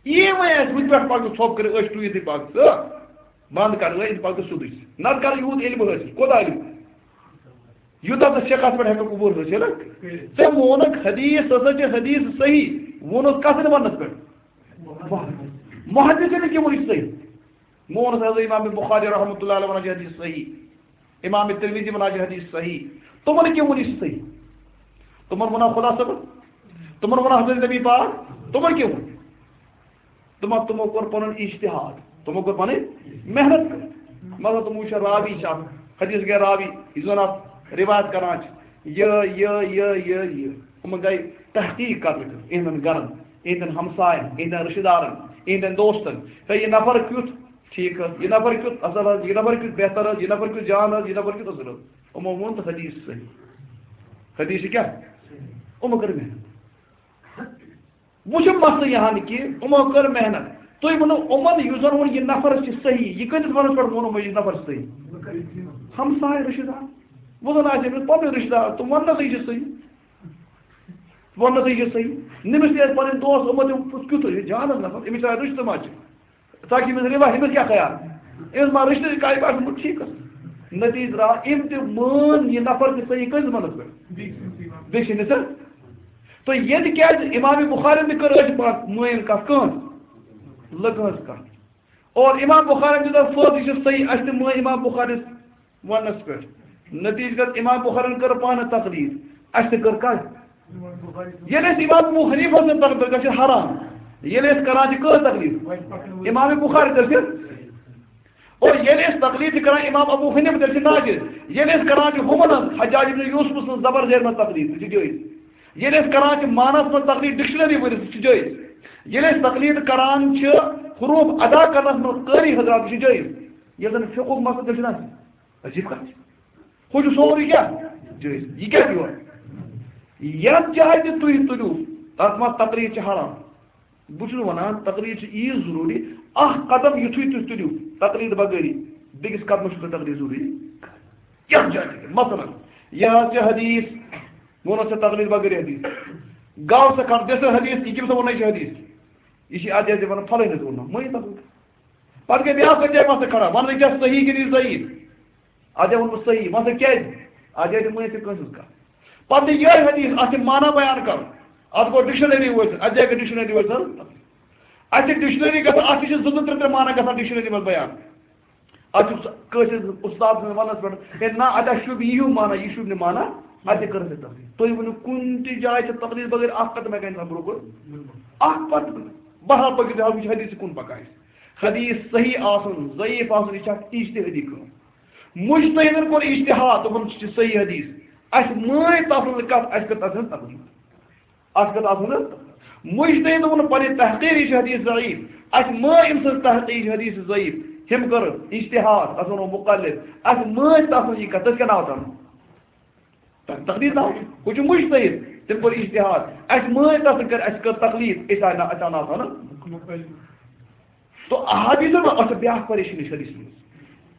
یی وۄنۍ اَسہِ وٕنہِ پٮ۪ٹھ پکو ژھۄپہٕ کٔرِتھ، أسۍ ٹُوِتھ پکو ژٕ۔ بنٛد کر، أسۍ پکو سیوٚدُے۔ نتہٕ کر یوٗت علم حٲصِل۔ کوٗتاہ علم؟ یوٗتاہ ژٕ شیخس پٮ۪ٹھ ہٮ۪ککھ عبور حٲصِل۔ ژےٚ ووٚنُکھ حدیث ہسا چھِ حدیث صحیح، ووٚنُکھ کتھ وننس پٮ۪ٹھ؟ محدث نے کیوں ووٚن یہِ صحیح؟ مونس حضرت امام بخاری رحمۃ اللہ علیہ ونان چھِ حدیث صحیح، امام ترمذی ونان چھِ حدیث صحیح، تِمن کیوں ووٚن یہِ صحیح؟ تِمن ووٚنا خدا صٲبن؟ تِمن ووٚنا حضرت نبی پاک؟ تِمن کیوں ووٚن؟ تِمو، تِمو کوٚر پنُن اجتہاد، تِمو کوٚر پنٕنۍ محنت کٔر۔ مطلب تِمو وٕچھ راوی چھِ اکھ، حدیث گٔے راوی، یُس زن اتھ روایت کران چھِ، یہِ، یہِ، یہِ، یہِ، یہِ۔ یِمن گٔے تحقیق کرنہٕ خٲطرٕ، یِہنٛدٮ۪ن گرن، یِہنٛدٮ۪ن ہمساین، یِہنٛدٮ۪ن رشتہٕ دارن، یِہنٛدٮ۪ن دوستن۔ ہے، یہِ نفر کیُتھ ٹھیٖک حظ، یہِ نفر کیُتھ اصل حظ، یہِ نفر کیُتھ بہتر حظ، یہِ نفر کیُتھ جان حظ، یہِ نفر کیُتھ اصل حظ۔ یِمو ووٚن تہٕ حدیث صحیح۔ حدیث چھِ کیٛاہ؟ یِمو کٔر محنت۔ وۄنۍ چھُ مسلہٕ یہِ ہن کہِ یِمو کٔر محنت۔ تُہۍ ؤنِو یِمن، یُس زن ووٚن یہِ نفر چھُ صحیح، یہِ کۭتِس ونس پٮ۪ٹھ ووٚن یِمو یہِ نفر چھُ صحیح؟ ہمساے رشتہٕ دار۔ وۄنۍ زن آسہِ أمِس پنُن رشتہٕ دار، تِم وننس یہِ چھُ صحیح۔ وننس یہِ چھُ صحیح۔ نٔمِس تہِ ٲسۍ پنٕنۍ دوس، یِمو تہِ ووٚن، کُس کیُتھ چھُ جانس نفر، أمِس چھا رشتہٕ ما چھُ؟ تاکہِ أمِس رِوا، أمِس کیٛاہ خیال؟ أمِس ما رشتہٕ کَرِ پٮ۪ٹھ ٹھیٖک حظ۔ نتیٖجہٕ درٛاو، أمۍ تہِ مٲن یہِ نفر تہِ صحیح کٔژِ وَنَس پٮ۪ٹھ؟ بیٚیہِ چھِ نہٕ سا؟ تہٕ ییٚتہِ کیٛازِ امام بخارین تہِ کٔر أتھۍ پتھ مٲنۍ کَتھ کٲنٛس؟ لٔکہٕ ہٕنٛز کَتھ۔ اور امام بخارین دیُت اَتھ فٲصلہٕ، یہِ چھُ صحیح، اَسہِ تہِ مٲنۍ امام بخارین وننس پٮ۪ٹھ۔ نتیجہ گوٚو امام بخارین کٔر پانہٕ تقلید، اسہِ تہِ کٔر کتھ۔ ییٚلہِ أسۍ امام ابو حنیفہ سٕنٛز تقلید کران چھِ حرام، ییٚلہِ أسۍ کران چھِ کٔر تقلید؟ امام بخاری تیٚلہِ چھِ، اور ییٚلہِ أسۍ تقلید چھِ کران امام ابو حنیفہ تیٚلہِ چھِ ناجائز۔ ییٚلہِ أسۍ کران چھِ ہُمن ہٕنٛز، حجاج ابن یوسف سٕنٛز زبر زیر منٛز تقلید، سُہ چھِ جٲیز۔ ییٚلہِ أسۍ کران چھِ معنس منٛز تقلید ڈکشنری ؤرِتھ، سُہ چھِ جٲیز۔ ییٚلہِ أسۍ تقلید کران چھِ حروف ادا کرنس منٛز قاری حضرات، سُہ چھِ جٲیز۔ ییٚلہِ زن فقہُک مسلہٕ تیٚلہِ چھُنہ عجیب کتھ چھِ۔ ہُہ چھُ سورُے کیٛاہ؟ جٲیز۔ یہِ کیٛاہ چھُ یورٕ؟ یتھ جایہِ تہِ تُہۍ تُلِو، تتھ منٛز تقلید چھِ حرام۔ بہٕ چھُس ونان، تقلید چھِ ییٖژ ضروٗری، اکھ قدم یُتھُے تُہۍ تُلِو تقلید بغٲری، بیٚکِس قدمس چھُو تۄہہِ تقلید ضروٗری۔ یتھ جایہِ تہِ۔ مثلاً، یہِ حظ چھِ حدیث، ووٚنُتھ ژےٚ تقلید بغٲری حدیث۔ گاو سا کھڑ، دِ سا حدیث، یہِ کٔمۍ سا ووٚن، یہِ چھِ حدیث۔ یہِ چھِ اتھ جایہِ تہِ ونان، فلٲنۍ حظ ووٚن، مٲنِو تقلید۔ پتہٕ گٔے بیٛاکھ کتھ جایہِ مسلہٕ کھڑا، وننہٕ کیٛاہ صحیح کِنہٕ یہِ ضعیف؟ اتھ جایہِ ووٚنمُت صحیح، مسلہٕ کیٛازِ؟ اتھ جایہِ تہِ مٲنِو تُہۍ کٲنٛسہِ ہٕنٛز کتھ۔ پتہٕ یہِ یِہوٚے حدیث، اتھ چھِ معنی بیان کرُن۔ اتھ گوٚو ڈکشنری وٲلۍ سٕنٛز، اتھ جایہِ گٔے ڈکشنری وٲلۍ سٕنٛز۔ اتھ چھِ ڈکشنری گژھان، اتھ تہِ چھِ زٕ زٕ ترٛےٚ ترٛےٚ معنی گژھان ڈکشنری منٛز بیان۔ اتھ چھُ کٲنٛسہِ استاد سٕنٛدِس وننس پٮ۪ٹھ، ہے نہ، اتھ ہا شوٗبہِ یِہیوٗ معنی، یہِ شوٗبہِ نہٕ معنی، اتھ تہِ کٔر اَسہِ تقلید۔ تُہۍ ؤنِو، کُنہِ تہِ جایہِ چھِ تقلید بغٲر اکھ قدم ہٮ۪کان انسان برٛونٛہہ کُن؟ اکھ پتہٕ، بہرحال پٔکِو تُہۍ، وٕچھ حدیث کُن پکان آسہِ۔ حدیث صحیح آسُن، ضعیف آسُن، یہِ چھِ اکھ اجتہادی کٲم۔ مجتہدن کوٚر اجتہاد، دوٚپُن، "یہِ چھُ صحیح حدیث۔" اَسہِ مٲنۍ تَتھ منٛز کَتھ، اَسہِ کٔر تَتھ منٛز تقلید۔ اَتھ کٔر تَتھ منٛز مجتہد ووٚن پنٕنۍ تحقیٖر، یہِ چھُ حدیث ضعیف۔ اَسہِ مٲنۍ أمۍ سٕنٛز تحقیٖر، یہِ چھُ حدیث ضعیف۔ ہُمۍ کٔر اجتہاد، تَتھ ووٚنُن مقلد۔ اَسہِ مٲنۍ تَتھ منٛز یہِ کَتھ، تٔتھۍ کیٛاہ ناو تَتھ؟ تقلید ناو، ہُہ چھُ مجتہد، تٔمۍ کوٚر اجتہاد۔ اَسہِ مٲنۍ تَتھ تہٕ کٔر، اَسہِ کٔر تقلید، أسۍ آے نہ، اَسہِ آو ناو تھاونہٕ۔ تو احادیث ما، اَتھ چھِ بیٛاکھ پریشٲنی چھِ حدیث منٛز۔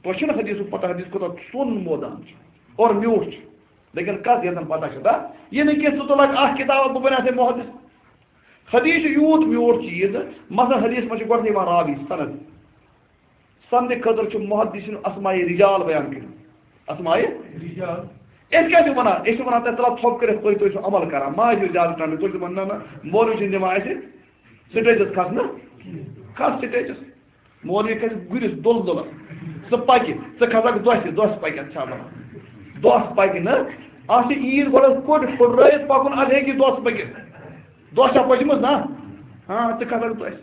تۄہہِ چھُنہٕ حدیثُک پتہ، حدیث کوٗتاہ سوٚن مٲدان چھُ اور میوٗٹھ چھُ۔ لیکن کَتھ یَتھ زَن پتہ چھِ، دا، یہِ نہٕ کینٛہہ، ژٕ تُلکھ اَکھ کِتاب، بہٕ بَنیٛاو ہے محدث۔ حدیث چھُ یوٗت میوٗٹھ چیٖز، مثلاً حدیث منٛز چھُ گۄڈٕ یِوان راوی، سند۔ سند خٲطرٕ چھُ محدثین اسماء رجال بیان کٔرمٕتۍ۔ اسماء رجال۔ أسۍ کیٛاہ چھِ وَنان؟ أسۍ چھِ وَنان، تۄہہِ ترٛاو ژھۄپہٕ کٔرِتھ، تُہۍ، تُہۍ چھِو عمل کران، ما ٲسِو زیادٕ ٹنڈٕ، تُہۍ چھِو وَنان، نہ، نہ، مولوی چھِنہٕ دِوان اَسہِ سٹیجَس کھسنہٕ، کھس سٹیجَس۔ مولوی کھسہِ گُرِس دُل دُلَس، سُہ پَکہِ، ژٕ کھسکھ دۄسہِ، دۄس پَکہِ، اَتھ چھا وَنان؟ دۄس پَکہِ نہٕ، اَتھ چھِ عیٖد گۄڈٕ کوٚٹ پھُٹرٲیِتھ پَکُن، اَدٕ ہیٚکہِ دۄس پٔکِتھ۔ دۄس چھا پٔچمٕژ؟ نہ۔ ہاں، ژٕ کھسکھ دۄسہِ۔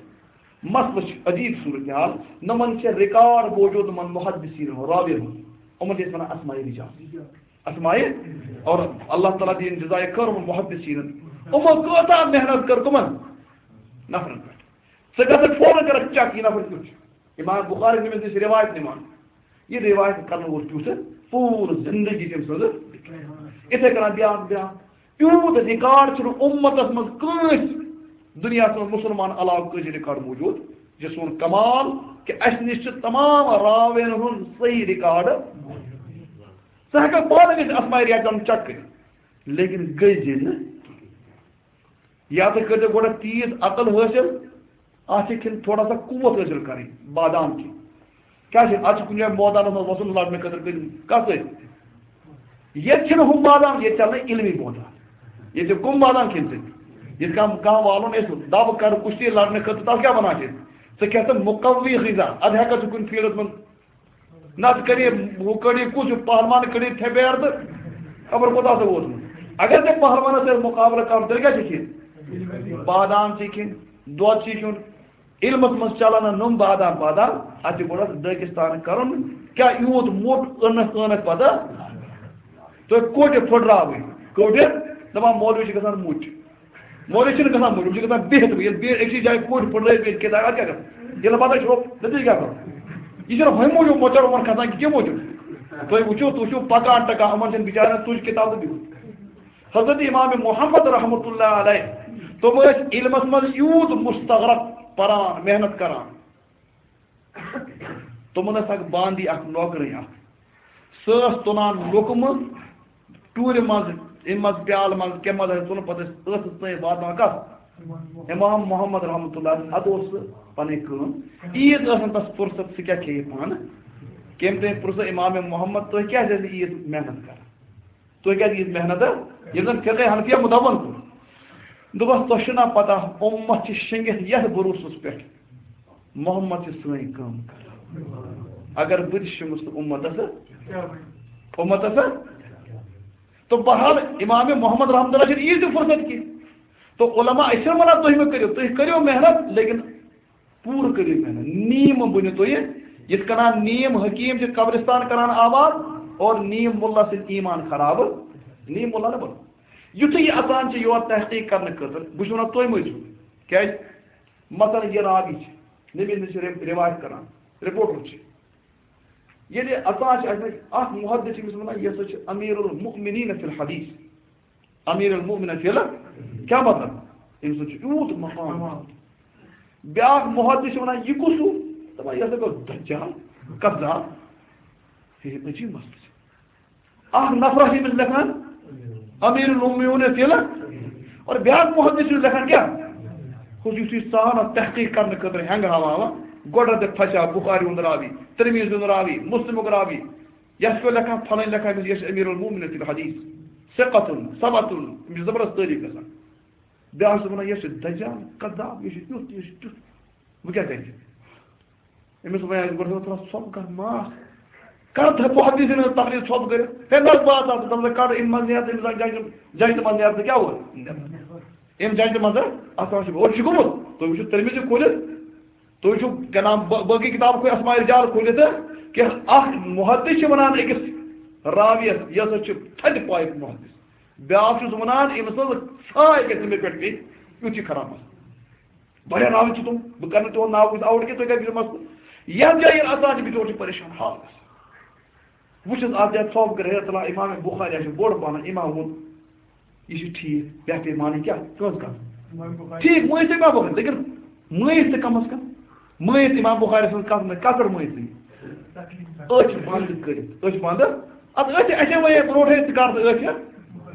مسلہٕ چھُ عجیٖب صورتحال۔ نۄمن چھِ ریکارڈ موجود، نۄمن محدثین ہُنٛد، راوین ہُنٛد۔ یِمن چھِ أسۍ ونان اسماء رجال۔ اسماء، اور اللہ تعالیٰ دِیِن جزائے خیر یِمن محدثینن۔ یِمو کۭژاہ محنت کٔر کٕمن نفرن پٮ۪ٹھ۔ ژٕ گژھکھ فوراً کرکھ چیک، یہِ نفر کیُتھ چھُ۔ امام بخاری نِمِتھ نِش روایت نِوان۔ یہِ روایت کرنہٕ وول کیُتھ، پوٗرٕ زندگی تٔمۍ سٕنٛز۔ یِتھے کٔنۍ بیٛاکھ، بیٛاکھ۔ یوٗت ریکارڈ چھُنہٕ اُمتس منٛز کٲنٛسہِ دُنیاہس منٛز مُسلمان علاوٕ کٲنٛسہِ ریکارڈ موجود۔ یہِ چھُ سون کمال کہِ اَسہِ نِش چھِ تمام راوین ہُنٛد صحیح ریکارڈ۔ ژٕ ہٮ۪ککھ پانہٕ گٔژھِتھ اسماء رجال چیک کٔرِتھ، لیکن گٔے زِ نہٕ۔ یا تُہۍ کٔرۍزیو گۄڈٕ تیٖژ عقل حٲصِل، اَتھ چھِ کھٮ۪ن تھوڑا سا قوت حٲصِل کَرٕنۍ، بادام کھیٚنۍ۔ کیٛاہ چھِ، اَتھ چھِ کُنہِ جایہِ مٲدانَس منٛز وَسُن لَڑنہٕ خٲطرٕ کٔرِتھ۔ کَس سۭتۍ؟ ییٚتہِ چھِنہٕ ہُم بادام، ییٚتہِ چَلنہٕ علمی بادام۔ ییٚتہِ کٕم بادام کھیٚنۍ ژےٚ؟ ییٚتہِ کانٛہہ، کانٛہہ والُن اَسہِ دَبہٕ کَرٕ کُشتی لَڑنہٕ خٲطرٕ، تَتھ کیٛاہ وَنان چھِ أسۍ؟ ژٕ کھٮ۪کھ ژٕ مُقوی غذا، اَدٕ ہٮ۪کَکھ ژٕ کُنہِ فیٖلڈَس منٛز نتہٕ کٔرِو ہُہ کٔرِو کُس ہیوٗ پہلوان کٔرِو تھپیر تہٕ خبر کوٗتاہ سا ووتمُت۔ اگر ژےٚ پہلوانس سۭتۍ مُقابلہٕ کرُن، تیٚلہِ کیٛاہ چھِ کھیٚنۍ؟ بادام چھِ کھیٚنۍ، دۄد چھِ کھیوٚن۔ علمس منٛز چلان نہ نوٚم بادام پادام، اتھ چھِ گۄڈٕ دٲکِستان کرُن۔ کیٛاہ یوٗت موٚٹ ٲنکھ ٲنکھ پتہٕ؟ تُہۍ کوٹہِ پھٕٹراوٕنۍ، کوٹہِ دپان مولوی چھِ گژھان مُچ۔ مولوی چھِنہٕ گژھان مٔنٛزۍ، یِم چھِ گژھان بِہِتھ۔ ییٚلہِ بیٚیہِ أکسٕے جایہِ کوٚٹ پھٕٹرٲیِتھ، بیٚیہِ کِتابہِ اَتھ کیٛاہ گژھان؟ ییٚلہِ پَتہٕ چھُ، نٔتیٖجہٕ کیٛاہ گژھان؟ یہِ چھُنہٕ ہُمہِ موٗجوٗب مۄچر یِمَن کھسان کہِ کیٚنٛہہ موٗجوٗب۔ تُہۍ وٕچھِو، تُہۍ وٕچھِو پَکان ٹَکان یِمَن چھَنہٕ بِچارٮ۪ن تُج کِتاب تہٕ بیٚہُن۔ حضرت امام محمد رحمتہ اللہ علیہ، تِم ٲسۍ علمَس منٛز یوٗت مستغرق پَران، محنت کَران۔ تِمَن ٲس اَکھ باندی، اَکھ نوکرٕنۍ اَکھ۔ سۄ ٲس تُلان لُکمہٕ ٹوٗرِ منٛز، اَمہِ منٛز پیالہٕ منٛز، کَمہِ منٛز آسہِ تُلُن، پَتہٕ ٲسۍ ٲسَس تام واتناوان کَتھ؟ امام محمد رحمتہ اللہ علیہ۔ اَدٕ اوس سُہ پَنٕنۍ کٲم۔ عیٖد ٲس نہٕ تَس فرصت، سُہ کیٛاہ کھیٚیہِ پانہٕ؟ کٔمۍ تام پرٛژھ امام محمد، تُہۍ کیٛازِ ٲسِو عیٖد محنت کَران؟ تُہۍ کیٛازِ ییٖژ محنت؟ ییٚلہِ زَن فقہ حنفیہ مُدوَّن کوٚر۔ دوٚپُس، تۄہہِ چھُو نا پَتہ، اُمت چھِ شیٚنگِتھ یَتھ بروسَس پٮ۪ٹھ، محمد چھِ سٲنۍ کٲم کران۔ اگر بہٕ تہِ شیٚنگُس تہٕ اُمتَس، اُمتَس۔ تو بہرحال، امام محمد رحمتہ اللہ چھِنہٕ عیٖد تہِ فرصت کینٛہہ۔ تو علماء، أسۍ چھِنہٕ وَنان تُہۍ مہٕ کٔرِو، تُہۍ کٔرِو محنت، لیکن پوٗرٕ کٔرِو محنت، نیم بٔنِو تُہۍ۔ یِتھ کٔنۍ نیم حکیٖم چھِ قبرستان کران آباد اور نیم مُلا سۭتۍ ایمان خراب، نیم مُلا نہٕ بَنُن۔ یُتھُے یہِ اَژان چھِ یور تحقیٖق کرنہٕ خٲطرٕ، بہٕ چھُس وَنان تُہۍ مٔرِو۔ کیٛازِ؟ مثلاً یہِ راوی چھِ، نبی نِش چھِ رِو-، رِوایت کران، رِپورٹر چھِ۔ ییٚلہِ اَژان چھِ اَتہِ، اَکھ محدث چھِ أمِس وَنان، یہِ ہسا چھِ امیر المؤمنین فی الحدیث۔ امیر المؤمنین فی ال-، کیٛاہ مطلب؟ أمِس چھُ یوٗت مقام۔ بیٛاکھ محدث چھِ وَنان، یہِ کُس ہیوٗ؟ دَپان، یہِ ہسا گوٚو دجال، کذاب۔ ہے، عجیٖب مسلہٕ چھُ۔ اَکھ نفرا چھِ أمِس لیکھان، امیر المؤمنین فی ال-، اور بیٛاکھ محدث چھُ لیکھان کیٛاہ؟ ہُہ یُتھُے ژٕ آو نا تحقیق کرنہٕ خٲطرٕ ہٮ۪نٛگ ہاوان، گۄڈٕ دِ پھسیو بخاری ہُنٛد راوی، ترمذی ہُنٛد راوی، مسلمُک راوی، یَتھ پٮ۪ٹھ لیکھان، پھلٲنۍ لیکھان أمِس، یہِ چھُ امیر المؤمنین فی الحدیث، ثقتن، ثبتن، أمِس چھِ زبردست تعریٖف گژھان۔ بیٛاکھ چھُ وَنان، یہِ چھُ دجال، کذاب، یہِ چھُ یُتھ، یہِ چھُ تیُتھ۔ بہٕ کیٛاہ کَرٕ؟ أمِس وَنہِ آسہِ گۄڈٕ تھوڑا ژھۄپہٕ کَر، معاف کَر، تھاو بہٕ حدیث أمِس تقریر ژھۄپہٕ کٔرِتھ۔ ہے، نہ، بہٕ ہسا، دَپان، ژٕ کَڑ اَمہِ منٛز نیرٕ، أمِس جنٛگہِ، جنٛگہِ منٛز نیرٕ، ژٕ کیٛاہ ووت؟ أمۍ جنٛگہِ منٛز، اَتھ منٛز چھُ، اورٕ چھُ گوٚمُت۔ تُہۍ وٕچھِو ترمذی کھوٗلِتھ، تُہۍ وٕچھِو کیٛاہ نام، با-، باقٕے کِتاب کھوٗلِتھ، اسماء رجال کھوٗلِتھ، کہِ اَکھ محدث چھِ وَنان أکِس راویَس، یہِ ہسا چھُ تھدِ پایُک محدث۔ بیٛاکھ چھُس وَنان، أمِس ہٕنٛز ژھاے گژھِ نہٕ مےٚ پٮ۪ٹھ پیٚنۍ، یُتھ چھُ خراب مسلہٕ۔ واریاہ راوی چھِ تِم، بہٕ کَرٕ نہٕ تِہُنٛد ناو without کہِ تُہۍ کَتہِ بِہِو مسلہٕ۔ یَتھ جایہِ ییٚلہِ اَژان چھِ، بِچور چھِ پریشان حال گژھان۔ وٕچھ حظ، اَتھ جایہِ ژھۄپہٕ کٔرِتھ، ہے، تَلہ اِمام بُخاری چھُ بوٚڑ پَہَن، اِمام ووٚن، یہِ چھُ ٹھیٖک، بہتر مانٕنۍ کیٛاہ؟ کٕہٕنٛز کَتھ؟ امام بُخاری۔ ٹھیٖک، مٲنِو تُہۍ اِمام بُخاری، لیکِن مٲنِو تُہۍ کَم از کَم، مٲنِو تُہۍ اِمام بُخاری سٕنٛز کَتھ نہٕ، کَتھ پٮ۪ٹھ مٲنِو تُہۍ؟ أچھ بنٛد کٔرِتھ، أچھ بنٛد۔ اَدٕ أچھ، اَسہِ وَنے برونٛٹھٕے ژٕ کَر ژٕ أچھ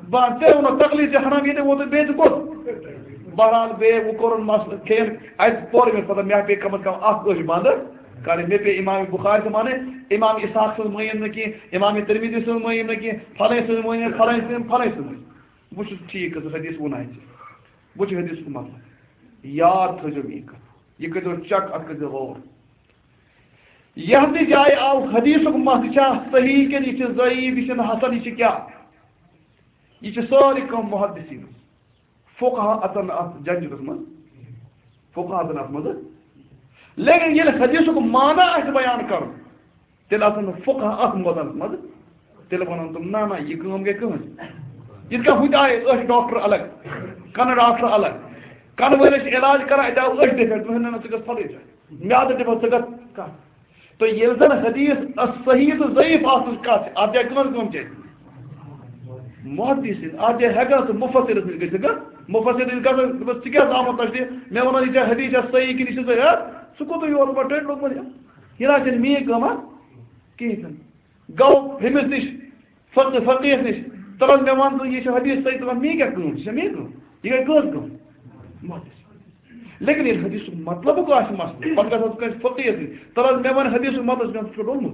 بنٛد۔ ژےٚ ووٚنُتھ تقلید چھِ حرام، ییٚتہِ ووتُے بیٚیہِ ژٕ کوٚت؟ بہرحال، بیٚیہِ وۄنۍ کوٚرُن مسلہٕ، کھیٚیَن اَتہِ پوٚر مےٚ پَتہ، مےٚ پیٚیہِ کَم از کَم اَکھ أچھ بنٛد کَرٕنۍ۔ مےٚ پیٚیہِ اِمام بُخاری سٕنٛز مانٕنۍ، اِمام اِسحاق سٕنٛز مٲنِم نہٕ کینٛہہ، اِمام تِرمِذی سٕنٛز مٲنِم نہٕ کینٛہہ، فَلٲنۍ سٕنٛز مٲنِم، فَلٲنۍ سٕنٛز، فَلٲنۍ سٕنٛز مٲنِم۔ بہٕ چھُس ٹھیٖک، کٔژ حدیث ووٚن اَسہِ۔ بہٕ چھُس حدیثُک مطلب۔ یاد تھٲیزیو میٛٲنۍ کَتھ۔ یہِ کٔرۍزیو چیک، اَتھ کٔرۍزیو غور۔ یَتھ تہِ جایہِ آو حدیثُک مَس، یہِ چھا صحیح کِنہٕ یہِ چھِ ضعیف، یہِ چھِنہٕ حسن، یہِ چھِ کیٛاہ؟ یہِ چھِ سٲرٕے کٲم محدثیٖنَس۔ فقہا اَژَن نہٕ اَتھ جنجَلَس منٛز۔ فقہا اَژَن اَتھ منٛز۔ لیکن ییٚلہِ حدیثُک معنی آسہِ بیان کرُن، تیٚلہِ آسن نہٕ فقہ اتھ موضوعس منٛز۔ تیٚلہِ ونن تِم، نہ، نہ، یہِ کٲم گٔے کٕہٕنٛز۔ یِتھ کٔنۍ ہُتہِ آیہِ أچھ ڈاکٹر الگ، کنہٕ ڈاکٹر الگ، کنہٕ وٲلِس چھِ علاج کران، اتہِ آو أچھ ڈِفیکٹ، دوٚپُن، نہ، نہ، ژٕ گژھ فلٲنۍ جایہِ۔ میادٕ ڈِفیکٹ، ژٕ گژھ کتھ۔ تہٕ ییٚلہِ زن حدیث صحیح تہٕ ضعیف آسنٕچ کتھ چھِ، اتھ جایہِ کٕہٕنٛز کٲم چھِ؟ محدث سٕنٛز۔ اتھ جایہِ ہٮ۪کان سُہ مفسرس نِش گٔژھِتھ، مفسر نِش گژھان، دوٚپُس، ژٕ کیٛاہ زامُت تۄہہِ تہِ؟ مےٚ وَنو، یہِ چھا حدیث چھا صحیح کِنہٕ یہِ چھُ ضعیف؟ ژٕ کوٚت یور پتہٕ ٹٔٹۍ لوٚگمُت؟ یہِ نہ چھَنہٕ میٛٲنۍ کٲم، ہا؟ کِہیٖنۍ چھُنہٕ۔ گوٚو ہُمِس نِش، فقہ، فقیہس نِش، تَلہٕ حظ مےٚ وَن ژٕ، یہِ چھُ حدیث صحیح، تَلہٕ حظ میٛٲنۍ کیٛاہ کٲم چھِ؟ یہِ چھےٚ میٛٲنۍ کٲم؟ یہِ گٔے کٲژ کٲم؟ محدث۔ لیکن ییٚلہِ حدیثُک مطلبُک آسہِ مسلہٕ، پتہٕ گژھِ حظ کٲنٛسہِ فقیہس نِش، تَلہٕ حظ مےٚ وَن حدیثُک مطلب، ژٕ چھُکھ ڈوٚلمُت،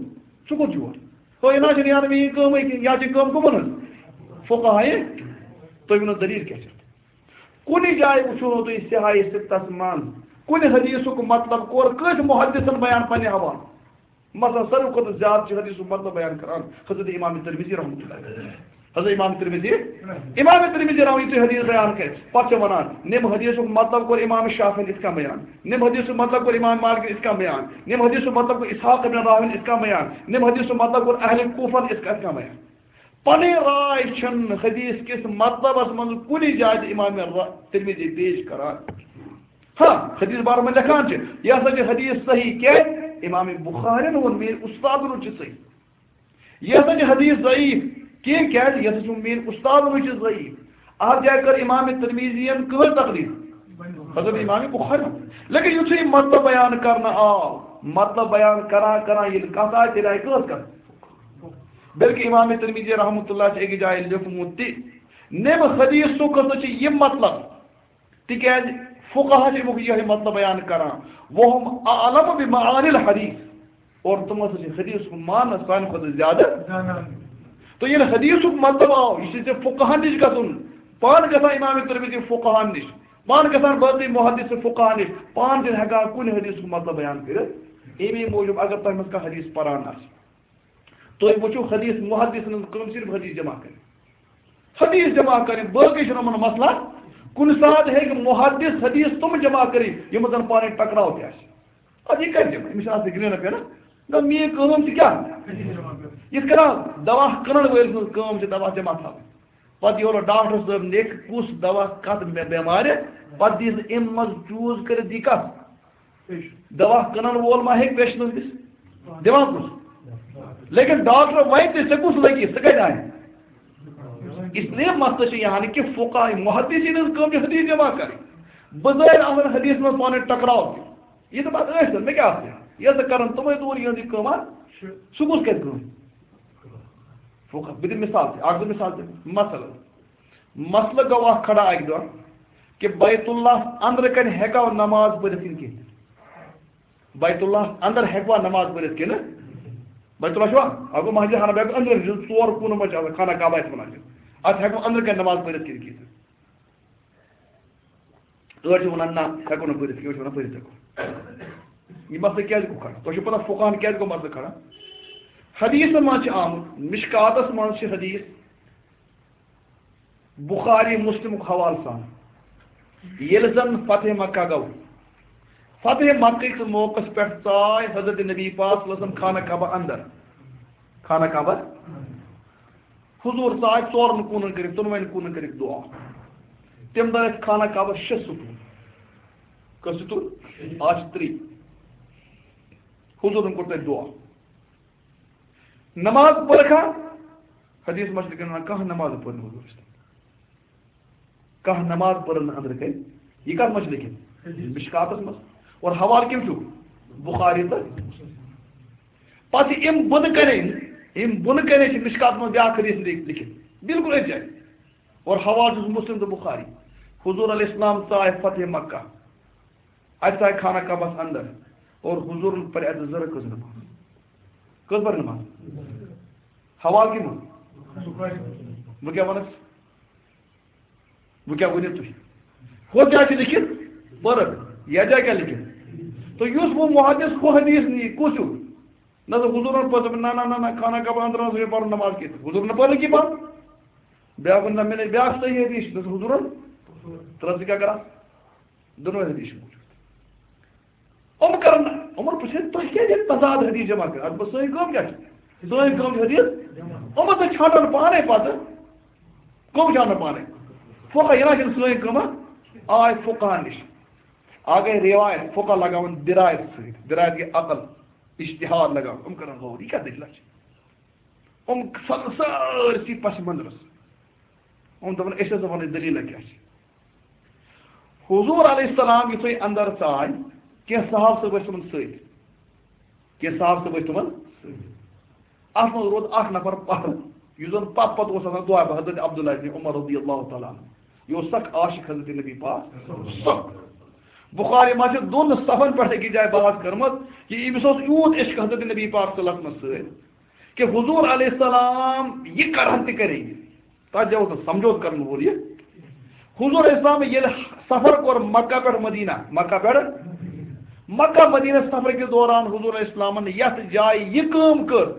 ژٕ کوٚت چھُکھ یور؟ ہو، یہِ نہ چھِ یارٕ میٛٲنۍ کٲمٕے کینٛہہ، یا چھِ کٲم کٕمَن ہٕنٛز؟ فقہائے۔ تُہۍ ؤنِو دٔلیٖل کیٛاہ چھِ؟ کُنہِ جایہِ وٕچھو نہٕ تُہۍ صحاحِ سِتَس منٛز، کُنہِ حدیثُک مطلب کوٚر کٲنٛسہِ محدثن بیان پننہِ حوالہٕ۔ مثلاً، ساروی کھۄتہٕ زیادٕ چھِ حدیثُک مطلب بیان کران حضرت امام ترمذی رحمۃ اللہ علیہ۔ حضرت امام ترمذی، امام ترمذی رحمۃ اللہ، یُتھُے حدیث بیان کرِ، پتہٕ چھِ ونان، نِم حدیثُک مطلب کوٚر امام شافعین یِتھ کٔنۍ بیان، نِم حدیثُک مطلب کوٚر امام مالکن یِتھ کٔنۍ بیان، نِم حدیثُک مطلب کوٚر اسحاق ابن راہوین یِتھ کٔنۍ بیان، نِم حدیثُک مطلب کوٚر اہل کوفن یِتھ کٔنۍ بیان۔ پنٕنۍ راے چھنہٕ حدیث کِس مطلبس منٛز کُنہِ جایہِ تہِ امام را-، ترمذی پیش کران۔ ہاں، حدیث بارس منٛز لیکھان چھِ، یہِ ہسا چھِ حدیث صحیح۔ کیٛازِ؟ امام بخارین ووٚن، میٲنۍ استادن ووٚن چھِ صحیح۔ یہِ ہسا چھِ حدیث ضعیف۔ کینٛہہ کیٛازِ؟ یہِ ہسا چھُ میٲنۍ استادن ووٚن چھِ ضعیف۔ اتھ جایہِ کٔر امام ترمذین کٕہٕنۍ تقلید؟ حضرت امام بخاری۔ لیکن یُتھُے مطلب بیان کرنہٕ آو، مطلب بیان کران کران ییٚلہِ کتھ آیہِ، تیٚلہِ آیہِ کٲژ کتھ؟ بلکہ امام ترمذی رحمۃ اللہ چھِ أکِس جایہِ لیوٗکھمُت تہِ، نِم حدیثُک ہسا چھُ یہِ مطلب، تِکیٛازِ فقہا چھِ اَمیُک یِہوٚے مطلب بیان کران، وَهُمْ أَعْلَمُ بِمَعَانِي الْحَدِيثِ، اور تِم ہسا چھِ حدیثُک معنی سانہِ کھۄتہٕ زیادٕ۔ زانان۔ تہٕ ییٚلہِ حدیثُک مطلب آو، یہِ چھُ ژےٚ فقہن نِش گژھُن، پانہٕ گژھان امام ترمذی فقہن نِش، پانہٕ گژھان باقٕے محدث فقہن نِش، پانہٕ چھِنہٕ ہٮ۪کان کُنہِ حدیثُک مطلب بیان کٔرِتھ۔ اَمی موٗجوٗب اگر تۄہہِ منٛز کانٛہہ حدیث پران آسہِ، تُہۍ وٕچھِو، حدیث محدثن ہٕنٛز کٲم صرف حدیث جمع کٔرِتھ۔ حدیث جمع کٔرِتھ، باقٕے چھُنہٕ یِمن مسلہٕ۔ کُنہِ ساتہٕ ہیٚکہِ محدث حدیث تِم جمع کٔرِتھ، یِم زن پانہٕ ؤنۍ ٹکراو تہِ آسہِ۔ اَدٕ یہِ کَتہِ جمع؟ أمِس چھِ آسان گرٛینہ پٮ۪نہ۔ نہ، میٛٲنۍ کٲم چھِ کیٛاہ؟ یِتھ کٔنۍ دوا کٕنن وٲلۍ سٕنٛز کٲم چھِ دوا جمع تھاوٕنۍ۔ پتہٕ یورٕ ڈاکٹر صٲب لیکھِ کُس دوا کتھ بے-، بٮ۪مارِ، پتہٕ دِیہِ سُہ اَمہِ منٛز چوٗز کٔرِتھ دِیہِ کتھ۔ دوا کٕنن وول ما ہیٚکہِ پیشنس دِتھ؟ دِوان کُس؟ لیکن ڈاکٹر وَنہِ تہِ، ژےٚ کُس لَگی، سُہ کَتہِ اَنہِ؟ اس لیے مسئلہ چھُ یہِ ہن کہِ فقہا محدثین ہٕنٛز کٲم چھِ حدیث جمع کَرٕنۍ۔ بظٲہر آسن حدیث منٛز پانہٕ ؤنۍ ٹکراو تہِ۔ یہِ تہٕ پَتہٕ ٲسۍ تَن، مےٚ کیٛاہ آسہِ؟ یہِ ہسا کَرن تِمَے دوٗر یِہٕنٛز یہِ کٲم، ہا؟ سُہ کُس کَرِ کٲم؟ فقہا۔ بہٕ دِمہٕ مثال تہِ، اَکھ زٕ مثال تہِ۔ مثلاً، مسئلہٕ گوٚو اَکھ کھڑا اَکہِ دۄہ کہِ بیت اللہ اندرٕ کنہِ ہیٚکوا نماز پٔرِتھ کِنہٕ کِہیٖنۍ؟ بیت اللہ اندر ہیٚکوا نماز پٔرِتھ کِنہٕ؟ بیت اللہ چھُوا؟ اَکھ گوٚو مسجد حرم، بیٛاکھ گوٚو اندرٕ، یُس ژور کوٗنہٕ منٛز چھِ آسان، خانہ کعبہ آسہِ وَنان چھِ۔ اَتھ ہیٚکوا اندرٕ کنہِ نماز پٔرِتھ کِنہٕ کِہیٖنۍ؟ أڑۍ چھِ وَنان، نہ، ہٮ۪کو نہٕ پٔرِتھ کینٛہہ، أڑۍ چھِ وَنان، پٔرِتھ ہٮ۪کو۔ یہِ مسلہٕ کیٛازِ گوٚو کھڑا؟ تۄہہِ چھُو پَتہ فقہَن کیٛازِ گوٚو مسلہٕ کھڑا؟ حدیثَن منٛز چھِ آمُت، مشکاتَس منٛز چھِ حدیث، بخاری مسلمُک حوالہٕ سان۔ ییٚلہِ زَن فتح مکہ گوٚو، فتح مکہ کِس موقعس پٮ۪ٹھ ژاے حضرت نبی پاک صلی اللہ علیہ وسلم خانہ کعبہ اندر۔ خانہ کعبہ۔ حضور ژاے ژورن کوٗنن کٔرِتھ، دۄنوَے کوٗنن کٔرِتھ دُعا۔ تَمہِ دۄہ ٲسۍ خانہ کعبس شےٚ ستوٗن۔ کٔژ ستوٗن؟ آز چھِ ترٛےٚ۔ حضورن کوٚر تَتہِ دُعا۔ نماز پٔرکھا؟ حدیث منٛز چھِ لیکھان، کانٛہہ نماز پٔر نہٕ حضورس تَتہِ۔ کانٛہہ نماز پٔرٕن نہٕ أنٛدرٕ کَنہِ۔ یہِ کَتھ منٛز چھُ لیٚکھِتھ؟ مِشکاتَس منٛز۔ اور حوالہٕ کٔمۍ چھُ؟ بُخاری تہٕ۔ پَتہٕ یِم بۄنہٕ کَنہِ، یِم بۄنہٕ کَنہِ چھِ مِشکاتَس منٛز بیٛاکھ حدیث لیٚکھ-، لیٚکھِتھ۔ بالکل أتھۍ جایہِ۔ اور حوالہٕ چھُس مُسلِم تہٕ بُخاری۔ حضور علیہ السلام ژاے فتح مکہ۔ اَتہِ ژاے خانہ کعبَس اندر۔ اور حضورن پَرِ اَتہِ زٕ رکعت نماز۔ کٔژ پَرِ نماز؟ حوالہٕ کٔمۍ ووٚن؟ بہٕ کیٛاہ وَنَس؟ بہٕ کیٛاہ ؤنِو تُہۍ؟ ہُہ کیٛاہ چھُ لیٚکھِتھ؟ پٔرٕکھ۔ یَتھ جایہِ کیٛاہ لیٚکھِتھ؟ تہٕ یُس وۄنۍ محدث ہُہ حدیث نِیہِ، کُس ہیوٗ؟ نہ تہٕ حضوٗرن پٔر دوٚپُن، نہ، نہ، نہ، نہ، خانہ کعبہ اندر نہ حضوٗرن پَرُن نماز کینٛہہ۔ حضوٗرن پٔر نہٕ کینٛہہ پَرُن۔ بیٛاکھ ووٚن، نہ، مےٚ نَے بیٛاکھ صحیح حدیث چھُ، نہ حضوٗرن۔ ترٛٲو ژٕ کیٛاہ کران؟ دۄنوَے حدیث چھِ موٗجوٗد۔ یِم کرن، یِمن پرٛژھِ، تُہۍ کیٛازِ ییٚلہِ تضاد حدیث جمع کٔرِو؟ اَتھ منٛز سٲنۍ کٲم کیٛاہ چھِ؟ سٲنۍ کٲم چھِ حدیث۔ یِم ہسا چھانڈن پانے پتہٕ۔ کٕم چھانڈن پانے؟ فقہ، یہِ نہ چھِنہٕ سٲنۍ کٲم۔ آے فقہ نِش۔ آ گٔے رِوایت، فقہ لگاوان دِرایت سۭتۍ۔ دِرایت گٔے عقل، اجتہاد لگاوان۔ یِم کرن غور، یہِ کیٛاہ دٔلیٖلہ چھِ؟ یِم کھسن سٲرسٕے پس منظرس۔ یِم دپان، أسۍ ہسا وَنو دٔلیٖلہ کیٛاہ چھِ۔ حضور علیہ السلام یُتھُے اندر ژاے، کینٛہہ صحابہٕ صٲب ٲسۍ تِمن سۭتۍ۔ کینٛہہ صحابہٕ صٲب ٲسۍ تِمن سۭتۍ۔ اتھ منٛز روٗد اکھ نفر پتھ، یُس زن پتھ پتھ اوس آسان دعا، حضرت عبداللہ ابن عمر رضی اللہ تعالیٰ عنہ۔ یہِ اوس سخ عاشق حضرت نبی پاک۔ سخ۔ بخاری منٛز چھِ دۄن صفن پٮ۪ٹھ أکِس جایہِ بحث کٔرمٕژ کہِ أمِس اوس یوٗت عشق حضرت نبی پاک صلی اللہ علیہ وسلمس سۭتۍ کہِ حضور علیہ السلام یہِ کرہن تہِ کرے یہِ۔ تتھ جایہِ اوس نہٕ سمجھوتہٕ کرن وول یہِ۔ حضور اسلام ییٚلہِ سفر کوٚر مکہ پٮ۪ٹھ مدینہ، مکہ پٮ۪ٹھ، مکہ مدینہ سفر کِس دوران حضور اسلامن یتھ جایہِ یہِ کٲم کٔر،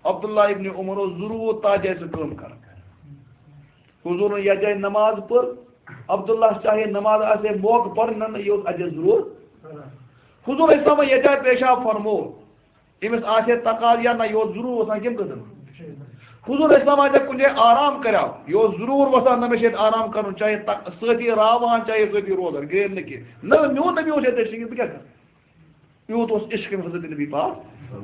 عبداللہ ابن عمر اوس ضروٗر تتھ جایہِ سُہ کٲم کران۔ حضورن یتھ جایہِ نماز پٔر، عبداللہ چاہے نماز آسہِ ہے موقعہٕ پرنن، یہِ اوس اتھ جایہِ ضروٗر۔ حضور اسلامن یتھ جایہِ پیشاب فرموو، أمِس آسہِ ہے تقاضہٕ یا نہ، یہِ اوس ضروٗر وَسان کَمہِ خٲطرٕ؟ حضور اسلام آسہِ ہا کُنہِ جایہِ آرام کَریو، یہِ اوس ضروٗر وَسان، نہ مےٚ چھُ ییٚتہِ آرام کَرُن، چاہے تق-، سٲتھی راوان، چاہے سٲتھی روزان، گرٛین نہٕ کینٛہہ۔ نہ، میون نبی اوس ییٚتہِ، بہٕ کیٛاہ کَرٕ؟ یوٗت اوس عشق أمِس حضرت نبی پاک۔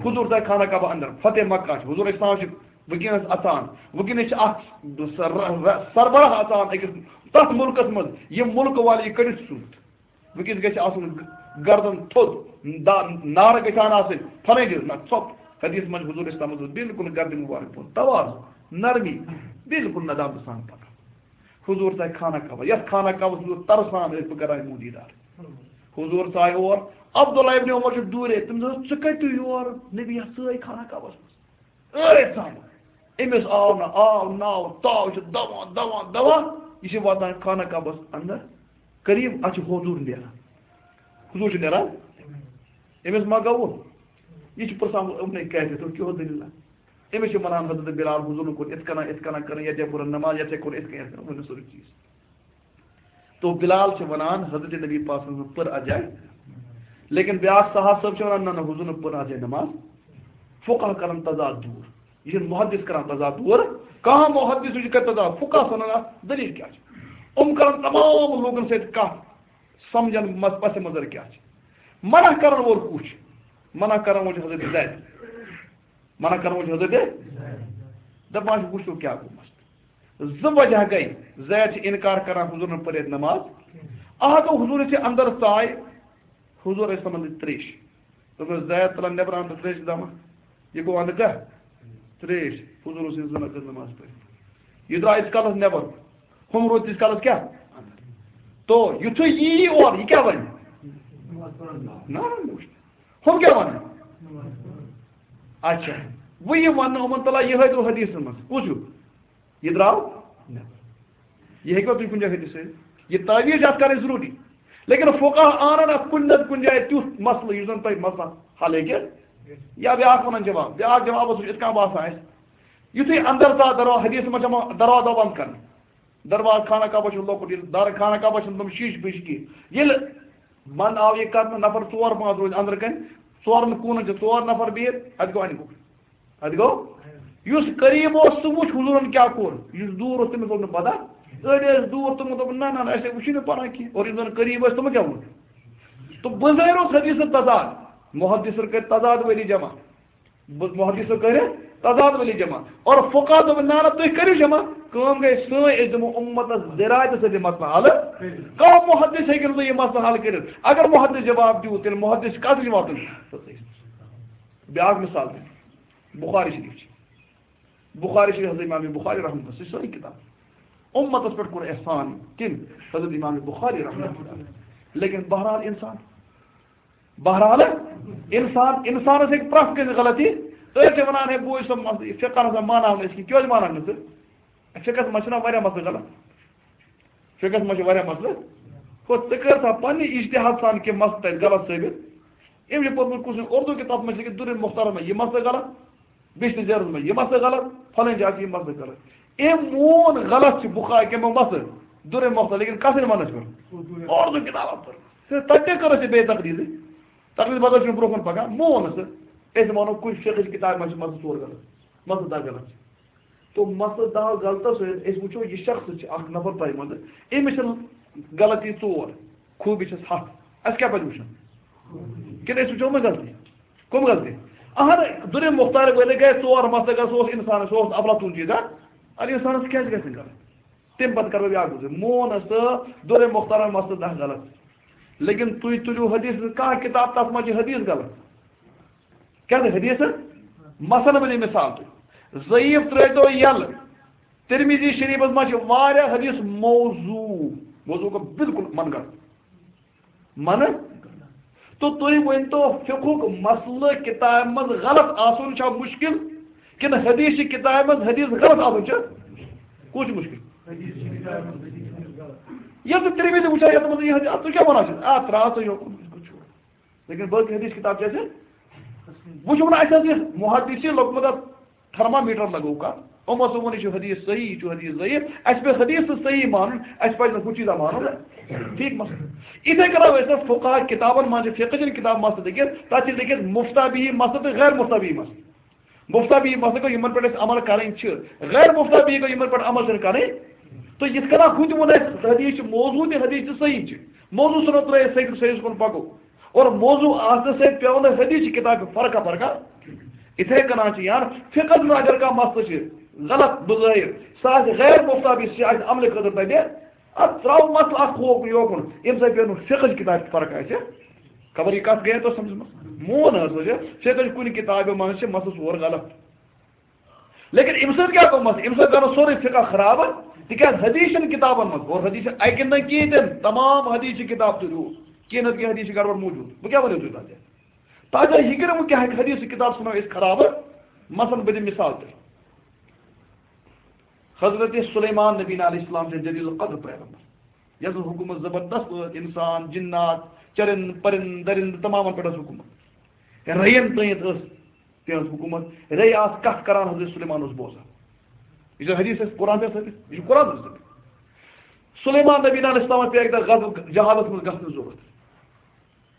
حضور ژاے خانہ کعبہ اندر، فتح مکہ چھُ، حضور اسلام چھُ وٕنکیٚنَس اَژان، وٕنکیٚنَس چھِ اَتھ سر-، سربراہ اَژان أکِس تَتھ مُلکَس منٛز، یہِ مُلکہٕ والہِ یہِ کٔڑِتھ ژوٗنٛٹھ۔ وٕنکیٚس گژھِ آسُن گردن تھوٚد، دا-، نارٕ گژھِ ہن آسٕنۍ، پھلٲنۍ چیٖز، نہ، ژھۄپ۔ حدیث منٛز حضور اسلام حضور بالکل گردن مبارک بۄن، تواضع، نرمی، بالکل ندامت سان پکان۔ حضور ژاے خانہ کعبہ، یتھ خانہ کعبس حضور ترسان ٲسۍ، بہٕ کران یِمو دیدار۔ حضور ژاے اور، عبداللہ ابن عمر چھُ دوٗرے، تٔمِس دوٚپُس، "ژٕ کتہِ یور؟ نبی یتھ سٲے خانہ کعبس منٛز۔" ٲرۍ ژامُت۔ أمِس آو نہٕ، آو ناو، تاو چھُ دوان، دوان، دوان۔ یہِ چھُ واتان خانہ کعبس اندر۔ قریب، اتھ چھُ حضور نیران۔ حضور چھُ نیران۔ أمِس ما گوٚو؟ یہِ چھُ پرژھان، "یِمنٕے کیٛازِ تُہۍ کیٛاہ دٔلیٖلہ؟" أمِس چھِ وَنان حضرت بلال، حضورن کوٚر یِتھ کٔنۍ، یِتھ کٔنۍ کٔرٕن، یَتھ جایہِ کوٚرُن نماز، یَتھ جایہِ کوٚر یِتھ کٔنۍ، یِتھ کٔنۍ، ؤنِو سورُے چیٖز۔ تو بلال چھِ وَنان حضرت نبی پاک صلی اللہ علیہ وسلم پٔر اَتھ جایہِ۔ لیکن بیٛاکھ صحابہٕ صٲب چھِ وَنان، نہ، نہ، حضورن پٔر اَتھ جایہِ نماز۔ فقہ کرن تضاد دوٗر۔ یہِ چھُنہٕ محدث کران تضاد دوٗر۔ کانٛہہ محدث چھُ کران تضاد۔ فقہ چھِ وَنان اَتھ دٔلیٖل کیٛاہ چھِ؟ یِم کرن تمام لوٗکن سۭتۍ کَتھ، سمجھن مس-، پس منظر کیٛاہ چھِ۔ منع کرن وول کُس چھُ؟ منع کرن وول چھُ حضرت زید۔ منع کرن وول چھُ حضرت۔ دپان چھُ، وٕچھِو کیٛاہ گوٚو مسلہٕ۔ زٕ وجہ گٔے۔ زید چھِ انکار کران حضورن پٔرِتھ نماز۔ اکھ گوٚو، حضور چھِ اندر ژاے، حضور ٲسۍ تِمن دِتھ تریش۔ دوٚپمَس، زید تُلان نٮ۪برٕ اَنٛدٕ تریش دَمہ۔ یہِ گوٚو اَنٛدٕ کیٛاہ؟ تریش۔ حضور اوس یہِ زٕ رکعت نماز پٔرِتھ۔ یہِ درٛاو ییٖتِس کالَس نٮ۪بر۔ ہُم روٗدۍ تیٖتِس کالَس کیٛاہ؟ اَنٛدر۔ تو یُتھُے یی یہِ اورٕ، یہِ کیٛاہ وَنہِ؟ نہ، نہ، نہ، وٕچھ۔ ہُم کیٛاہ وَنَن؟ اچھا۔ وۄنۍ یہِ وَننہٕ یِمَن، تَلہ یِہوٚے گوٚو حدیثَس منٛز۔ کُس ہیوٗ؟ یہِ درٛاو نٮ۪بر۔ یہِ ہیٚکوا تُہۍ کُنہِ جایہِ ہیٚتِتھ سۭتۍ؟ یہِ تعویٖذ چھِ اَتھ کَرٕنۍ ضروٗری۔ لیکن فقہ اَنَن اَتھ کُنہِ نَتہٕ کُنہِ جایہِ تیُتھ مسلہٕ یُس زَن تۄہہِ مسلہٕ حل ہیٚکہِ۔ یا بیٛاکھ وَنان جواب، بیٛاکھ جواب اوس یِتھ کٔنۍ باسان اَسہِ۔ یُتھُے اَندَر ژاو دروازٕ، حدیث منٛز چھِ یِوان دروازٕ دَبان کَرنہٕ۔ دروازٕ، خانہ کعبہ چھُ لۄکُٹ، ییٚلہِ دارِ خانہ کعبہ چھُنہٕ تِم شیٖشہٕ پیٖشہٕ کینٛہہ۔ ییٚلہِ منٛد آو یہِ کَرنہٕ، نفر ژور پانٛژھ روٗدۍ أنٛدرٕ کَنہِ، ژورَن کوٗنَن چھِ ژور نفر بِہِتھ، اَتہِ گوٚو اَنہِ گوٚو۔ اَتہِ گوٚو؟ یُس قریب اوس، سُہ وُچھ حضوٗرن کیٛاہ کوٚر۔ یُس دوٗر اوس، تٔمِس لوٚگ نہٕ پتہ۔ أڑۍ ٲسۍ دوٗر، تِمو دوٚپ، "نہ، نہ، نہ، اَسہِ ہے وُچھُے نہٕ پَران کینٛہہ۔" اور یِم زَن قریب ٲسۍ، تِمو کیٛاہ ووٚن؟ تہٕ بظٲہِر اوس حدیثَس تضاد۔ محدثن کٔرۍ تضاد وٲلی جمع۔ ب-، محدثو کٔرۍ تضاد وٲلی جمع۔ اور فقہ دوٚپ، "نہ، نہ، تُہۍ کٔرِو جمع۔" کٲم گٔے سٲنۍ، أسۍ دِمو اُمتَس دِرایتہٕ سۭتۍ یہِ مسلہٕ حل۔ کانٛہہ محدث ہیٚکہِ نہٕ یہِ مسلہٕ حل کٔرِتھ۔ اگر محدث جواب دیُت، تیٚلہِ محدث کَتھ جواب دیُن؟ بیٛاکھ مثال دِمہٕ۔ بخاری شریف چھِ۔ بخاری شریف، حضرت امام بخاری رحمۃ اللہ، سُہ چھِ سٲنۍ کِتاب۔ اُمتَس پٮ۪ٹھ کوٚر احسان کٔمۍ؟ حضرت امام بخاری رحمۃ اللہ۔ لیکن بہرحال اِنسان، بہرحال اِنسان، اِنسانَس ہیٚکہِ پرٛٮ۪تھ کٲنٛسہِ غلطی۔ أڑۍ چھِ وَنان، "ہے، بوے، سُہ مسلہٕ، یہِ فقہَس منٛز مانان نہٕ أسۍ کِہیٖنۍ۔" کیٛازِ مانان نہٕ ژٕ؟ فقہَس منٛز چھِنہ واریاہ مسلہٕ غلط۔ فقہَس منٛز چھِ واریاہ مسلہٕ۔ ہُہ، ژٕ کر سا پننہِ اجتہاد سان کینٛہہ مسلہٕ تَتہِ غلط ثٲبت۔ أمۍ چھِ پوٚرمُت کُس اُردو کِتاب منٛز چھِ لیکھِتھ، درِ مختارَس منٛز یہِ مسلہٕ غلط، بشت زیرَس منٛز یہِ مسلہٕ غلط، فلٲنۍ جایہِ چھِ یہِ مسلہٕ غلط۔ أمۍ مون غلط چھِ بخاری کیٚمو مسلہٕ، درِ مختار، لیکن کَتھ منٛز پٔر؟ اُردو کِتابَن پٔر۔ تہٕ تَتہِ تہِ کٔر اَسہِ بے تقریٖرٕے۔ تقلید بدل چھُنہٕ برونٛہہ کُن پکان، مون نہٕ سُہ۔ أسۍ وَنو کُنہِ فقہٕچ کِتابہِ منٛز چھِ مسلہٕ ژور غلط، مسلہٕ دَہ غلط چھِ۔ تو مسلہٕ دَہ غلطس سۭتۍ أسۍ وٕچھو، یہِ شخص چھِ اکھ نفر تۄہہِ منٛزٕ، أمِس چھِ غلطی ژور، خوٗبی چھَس ہَتھ۔ اَسہِ کیٛاہ پَزِ وٕچھُن؟ کِنہٕ أسۍ وٕچھو وۄنۍ غلطی؟ کٕم غلطی؟ اہن، دُرِ مُختار وٲلۍ گٔے ژور مسلہٕ، سُہ اوس اِنسان، سُہ اوس افلاطوٗن چیٖزا۔ اَدٕ اِنسانَس کیٛازِ گژھِ نہٕ غلط؟ تَمہِ پَتہٕ کَرٕ بہٕ بیٛاکھ گُزٲرِش۔ مون ہسا دُرِ مُختارَن مسلہٕ دَہ غلط۔ لیکن تُہۍ تُلِو حدیث کانٛہہ کِتاب، تَتھ منٛز چھِ حدیث غلط۔ کیٛاہ گٔے حدیث؟ مثلاً ؤنِو مِثال تُہۍ۔ ضعیف ترٛٲوۍتو یَلہٕ۔ ترمذی شریفَس منٛز چھِ واریاہ حدیث موضوع۔ موضوع گوٚو بالکل من گھڑت۔ من؟ تو تُہۍ ؤنۍتو، فقہُک مسلہٕ کِتابہِ منٛز غلط آسُن چھا مُشکِل؟ کِنہٕ حدیث چھِ کِتابہِ منٛز حدیث غلط آسُن چھُ؟ کُس چھُ مُشکِل؟ ییٚلہِ ژٕ ترمذی وٕچھان، یَتھ منٛز یہِ حدیث، اَتھ ژٕ کیٛاہ وَنان چھُکھ؟ آ، ترٛاو ژٕ یوکُن۔ لیکن باقٕے حدیث کِتاب چھِ اَسہِ، وۄنۍ چھُ وَنان، اَسہِ حظ یہِ محدثی لوٚگمُت اَتھ تھرمامیٹر لگوو کَتھ۔ یِمو ہسا ووٚن، یہِ چھُ حدیث صحیح، یہِ چھُ حدیث ضعیف۔ اَسہِ پیٚو حدیث تہٕ صحیح مانُن، اَسہِ پَزِ نہٕ ہُہ چیٖزا مانُن۔ ٹھیٖک مسلہٕ۔ یِتھَے کٔنۍ اَسہِ فقہا کِتابَن منٛز چھِ، فقہ چٮ۪ن کِتابَن منٛز تہِ لیکھِتھ، تَتھ چھِ لیکھِتھ مُفتیٰ بِہی مسلہٕ تہٕ غیر مُفتیٰ بِہی مسلہٕ۔ مُفتیٰ بِہی مسلہٕ گوٚو یِمَن پٮ۪ٹھ اَسہِ عمل کَرٕنۍ چھِ، غیر مُفتیٰ بِہی گوٚو یِمَن پٮ۪ٹھ عمل چھِنہٕ کَرٕنۍ۔ تہٕ یِتھ کٔنۍ ہُہ تہِ ووٚن اَسہِ، حدیث چھِ موضوع تہِ، حدیث چھِ صحیح چھِ۔ موضوع ژھٕنو ترٛٲیِتھ، صحیح، صحیح کُن پَکو۔ اور موضوع آسنہٕ سۭتۍ پیوٚو نہٕ حدیث چہِ کِتابہِ فرقہ فرقہ۔ یِتھَے کٔنۍ چھِ یار فقہَس منٛز اگر کانٛہہ مسلہٕ چھِ غلط بظٲہِر، سُہ آسہِ غیر مُفتیٰ بِہی، سُہ آسہِ عملہِ خٲطرٕ تَتہِ، اَتھ ترٛاوو مسلہٕ اَکھ ہوکُن یوکُن، ییٚمہِ سۭتۍ پیوٚو نہٕ فقہٕچ کِتابہِ فرقہ اَسہِ۔ خبر یہِ کَتھ گٔیے تۄہہِ سَمجھِ منٛز؟ مون حظ وٕچھ، فقہٕچ کُنہِ کِتابہِ منٛز چھِ مسلہٕ ژور غلط۔ لیکن اَمہِ سۭتۍ کیٛاہ گوٚمَس؟ اَمہِ سۭتۍ گوٚو سورُے فقہ خراب، تِکیٛازِ حدیث چھِنہٕ کِتابَن منٛز، اور حدیث چھِ اَکہِ نہٕ کِہیٖنۍ تہِ نہٕ، تمام حدیث چھِ کِتاب تُلِو، کینٛہہ نَتہٕ کینٛہہ حدیث چھِ گڑبڑ موٗجوٗد۔ بہٕ کیٛاہ وَنو تۄہہِ تَتہِ؟ تَتہِ یہِ کَرٕ وۄنۍ کیٛاہ ہیٚکہِ حدیث کِتاب ژھٕنو أسۍ خراب؟ مثلاً بہٕ دِمہٕ مِثال تۄہہِ۔ حضرت سلیمان نبی علیہ السلام چھِ جلیل القدر پیغمبر، یَس حکوٗمت زبردست ٲس، اِنسان، جِنات، چرند، پرند، درند، تمامَن پٮ۪ٹھ ٲس حکوٗمت۔ رَیَن تٲنِتھ ٲس تِہنٛز حکوٗمت۔ رے آس کتھ کران حضرت سلیمان اوس بوزان۔ یہِ چھُ حدیث اَسہِ قرآن پٮ۪ٹھ ثٲبت، یہِ چھُ قرآن پٮ۪ٹھ ثٲبت۔ سلیمان نبی علیہ السلام پیٚیہِ اَکہِ دۄہ غزو-، جہادس منٛز گژھنٕچ ضروٗرت۔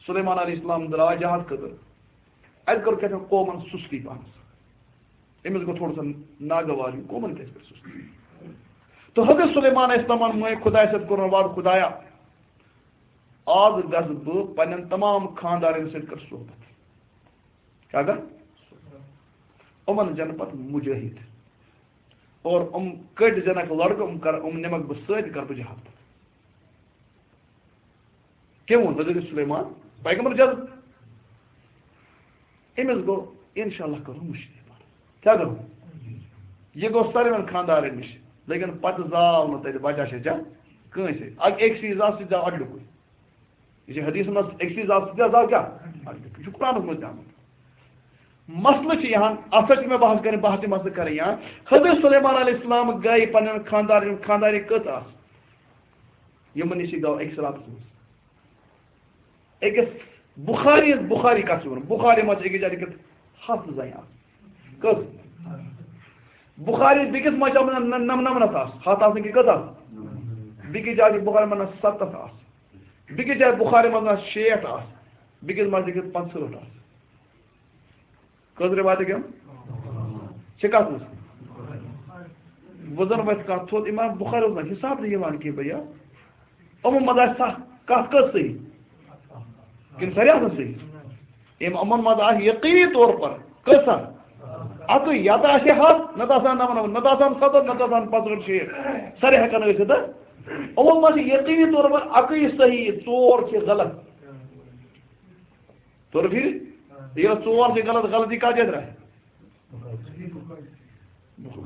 سلیمان علیہ السلام درٛاو جہاد خٲطرٕ۔ اَتہِ کٔر کیٛاہ تام قومن سُستی پہنس۔ أمِس گوٚو تھوڑا سا ناگوار، یہِ قومن کیٛازِ کٔر سُستی؟ تہٕ حضرت سلیمان علیہ السلامن مٲنۍ خدایہِ سۭتۍ کوٚرُن وعدٕ، خدایا، آز گژھٕ بہٕ پننٮ۪ن تمام خاندارن سۭتۍ کر صحبت۔ کیٛاہ گژھِ؟ یِمن زینہٕ پتہٕ مجاہد۔ اور یِم کٔٹۍ زینکھ لڑکہٕ، یِم کر، یِم نِمکھ بہٕ سۭتۍ، کرٕ بہٕ جہاد پتہٕ۔ کٔمۍ ووٚن؟ حضرت سلیمان، پیغمبر جل۔ أمِس گوٚو، انشاءاللہ کرو مُشرِک پتہٕ۔ کیٛاہ گوٚو؟ یہِ گوٚو ساروِین خاندارن نِش، لیکن پتہٕ زاو نہٕ تتہِ بچہ شچہ کٲنٛسے۔ اکھ، أکۍ سٕے زاو، سُہ تہِ زاو اکھ ڈُکُر۔ یہِ چھِ حدیثن منٛز أکسٕے ذات سۭتۍ آسان کیٛاہ؟ یہِ چھُ قرآنَس منٛز تہِ آمُت۔ مسلہٕ چھِ یِہَن، اَتھ پٮ۪ٹھ چھِ مےٚ بحث کَرٕنۍ، بحث تہِ مسلہٕ کَرٕنۍ یِہَن۔ حضرت سلیمان علیہ السلام گٔے پنٛنٮ۪ن خاندارٮ۪ن، خاندارٮ۪ن کٔژ آسہٕ؟ یِمَن نِش یہِ گوٚو أکِس راتَس منٛز۔ أکِس بُخاری، بُخاری کَتھ چھِ وَنان؟ بُخاری منٛز چھِ أکِس جایہِ لیکھِتھ ہَتھ زَنہِ آسہٕ۔ کٔژ؟ بُخاری بیٚکِس منٛز چھِ آمُت نَم-، نَم-، نَمنَتھ آسہٕ۔ ہَتھ آسنہٕ کہِ کٔژ آسہٕ؟ بیٚکِس جایہِ چھِ بُخاری منٛز سَتَتھ آسہٕ۔ بیٚکِس جایہِ بُخاری منٛز آسہٕ شیٹھ آسہٕ۔ بیٚکِس منٛز لیکھِتھ پانٛژہٲٹھ آسہٕ۔ کٔژ رِوایتہٕ گٔے؟ چھِ کَتھ منٛز؟ وۄنۍ زَن وَتھِ کَتھ تھوٚد، اِمام بُخاری اوس نہٕ حِساب تہِ یِوان کینٛہہ بھیا۔ یِمو منٛز آسہِ سَتھ، کَتھ کٔژ صحیح؟ کِنہٕ سارے آسَن صحیح؟ یِم یِمَن منٛز آسہِ یقینی طور پر کٔژ آسَن؟ اَکٕے، یا تہٕ آسہِ ہَتھ، نَتہٕ آسَن نَمنَمَتھ، نَتہٕ آسَن سَتَتھ، نَتہٕ آسَن پانٛژہٲٹھ شیٹھ۔ سارے ہٮ۪کَن ٲسِتھ، ہہ؟ یِمَن منٛز چھِ یقینی طور پر اَکٕے صحیح، ژور چھِ غلط۔ توٚر فِکرِ؟ ییٚلہِ ژور چھِ غلط، غلطی کَتھ جایہِ درٛاے؟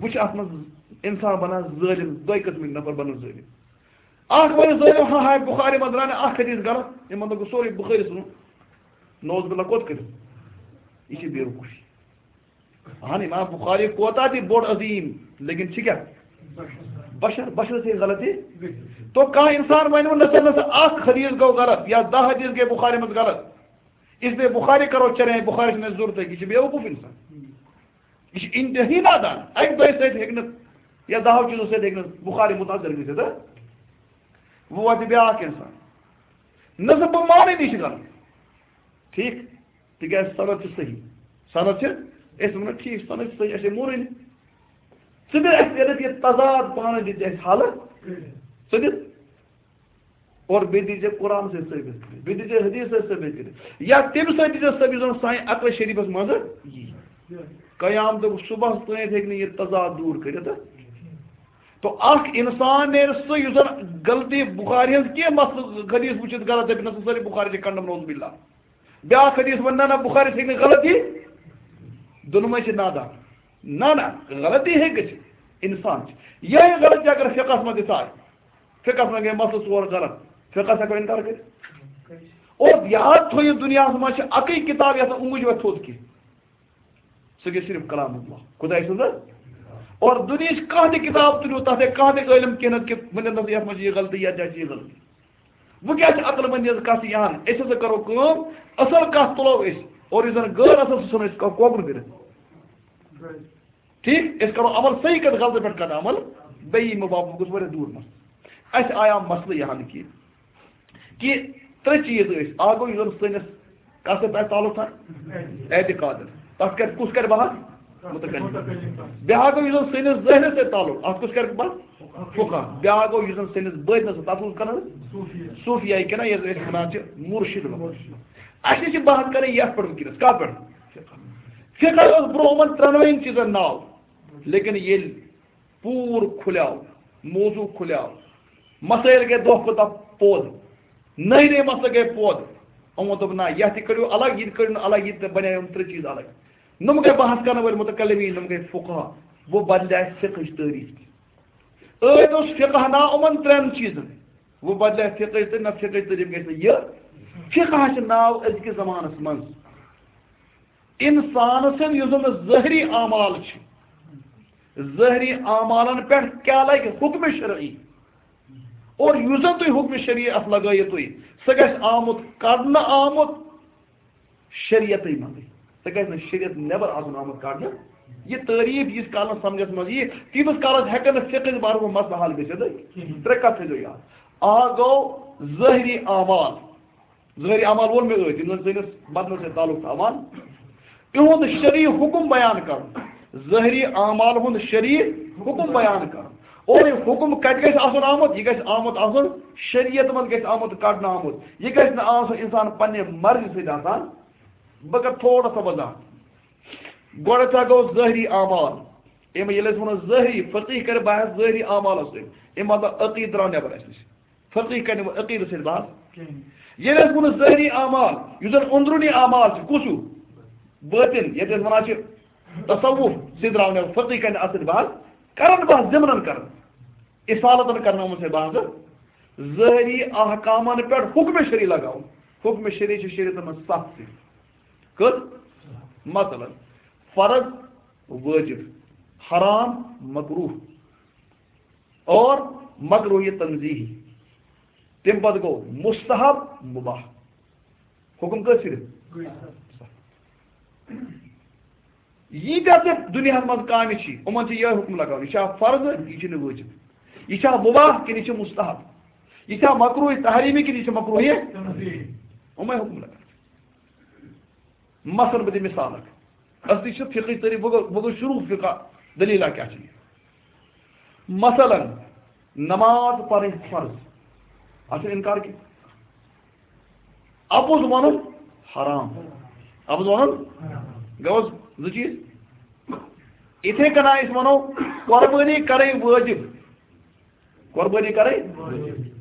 وٕچھ، اَتھ منٛز اِنسان بَنان ظٲلِم، دۄیہِ قٕسمٕکۍ نفر بَنان ظٲلِم۔ اَکھ وَنہِ ظٲلِم، ہا ہاے بُخاری منٛز درٛاو نہٕ اَکھ حدیٖث غلط، یِمَن دوٚپ سورُے بُخٲری ژھٕنُن، نعوذ باللہ کوٚت کٔرِتھ؟ یہِ چھِ بے وقوٗفی۔ اہن، امام بخاری کوتاہ تہِ بوٚڑ عظیم، لیکن چھِ کیٛاہ؟ بشر، بشر سے غلطی۔ تو کانٛہہ انسان ونہِ وۄنۍ، نسا، نسا، اکھ حدیث گوٚو غلط یا دَہ حدیث گٔے بخاری منٛز غلط، اس لیے بخاری کرو چرے، بخاری چھُنہٕ اَسہِ ضروٗرتٕے، یہِ چھُ بے وقوٗف انسان۔ یہِ چھُ انتہٲیی نادان۔ اَکہِ دۄیہِ سۭتۍ ہیٚکہِ نہٕ یا دَہو چیٖزو سۭتۍ ہیٚکہِ نہٕ بخاری متاثر گٔژھِتھ، ہہ؟ وۄنۍ واتہِ بیٛاکھ انسان۔ نسا بہٕ مانٕے نہٕ یہِ چھُ غلط۔ ٹھیٖک؟ تِکیٛازِ سند چھِ صحیح۔ سند چھِ، أسۍ وَنو، ٹھیٖک، سند چھِ صحیح، اَسہِ ہے مونُے نہٕ۔ ژٕ دِ اَسہِ ییٚتٮ۪تھ یہِ تضاد پانہٕ دِ ژٕ اَسہِ حل۔ ژٕ دِ۔ اور بیٚیہِ دیٖزِ قرآن سۭتۍ ثٲبت کٔرِتھ، بیٚیہِ دیٖزِ حدیث سۭتۍ ثٲبت کٔرِتھ، یا تَمہِ سۭتۍ دیٖزِ ثٲبت یُس زَن سانہِ عقلِ شریٖفَس منٛز یی۔ قیامتُک صُبحَس تانۍ ہیٚکہِ نہٕ یہِ تضاد دوٗر کٔرِتھ۔ تو اکھ انسان نیرِ سُہ یُس زَن غلطی بخاری ہٕنٛز کینٛہہ مسلہٕ حدیث وٕچھِتھ غلط دَپہِ، نہ سا سٲری بخاری چھِ کنڈم، نعوذ باللہ۔ بیٛاکھ حدیث وَنہِ، نہ، نہ، بخاری ہیٚکہِ نہٕ غلطی، دۄنوَے چھِ نادان۔ نہ، نہ، غلطی ہیٚکہِ گٔژھِتھ، انسان چھِ۔ یِہوٚے غلطی اگر فقہَس منٛز تہِ ژایہِ، فقہَس منٛز گٔے مسلہٕ ژور غلط، فقہَس ہٮ۪کو اِنکار کٔرِتھ؟ اور یاد تھٲیِو، دُنیاہَس منٛز چھِ اَکٕے کِتاب یَتھ نہٕ اونٛگٕج وَتھِ تھوٚد کینٛہہ۔ سُہ گٔے صرف کلام اللہ، خداے سٕنٛز۔ اور دُنیہٕچ کانٛہہ تہِ کِتاب تُلِو، تَتھ ہیٚکہِ کانٛہہ تہِ عٲلِم کینٛہہ نَتہٕ کینٛہہ ؤنِتھ، نہ سا یَتھ منٛز چھِ یہِ غلطی، یَتھ جایہِ چھِ یہِ غلطی۔ وۄنۍ کیٛاہ چھِ عقل مندی ہٕنٛز کَتھ یِوان؟ أسۍ ہسا کَرو کٲم، اَصٕل کَتھ تُلو أسۍ، اور یُس زَن غٲر اَصٕل، سُہ ژھٕنو أسۍ کو-، کوکُن کٔرِتھ۔ ٹھیٖک؟ أسۍ کَرو عمل صحیح کَتھ، غلطہٕ پٮ۪ٹھ کَرو عمل۔ بیٚیہِ یہِ مُباح گوٚژھ واریاہ دوٗر مَسلہٕ۔ اَسہِ آیو مسلہٕ یہِ حل کہِ، کہِ ترٛےٚ چیٖز ٲسۍ۔ اَکھ گوٚو یُس زَن سٲنِس کَتھ سۭتۍ آسہِ تعلق تھاوان؟ اعتقادَس۔ تَتھ کَرِ، کُس کَرِ بحث؟ متکلم۔ بیٛاکھ گوٚو یُس زَن سٲنِس ذہنَس سۭتۍ تعلق، اَتھ کُس کَرِ بحث؟ فقہ۔ بیٛاکھ گوٚو یُس زَن سٲنِس بٲطنَس سۭتۍ، تَتھ کُس کَران؟ صوفیہ کِنہٕ یَتھ أسۍ وَنان چھِ مُرشِد۔ اَسہِ چھِ بحث کَرٕنۍ یَتھ پٮ۪ٹھ وٕنکیٚنَس، کَتھ پٮ۪ٹھ؟ فقہ۔ فقہ اوس برونٛہہ یِمَن ترٛٮ۪نوَے چیٖزَن ناو، لیکن ییٚلہِ پوٗر کھُلیو، موضوع کھُلیو، مسائل گٔے دۄہ کھۄتہٕ دۄہ پوٚد، نٔے نٔے مسلہٕ گٔے پوٚد۔ یِمو دوٚپ، نہ، یَتھ تہِ کٔڑِو الگ، یہِ تہِ کٔڑِو نہٕ الگ، یہِ تہِ بَنیو یِم ترٛےٚ چیٖز الگ۔ نۄم گٔے بحث کرن وٲلۍ متکلمین، نۄم گٔے فقہا۔ وۄنۍ بدلے فقہٕچ تعریف تہِ۔ ٲدۍ اوس فقہ ناو یِمن ترٛٮ۪ن چیٖزن، وۄنۍ بدلے فقہٕچ تعریف، نہ، فقہٕچ تعریف گژھِ نہٕ یہِ۔ فقہ چھُ ناو أزکِس زمانس منٛز انسان سٕنٛدۍ یُس زن ظٲہری اعمال چھِ، ظٲہری اعمالن پٮ۪ٹھ کیٛاہ لگہِ حکم شرعی، اور یُس زن تُہۍ حکم شرعی اتھ لگٲیِو تُہۍ، سُہ گژھِ آمُت، کڑنہٕ آمُت شریعتٕے منٛزٕے۔ سُہ گژھِ نہٕ شریعت نٮ۪بر آسُن آمُت کڑنہٕ۔ یہِ تعریف ییٖتِس کالس سمجھس منٛز یی، تیٖتِس کالس ہٮ۪کن نہٕ فقہٕچ بارس منٛز مسلہٕ حل گٔژھِتھ۔ کِہیٖنۍ۔ ترٛےٚ کتھ تھٲیزیو یاد۔ اکھ گوٚو ظٲہری اعمال، ظٲہری اعمال ووٚن مےٚ ٲدۍ، یِم زَن سٲنِس بدنَس سۭتۍ تعلق تھاوان، تِہُنٛد شرعی حُکُم بیان کَرُن، ظٲہری اعمال ہُنٛد شرعی حُکُم بیان کَرُن۔ اور یہِ حُکُم کَتہِ گژھِ آسُن آمُت؟ یہِ گژھِ آمُت آسُن، شریعت منٛز گژھِ آمُت کَڑنہٕ آمُت۔ یہِ گژھِ نہٕ آسُن اِنسان پنٛنہِ مرضی سۭتۍ آسان۔ بہٕ کَرٕ تھوڑا سا وضاحت۔ گۄڈٕ ہسا گوٚو ظٲہری اعمال۔ اَمہِ ییٚلہِ أسۍ وَنو ظٲہری، فقیٖح کَرِ بحث ظٲہری اعمالَس سۭتۍ۔ اَمہِ مطلب عقیٖدٕ درٛاو نٮ۪بر اَسہِ نِش۔ فقیٖح کَرِ نہٕ وۄنۍ عقیٖدَس سۭتۍ بحث۔ کِہیٖنۍ۔ ییٚلہِ أسۍ ووٚنُس ظٲہری اعمال، یُس زَن أنٛدروٗنی اعمال چھِ، کُس ہیوٗ؟ بٲطِن، یَتھ أسۍ وَنان چھِ تصوف، سُہ درٛاو نہٕ، فقیٖح کَرِ نہٕ اَتھ سۭتۍ بحث۔ کَرَن بحث ضِمنَن کَرَن۔ اصالتَن کَرَن یِمَن سۭتۍ بحث۔ ظٲہری احکامَن پٮ۪ٹھ حُکمِ شرعی لگاوُن۔ حُکمِ شرعی چھِ شریعتَن منٛز سَتھ سِتھ۔ کٔژ؟ مثلاً، فرض، وٲجِب، حرام، مکروہ۔ اور مکروہ تنزیہی۔ تَمہِ پتہٕ گوٚو مستحب، مباح۔ حُکُم کٔژ صرف؟ ییٖتیٛاہ تہِ دُنیاہَس منٛز کامہِ چھِ، یِمَن چھِ یِہوٚے حُکُم لگاوُن۔ یہِ چھا فرض، یہِ چھُنہٕ وٲجِب۔ یہِ چھا مباح کِنہٕ یہِ چھُ مستحب؟ یہِ چھا مکروہ تحریمی کِنہٕ یہِ چھُ مکروہ؟ یِمَے حُکُم لگاوُن۔ مثلاً بہٕ دِمہٕ مثال اکھ۔ اصلی چھِ فقہٕچ تعریف، بہٕ گوٚو، بہٕ گوٚو شروع فقہ، دٔلیٖلہ کیٛاہ چھِ یہِ؟ مثلاً نماز پرٕنۍ فرض، اَتھ چھُنہٕ اِنکار کینٛہہ۔ اَپُز وَنُن حرام، اَپُز وَنُن گوٚو زٕ چیٖز۔ یِتھَے کٔنۍ أسۍ وَنو قۄربٲنی کَرٕنۍ وٲجِب، قۄربٲنی کَرٕنۍ،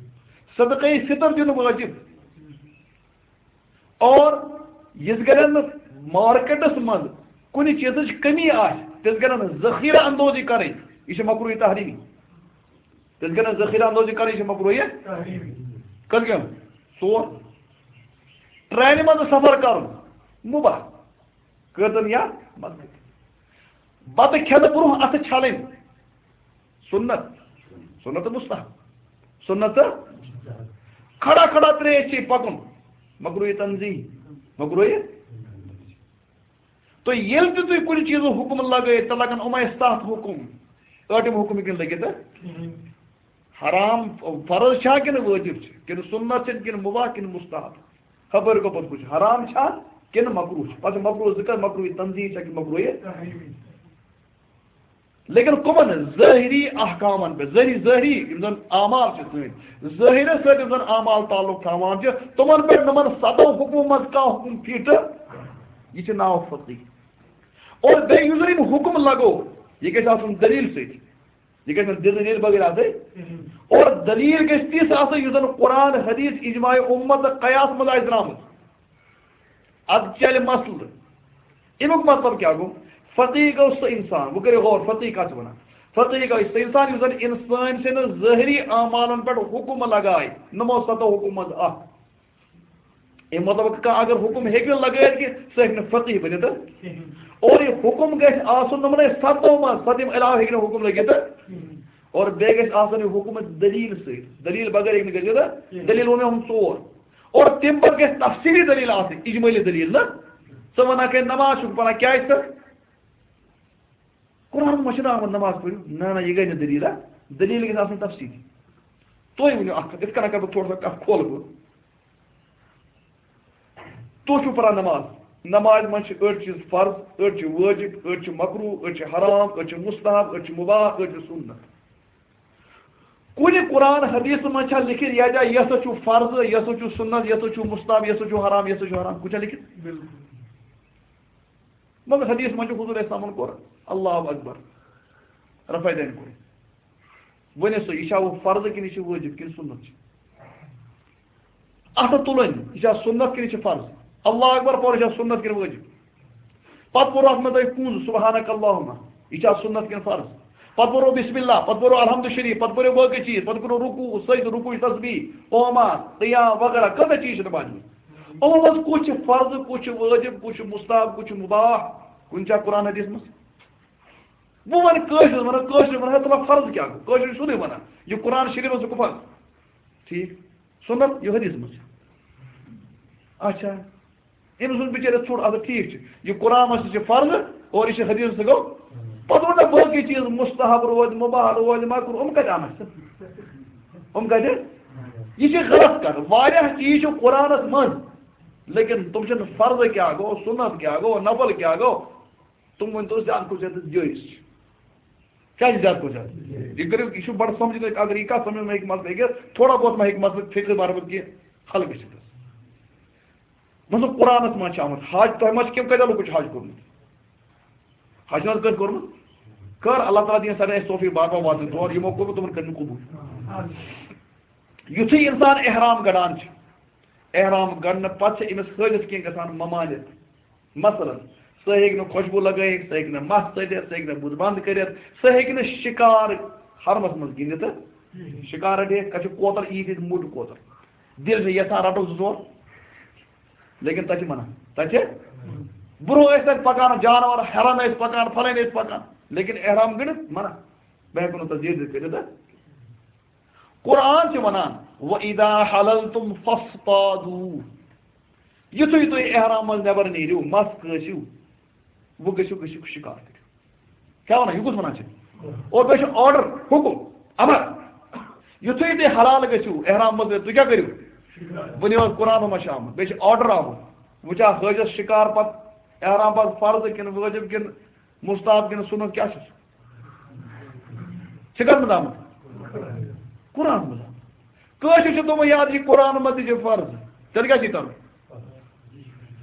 صدقے فطر دیُن وٲجِب۔ اور یِتھ کٔنۍ نہٕ مارکیٹس منٛز کُنہِ چیٖزٕچ کٔمی آسہِ، تِتھ کٔنۍ ذخیرہ اندوزی کرٕنۍ، یہِ چھِ مکروہ تحریمی۔ تِتھ کٔنۍ ذخیرہ اندوزی کرٕنۍ، یہِ چھِ مکروہ تحریمی۔ کٔژ گٔے؟ ژور۔ ٹرینہِ منٛز سفر کرُن مباح، کٔرتن یا مت کٔرتن۔ بتہٕ کھٮ۪نہٕ برونٛہہ اتھٕ چھلٕنۍ سنت، سنت مستحب، سنت۔ کھڑا کھڑا تریش چے پکُن، مکروہ تنزیہ، مکروہ۔ تو ییٚلہِ تہِ تُہۍ کُنہِ چیٖزُک حُکُم لگٲیِو، تہٕ لگن یِمے ستھ حُکُم، ٲٹھِم حُکُم ہیٚکہِ نہٕ لٔگِتھ۔ حرام فرض چھا کِنہٕ وٲجِب چھِ، کِنہٕ سُنت چھِ، کِنہٕ مُباح، کِنہٕ مُستحب؟ خبر گوٚو پَتہٕ کُچھ حرام چھا، کِنہٕ مکروہ چھُ؟ پتہٕ چھُ مکروہ ذکر، مکروہ تنزیہ چھا کِنہٕ مکروہ؟ لیکن کمن؟ ظٲہری احکامن پٮ۪ٹھ، ظٲہری، ظٲہری یِم زن اعمال چھِ سٲنۍ، ظٲہرس سۭتۍ یِم زن اعمال تعلق تھاوان چھِ، تِمن پٮ۪ٹھ نہٕ یِمن ستو حکمو منٛز کانٛہہ حکم فِٹ، یہِ چھُ ناو فقیہ۔ اور بیٚیہِ یُس زن یِم حکم لگو، یہِ گژھِ آسُن دلیل سۭتۍ، یہِ گژھِ نہٕ دلیل بغٲر آسٕنۍ۔ اور دلیل گژھِ تِژھ آسٕنۍ یُس زن قرآن، حدیث، اجماع امت تہٕ قیاس منٛز آسہِ درامٕژ۔ ادٕ چلہِ مسلہٕ۔ اَمیُک مطلب کیٛاہ گوٚو؟ فقیہ گوٚو سُہ انسان، وۄنۍ کٔرِو غور، فقیہ کَتھ چھِ وَنان؟ فقیہ گوٚو سُہ انسان یُس زَن انسان سٕنٛدِ ظٲہری اعمالن پٮ۪ٹھ حُکم لگایہِ، نمو ستو حُکم منٛز اکھ۔ اَمہِ مطلب کانٛہہ اگر حُکم ہیٚکہِ نہٕ لگٲیِتھ کہِ سُہ ہیٚکہِ نہٕ فقیہ بٔنِتھ۔ اور یہِ حُکم گژھِ آسُن نمنٕے ستو منٛز، ستہٕ یِم علاوٕ ہیٚکہِ نہٕ حُکم لٔگِتھ۔ اور بیٚیہِ گژھِ آسُن یہِ حُکم دٔلیٖل سۭتۍ، دٔلیٖل بغٲر ہیٚکہِ نہٕ گٔژھِتھ۔ دٔلیٖل ووٚن مےٚ ہُم ژور۔ اور تَمہِ پتہٕ گژھِ تفصیٖلی دٔلیٖل آسٕنۍ، اجمٲلی دٔلیٖل نہ۔ ژٕ وَنکھ ہے نماز چھُکھ پَران، کیٛازِ ژٕ؟ قرآنَس منٛز چھُنہٕ آمُت نماز پٔرِو۔ نہ، نہ، یہِ گٔے نہٕ دٔلیٖل، ہا؟ دٔلیٖل گژھِ آسٕنۍ تفصیٖلی۔ تُہۍ ؤنِو اَکھ کَتھ، یِتھ کَنۍ کَرٕ بہٕ تھوڑا سا کَتھ کھولہٕ بہٕ۔ تُہۍ چھِو پَران نماز، نمازِ منٛز چھِ أڑۍ چیٖز فرض، أڑۍ چھِ وٲجِب، أڑۍ چھِ مکروہ، أڑۍ چھِ حرام، أڑۍ چھِ مستحب، أڑۍ چھِ مباح، أڑۍ چھِ سُنت۔ کُنہِ قرآن حدیث منٛز چھا لیکھِتھ یا جا یہِ ہسا چھُ فرض، یہِ ہسا چھُ سُنت، یہِ ہسا چھُ مستحب، یہِ ہسا چھُ حرام، یہِ ہسا چھُ حرام؟ کُنہِ چھا لیکھِتھ؟ بالکل۔ مگر حدیث منٛز چھُ حضور اسلامن کوٚر اللہ اکبر، رفع دین کوٚر۔ ؤنِو سا، یہِ چھا وۄنۍ فرض کِنہٕ یہِ چھُ وٲجب کِنہٕ سُنت چھُ؟ اَتھٕ تُلٕنۍ، یہِ چھا سُنت کِنہٕ یہِ چھُ فرض؟ اللہ اکبر پوٚر، یہِ چھا سُنت کِنہٕ وٲجب؟ پتہٕ پوٚر اَتھ منٛز تۄہہِ کُنٛز سبحانک اللہم، یہِ چھا سُنت کِنہٕ فرض؟ پتہٕ پوٚرو بسم اللہ، پتہٕ پوٚرو الحمد شریف، پتہٕ پوٚرو باقٕے چیٖز، پتہٕ پوٚرو رکوع، سجدٕ، رکوع، تسبیح، قوما، قیام وغیرہ، کۭژاہ چیٖز چھِ نمازِ منٛز۔ یِمو منٛز کُس چھُ فرض، کُس چھُ وٲجب، کُس چھُ مستحب، کُس چھُ مباح؟ کُنہِ چھا قرآن حدیث منٛز؟ بہٕ وَنہٕ کٲشرِس، وَنان کٲشرِس، وَنان ہے، تَلہ فرض کیٛاہ گوٚو؟ کٲشرِس چھُ سیوٚدُے وَنان، یہِ قرآن شریٖفَس چھُ فرض۔ ٹھیٖک۔ سُنت، یہِ حدیث منٛز چھِ۔ اچھا۔ أمۍ سُنٛد بِچٲرِس ژھوٚٹ، اَدٕ ٹھیٖک چھُ۔ یہِ قرآن منٛز تہِ چھِ فرض اور یہِ چھِ حدیث تہِ گوٚو۔ پَتہٕ ووٚن مےٚ باقٕے چیٖز، مستحب روزِ، مباح روزِ، مکروہ، یِم کَتہِ اَنَکھ ژٕ؟ یِم کَتہِ؟ یہِ چھِ غلط کَتھ۔ واریاہ چیٖز چھِ قرآنَس منٛز، لیکن تِم چھِنہٕ فرض کیٛاہ گوٚو، سُنت کیٛاہ گوٚو، نفل کیٛاہ گوٚو۔ تِم ؤنۍ تو زیادٕ کھۄتہٕ زیادٕ جٲیِز چھِ۔ کیٛازِ زیادٕ کھۄتہٕ زیادٕ؟ یہِ کٔرِو، یہِ چھُ بَڑٕ سَمجھنٕچ، اگر یہِ کَتھ سَمجھنَس منٛز ہیٚکہِ مسلہٕ ہیٚکِتھ، تھوڑا بہت ما ہیٚکہِ مسلہٕ فِقہٕ باربَد کینٛہہ حل گٔژھِتھ۔ مثلاً قرآنَس منٛز چھِ آمُت حج، تۄہہِ ما چھِ کینٛہہ کٲتیٛاہ لُکو چھِ حج کوٚرمُت؟ حج چھُنہٕ حظ کٲنٛسہِ کوٚرمُت؟ کر، اللہ تعالیٰ دِیِن سارنٕے اَسہِ توفیٖق بار بار واتنہٕ تور، یِمو کوٚرمُت تِمَن کٔرِنۍ قبوٗل۔ یُتھُے اِنسان احرام گَڑان چھُ، احرام گَڑنہٕ پَتہٕ چھِ أمِس حٲجِس کینٛہہ گژھان ممانعت۔ مثلاً، سُہ ہیٚکہِ نہٕ خوشبوٗ لگٲیِتھ، سُہ ہیٚکہِ نہٕ مَس ژٔٹِتھ، سُہ ہیٚکہِ نہٕ بُتھ بنٛد کٔرِتھ، سُہ ہیٚکہِ نہٕ شِکار حرمَس منٛز گِنٛدِتھ۔ شِکار رَٹہِ ہیٚکہِ، تَتہِ چھِ کوتَر عیٖد ہِنٛدۍ موٚٹ کوتَر۔ دِل چھُ یَژھان رَٹو زٕ ژور، لیکن تَتہِ چھِ منع۔ تَتہِ چھِ برٛونٛہہ ٲسۍ تَتہِ پَکان جانوَر، ہٮ۪رَن ٲسۍ پَکان، پھَلٲنۍ ٲسۍ پَکان، لیکن احرام گٔنٛڈِتھ منع۔ بہٕ ہٮ۪کہٕ نہٕ تَتھ زیٖر زیٖر کٔرِتھ۔ قرآن چھِ وَنان، "وَإِذَا حَلَلْتُمْ فَاصْطَادُوا"۔ یُتھُے تُہۍ احرام منٛز نٮ۪بر نیٖرِو، مَس کٲسِو، وۄنۍ گٔژھِو، گٔژھِو شِکار کٔرِو۔ کیٛاہ وَنان؟ یہِ کُس وَنان چھِ؟ اور بیٚیہِ چھُ order، حُکُم، اَمر۔ یُتھُے تُہۍ حلال گٔژھِو، احرام منٛز، تُہۍ کیٛاہ کٔرِو؟ ؤنِو حظ، قرآنَس منٛز چھِ آمُت، بیٚیہِ چھِ order آمُت۔ وۄنۍ چھا حٲجَس شِکار پَتہٕ احرام پَتہٕ فرض کِنہٕ وٲجِب کِنہٕ مستحب کِنہٕ سُنت، کیٛاہ چھُ سُہ؟ ژےٚ کَتھ منٛز آمُت؟ قرآن منٛز آمُت۔ کٲشِر چھِ تِمو یاد، یہِ قرآن منٛز تہِ چھِ فرض۔ تیٚلہِ کیٛاہ چھِ کَرُن؟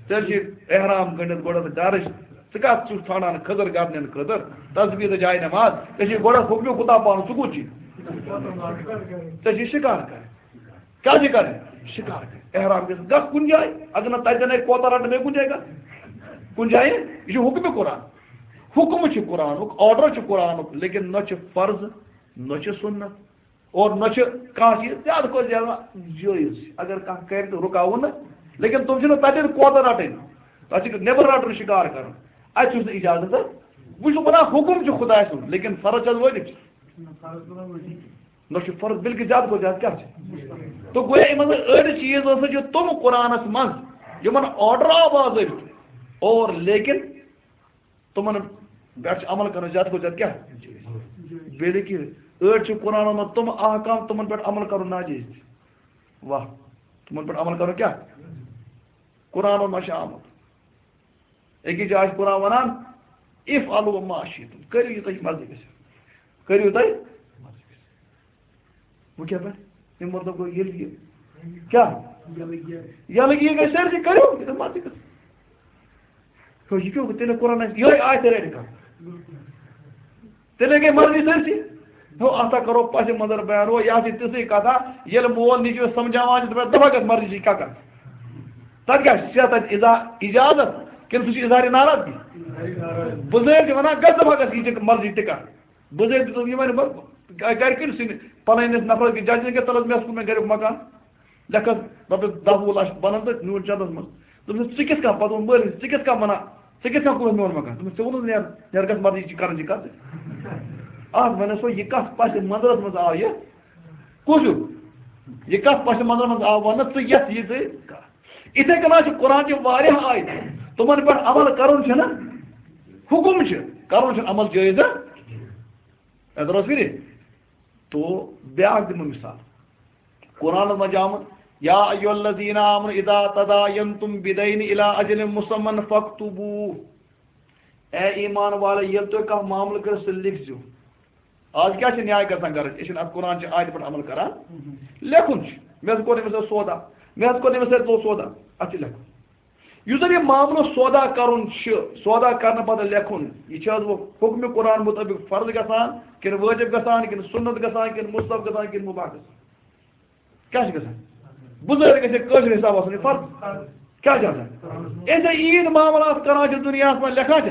تیٚلہِ چھِ احرام گٔنٛڈِتھ گۄڈٕ ڈَرٕچ۔ ژٕ کَتھ چھُکھ ژھانٛڈان کھٔزٕر گَتنٮ۪ن خٲطرٕ؟ تسبیح تہٕ جاے نماز۔ ژےٚ چھِ گۄڈٕ حُکمہِ خُدا پانہٕ، ژٕ کوٚت چھِ؟ ژےٚ چھِ شِکار کَرٕنۍ۔ کیٛاہ چھِ کَرٕنۍ؟ شِکار کَرٕنۍ۔ احرام گژھِ، گژھ کُنہِ جایہِ۔ اگر نہٕ تَتہِ زَن اَتہِ کوتَر رَٹہٕ، بیٚیہِ کُنہِ جایہِ گژھ۔ کُنہِ جایہِ، یہِ چھُ حُکمِ قرآن۔ حُکم چھُ قرآنُک، order چھُ قرآنُک، لیکن نہ چھُ فرض، نہ چھُ سُنت، اور نہ چھُ کانٛہہ چیٖز زیادٕ کھۄتہٕ زیادٕ جٲیِز۔ اگر کانٛہہ کَرِ تہٕ رُکاوُن نہٕ، لیکن تِم چھِنہٕ تَتٮ۪ن کوتَر رَٹٕنۍ، تَتھ چھِ نٮ۪بر رَٹُن، شِکار کَرُن، اَتہِ چھُس نہٕ اِجازت۔ وۄنۍ چھُس بہٕ وَنان، حُکم چھُ خۄداے سُنٛد، لیکن فرض چھا حظ وٲجِب چھِ؟ نہ چھُ فرض، بلکہِ زیادٕ کھۄتہٕ زیادٕ کیٛاہ چھِ؟ تہٕ گویا یِمن منٛز أڑۍ چیٖز ہسا چھِ تِم قرآنس منٛز، یِمن order آو باضٲبطہٕ، اور لیکن تِمن پٮ۪ٹھ چھِ عمل کرُن زیادٕ کھۄتہٕ زیادٕ کیٛاہ؟ بلکہِ أڑۍ چھِ قرآنس منٛز تِم احکام، تِمن پٮ۪ٹھ عمل کرُن ناجٲیز تہِ۔ واہ، تِمن پٮ۪ٹھ عمل کرُن کیٛاہ؟ قرآنس منٛز چھِ آمُت۔ أکِس جایہِ چھُ قرآن وَنان، "افعلوا ما شئتم"، کٔرِو یہِ تۄہہِ مرضی گژھِ، کٔرِو تۄہہِ مرضی گژھِ۔ وۄنۍ کیٛاہ بَنہِ؟ اَمیُک مطلب گوٚو، ییٚلہِ یہِ کیٛاہ؟ یَلہٕ یہِ گژھِ سٲرسٕے، کٔرِو یہِ تۄہہِ مرضی گژھِ۔ ہیو، یہِ کیٛاہ گوٚو؟ تیٚلہِ قرآن آسہِ یِہوٚے آیت رَٹہِ کانٛہہ۔ تیٚلے گٔے مرضی سٲرسٕے۔ ہیو، اَتھ ہا کَرو پَسِ منظر بیان، ہو، یہِ ہا چھِ تِژھٕے کَتھا، ییٚلہِ مول نیٚچوِس سمجھاوان چھِ، دَپان، "دَپان گژھ مرضی چھِ کَکَر۔" تَتہِ کیٛاہ چھِ؟ چھا تَتہِ اِزا-، اِجازت کِنہٕ سُہ چھُ اظہارِ ناراضگی؟ بُزٲرۍ چھِ وَنان، "گژھ دَپان گژھ، یہِ چھِ مرضی تہِ کَر۔" بُزٲرۍ تہِ دوٚپ، "یہِ وَنہِ بہٕ گَرِکٮ۪ن سٕنٛدِ پَنٕنۍ نَفرَس کیٛاہ جج کیٛاہ تَلَس مےٚ اوس کوٚرمُت گَریُک مکان۔" لیکھس رۄپیَس دَہ وُہ لَچھ بَنَن تہٕ نیوٗن چَندَس منٛز۔ دوٚپمَس، "ژٕ کِتھ کَنۍ؟" پَتہٕ ووٚن مٲلِس، "ژٕ کِتھ کَنۍ وَنان؟ ژٕ کِتھ کَنۍ کوٚرُتھ میون مکان؟" دوٚپمَس، "ژےٚ ووٚنُتھ نیر، نیر گژھ مَرضی چھِ کَرٕنۍ چھِ کَتھ ژےٚ۔ اَتھ وَنٮ۪س وۄنۍ یہِ کَتھ پَسہِ منظرَس منٛز آو یہِ کُس ہیوٗ؟ یہِ کَتھ پَسہِ منظرَس منٛز آو وَننہٕ ژٕ یَتھ یہِ ژٕ کَتھ؟" یِتھَے کٔنۍ حظ چھِ قرآن چہِ واریاہ آیتہٕ، تِمَن پٮ۪ٹھ عمل کَرُن چھُنہٕ حُکُم چھُ، کَرُن چھُنہٕ عمل جٲیِز۔ اَتھ درٛاو فِرِ۔ تو بیٛاکھ دِمہٕ مثال۔ قرآنَس منٛز چھِ آمُت، "یا ایھا الذین آمنوا اذا تداینتم بدین الی اجل مسمی فاکتبوہ۔" اے ایمان والے، ییٚلہِ تُہۍ کانٛہہ معاملہٕ کٔرِو، سُہ لیکھزیو۔ آز کیٛاہ چھِ نیاے گژھان گرٕچ؟ أسۍ چھِنہٕ اَتھ قرآن چہِ آیتہِ پٮ۪ٹھ عمل کران۔ لیکھُن چھُ، مےٚ حظ کوٚر أمِس سۭتۍ سودا، مےٚ حظ کوٚر أمِس سۭتۍ لوٚو سودا، اَتھ چھِ لیکھُن۔ یُس زَن یہِ معاملہٕ سودا کَرُن چھُ، سودا کَرنہٕ پَتہٕ لیکھُن، یہِ چھِ حظ وۄنۍ حُکمِ قرآن مُطٲبِق فرض گژھان، کِنہٕ وٲجِب گژھان، کِنہٕ سُنت گژھان، کِنہٕ مُستحب گژھان، کِنہٕ مُباح گژھان؟ کیٛاہ چھِ گژھان؟ بُزٲرۍ گژھِ کٲشِر حِساب آسُن یہِ فرض۔ کیٛاہ چھِ آسان؟ أسۍ چھِ عیٖد معاملات کَران چھِ دُنیاہَس منٛز، لیکھان چھِ،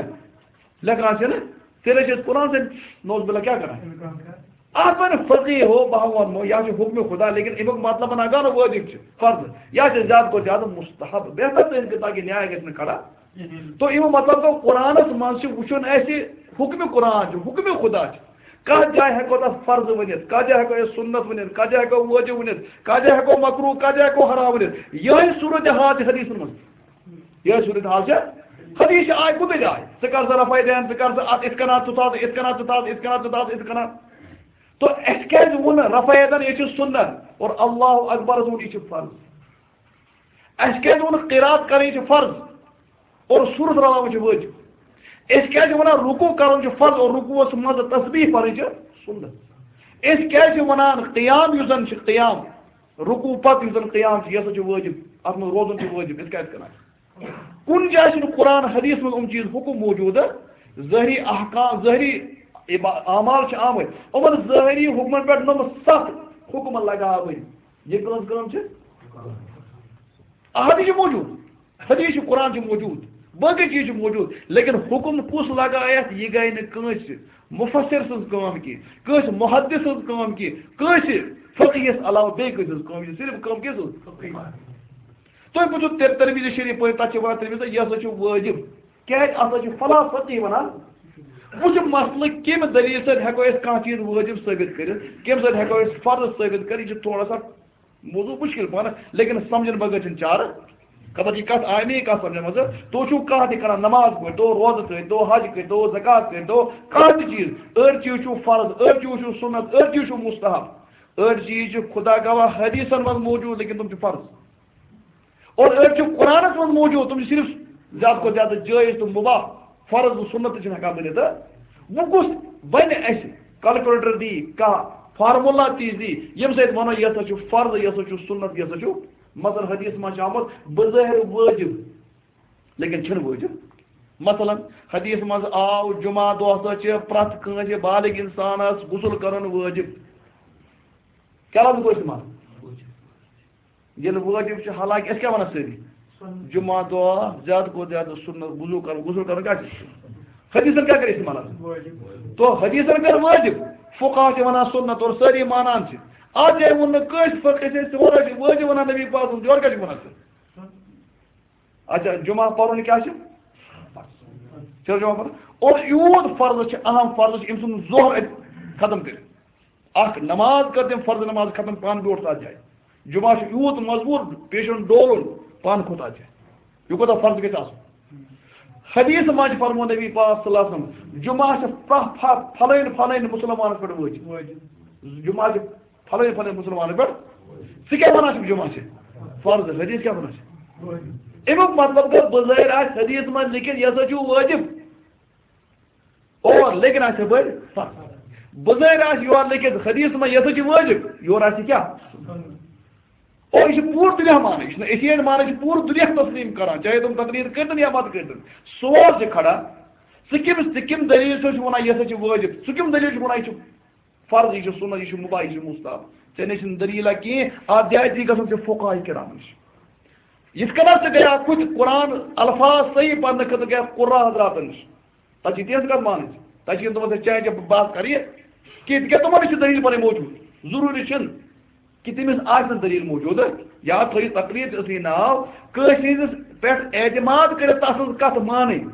لیکھان چھِ نہٕ، تیٚلہِ چھِ أسۍ قرآن سۭتۍ نوز باللہ کیٛاہ کَران؟ اَتھ وَنہِ فقیہ ہو، بہٕ ہا وَنمو، یا چھُ حُکمِ خدا، لیکِن اَمیُک مطلب وَنان گوٚو نہٕ وٲجِب چھِ، فرض، یا چھِ زیادٕ کھۄتہٕ زیادٕ مُستحب، بہتر تہٕ اِنقطاع کہِ نیاے گژھِ نہٕ کھڑا۔ تو اَمیُک مطلب گوٚو، قرآنَس منٛز چھِ وٕچھُن اَسہِ حُکمِ قرآن چھُ، حُکمِ خدا چھُ۔ کَتھ جایہِ ہٮ۪کو تَتھ فرض ؤنِتھ، کَتھ جایہِ ہٮ۪کو أسۍ سُنت ؤنِتھ، کَتھ جایہِ ہٮ۪کو وٲجِب ؤنِتھ، کَتھ جایہِ ہٮ۪کو مکروہ، کَتھ جایہِ ہٮ۪کو حرام ؤنِتھ۔ یِہوٚے صوٗرت حال چھِ حدیثَن منٛز۔ یِہوٚے صوٗرت حال چھِ۔ حدیث چھِ آیہِ کُنُے جایہِ۔ ژٕ کر سا رفع دین، ژٕ کر سا اَتھ یِتھ کٔنۍ، ژٕ تھاو یِتھ کٔنۍ، ژٕ تھاو یِتھ کٔنۍ، ژٕ تھاو یِتھ کٔنۍ۔ تو اَسہِ کیٛازِ ووٚن رفع یدن، یہِ چھُ سُنت، اور اللہ اکبرس ووٚن، یہِ چھُ فرض؟ اَسہِ کیٛازِ ووٚن قرات کرٕنۍ چھِ فرض اور سورت رلاوٕنۍ چھِ وٲجِب؟ أسۍ کیٛازِ چھِ وَنان رکوع کرُن چھُ فرض اور رکوعس منٛز تسبیح پرٕنۍ چھِ سُنت؟ أسۍ کیٛازِ چھِ وَنان قیام یُس زن چھِ قیام، رکوع پتہٕ یُس زن قیام چھُ، یہِ ہسا چھُ وٲجِب، اتھ منٛز روزُن چھُ وٲجِب، أسۍ کیٛازِ کران؟ کُنہِ جایہِ چھُنہٕ قرآن حدیث منٛز یِم چیٖز حُکم موجوٗد، ظٲہری احکام، ظٲہری عبا-، اعمال چھِ آمٕتۍ، یِمن ظٲہری حُکمن پٮ۪ٹھ نۄم ستھ حُکم لگاوٕنۍ۔ یہِ کٕہٕنٛز کٲم چھِ؟ احادیث چھِ موجوٗد، حدیث چھِ، قرآن چھِ موجوٗد، باقٕے چیٖز چھِ موجوٗد، لیکن حُکم کُس لگایتھ، یہِ گٔے نہٕ کٲنٛسہِ مُفسر سٕنٛز کٲم کینٛہہ، کٲنٛسہِ محدث سٕنٛز کٲم کینٛہہ، کٲنٛسہِ فقیہس علاوٕ بیٚیہِ کٲنٛسہِ ہٕنٛز کٲم، یہِ چھِ صرف کٲم کِس سٕنٛز؟ تُہۍ بوٗزِو تِر-، ترمذی شریف پٔرِو، تَتھ چھِ وَنان ترمذی، یہِ ہسا چھُ وٲجِب۔ کیٛازِ؟ اَتھ ہسا چھُ فلاح فقیہ وَنان۔ وٕچھ مسلہٕ کَمہِ دٔلیٖل سۭتۍ ہٮ۪کو أسۍ کانٛہہ چیٖز وٲجِب ثٲبِت کٔرِتھ، کَمہِ سۭتۍ ہٮ۪کو أسۍ فرض ثٲبِت کٔرِتھ، یہِ چھُ تھوڑا سا موضوع مُشکِل پانہٕ، لیکن سمجھن بغٲر چھُنہٕ چارٕ۔ خبر یہِ کَتھ آیہِ مےٚ یہِ کَتھ سمجھن منٛز؟ تُہۍ چھِو کانٛہہ تہِ کران، نماز پٔرۍتو، روزٕ تھٲیِتو، حج کٔرۍتو، زکات کٔرۍتو، کانٛہہ تہِ چیٖز، أڑۍ چیٖز چھُو فرض، أڑۍ چیٖز چھُو سُنت، أڑۍ چیٖز چھُو مستحب، أڑۍ چیٖز چھِ خدا گواہ حدیثن منٛز موجوٗد، لیکن تِم چھِ فرض۔ اور أڑۍ چھِ قرآنس منٛز موجوٗد، تِم چھِ صرف زیادٕ کھۄتہٕ زیادٕ جٲیز تہٕ مُباح، فرض تہٕ سُنت تہِ چھِنہٕ ہٮ۪کان بٔنِتھ۔ تہٕ وۄنۍ کُس بنہِ اَسہِ کیلکولیٹر دی، کانٛہہ فارمولا تہِ دی، ییٚمہِ سۭتۍ وَنو، یہِ ہسا چھُ فرض، یہِ ہسا چھُ سُنت، یہِ ہسا چھُ؟ مثلاً حدیث منٛز چھُ آمُت بظٲہر وٲجب، لیکن چھُنہٕ وٲجب۔ مثلاً حدیث منٛز آو، جمعہ دۄہ ہسا چھِ پرٛٮ۪تھ کٲنٛسہِ بالغ اِنسانس غسل کرُن وٲجب۔ کیٛاہ لفظ گوٚو استعمال؟ ییٚلہِ وٲجِب چھُ، حالانکہِ أسۍ کیٛاہ وَنان سٲری؟ جمعہ دۄہ زیادٕ کھۄتہٕ زیادٕ سُنت وضوٗ کَرُن، غسل کَرُن کیٛاہ چھُ؟ حدیثن کیٛاہ کَرِ استعمال حظ؟ تو حدیثن کَرِ وٲجِب، فقہا چھِ وَنان سُنت، اور سٲری مانان چھِ۔ اَتھ جایہِ ووٚن نہٕ کٲنٛسہِ فقہَس، أسۍ ژٕ وَنان چھِ وٲجِب وَنان نبی پاکَن، یورٕ کیٛاہ چھِ وَنان ژٕ؟ اچھا، جمعہ پَرُن کیٛاہ چھُ؟ چھُ جمعہ پَرُن؟ اور یوٗت فرض چھُ، اہم فرض چھُ، أمۍ سُنٛد ظہر اَتہِ ختم کٔرِتھ۔ اکھ نماز کٔر تٔمۍ فرض نماز ختم، پانہٕ بیوٗٹھ تتھ جایہِ۔ جمعہ چھُ یوٗت مضبوٗط، پیشن ڈولُن، پانہٕ کھوٚت تتھ جایہِ۔ یہِ کوٗتاہ فرض گژھِ آسُن؟ حدیث منٛز چھُ فرمومُت نبی پاک صلی اللہ علیہ وسلم، جمعہ چھُ پرٛ-، پھَ-، پھلٲنۍ پھلٲنۍ مُسلمانَس پٮ۪ٹھ وٲجِب۔ جمعہ چھُ پھلٲنۍ پھلٲنۍ مُسلمانَس پٮ۪ٹھ۔ ژٕ کیٛاہ وَنان چھُکھ جمعہ چھِ فرض؟ حدیث کیٛاہ وَنان چھِ؟ اَمیُک مطلب گوٚو، بظٲہِر آسہِ حدیث منٛز لیکھِتھ، یہِ ہسا چھُ وٲجِب۔ اور لیکن آسہِ یپٲرۍ فرض۔ بظٲہِر آسہِ یورٕ لیکھِتھ حدیث منٛز، یہِ ہسا چھُ وٲجِب، یورٕ آسہِ کیٛاہ؟ اور یہِ چھُ پوٗرٕ دُنیا مانان، یہِ چھُنہٕ أسی یٲتۍ مانان، یہِ چھُ پوٗرٕ دُنیا تسلیم کران، چاہے تِم تقریر کٔرۍتن یا مت کٔرۍتن۔ سوال چھُ کھڑا، ژٕ کٔمِس، ژٕ کٔمۍ دٔلیٖل سۭتۍ چھُ وَنان، یہِ ہسا چھُ وٲجِب؟ ژٕ کٔمۍ دٔلیٖل چھُکھ وَنان، یہِ چھُ فرض، یہِ چھُ سُنت، یہِ چھُ مباح، یہِ چھُ مستحب؟ ژےٚ نِش چھُنہٕ دٔلیٖلہ کینٛہہ، اَتھ جایہِ تہِ گژھُن چھُ فقہاء کرامن نِش۔ یِتھ کٔنۍ ژٕ گٔیاکھ کُنہِ قرآن الفاظ صحیح پرنہٕ خٲطرٕ گٔیاکھ قُرّا حضراتن نِش، تَتہِ چھِ تِہٕنٛز کَتھ مانٕنۍ۔ تَتہِ چھِ یِم دَپان، "ژےٚ چانہِ کیٛاہ بہٕ بحث کَرٕ یہِ؟" کینٛہہ، تِکیٛازِ تِمَن نِش چھِ دٔلیٖل پَنٕنۍ موجوٗد۔ ضروٗری چھِنہٕ کہِ تٔمِس آسہِ نہٕ دٔلیٖل موجوٗد۔ یاد تھٲیِو، تقریر چھِ اَصلی ناو کٲنٛسہِ ہٕنٛدِس پٮ۪ٹھ اعتماد کٔرِتھ تَس سٕنٛز کَتھ مانٕنۍ،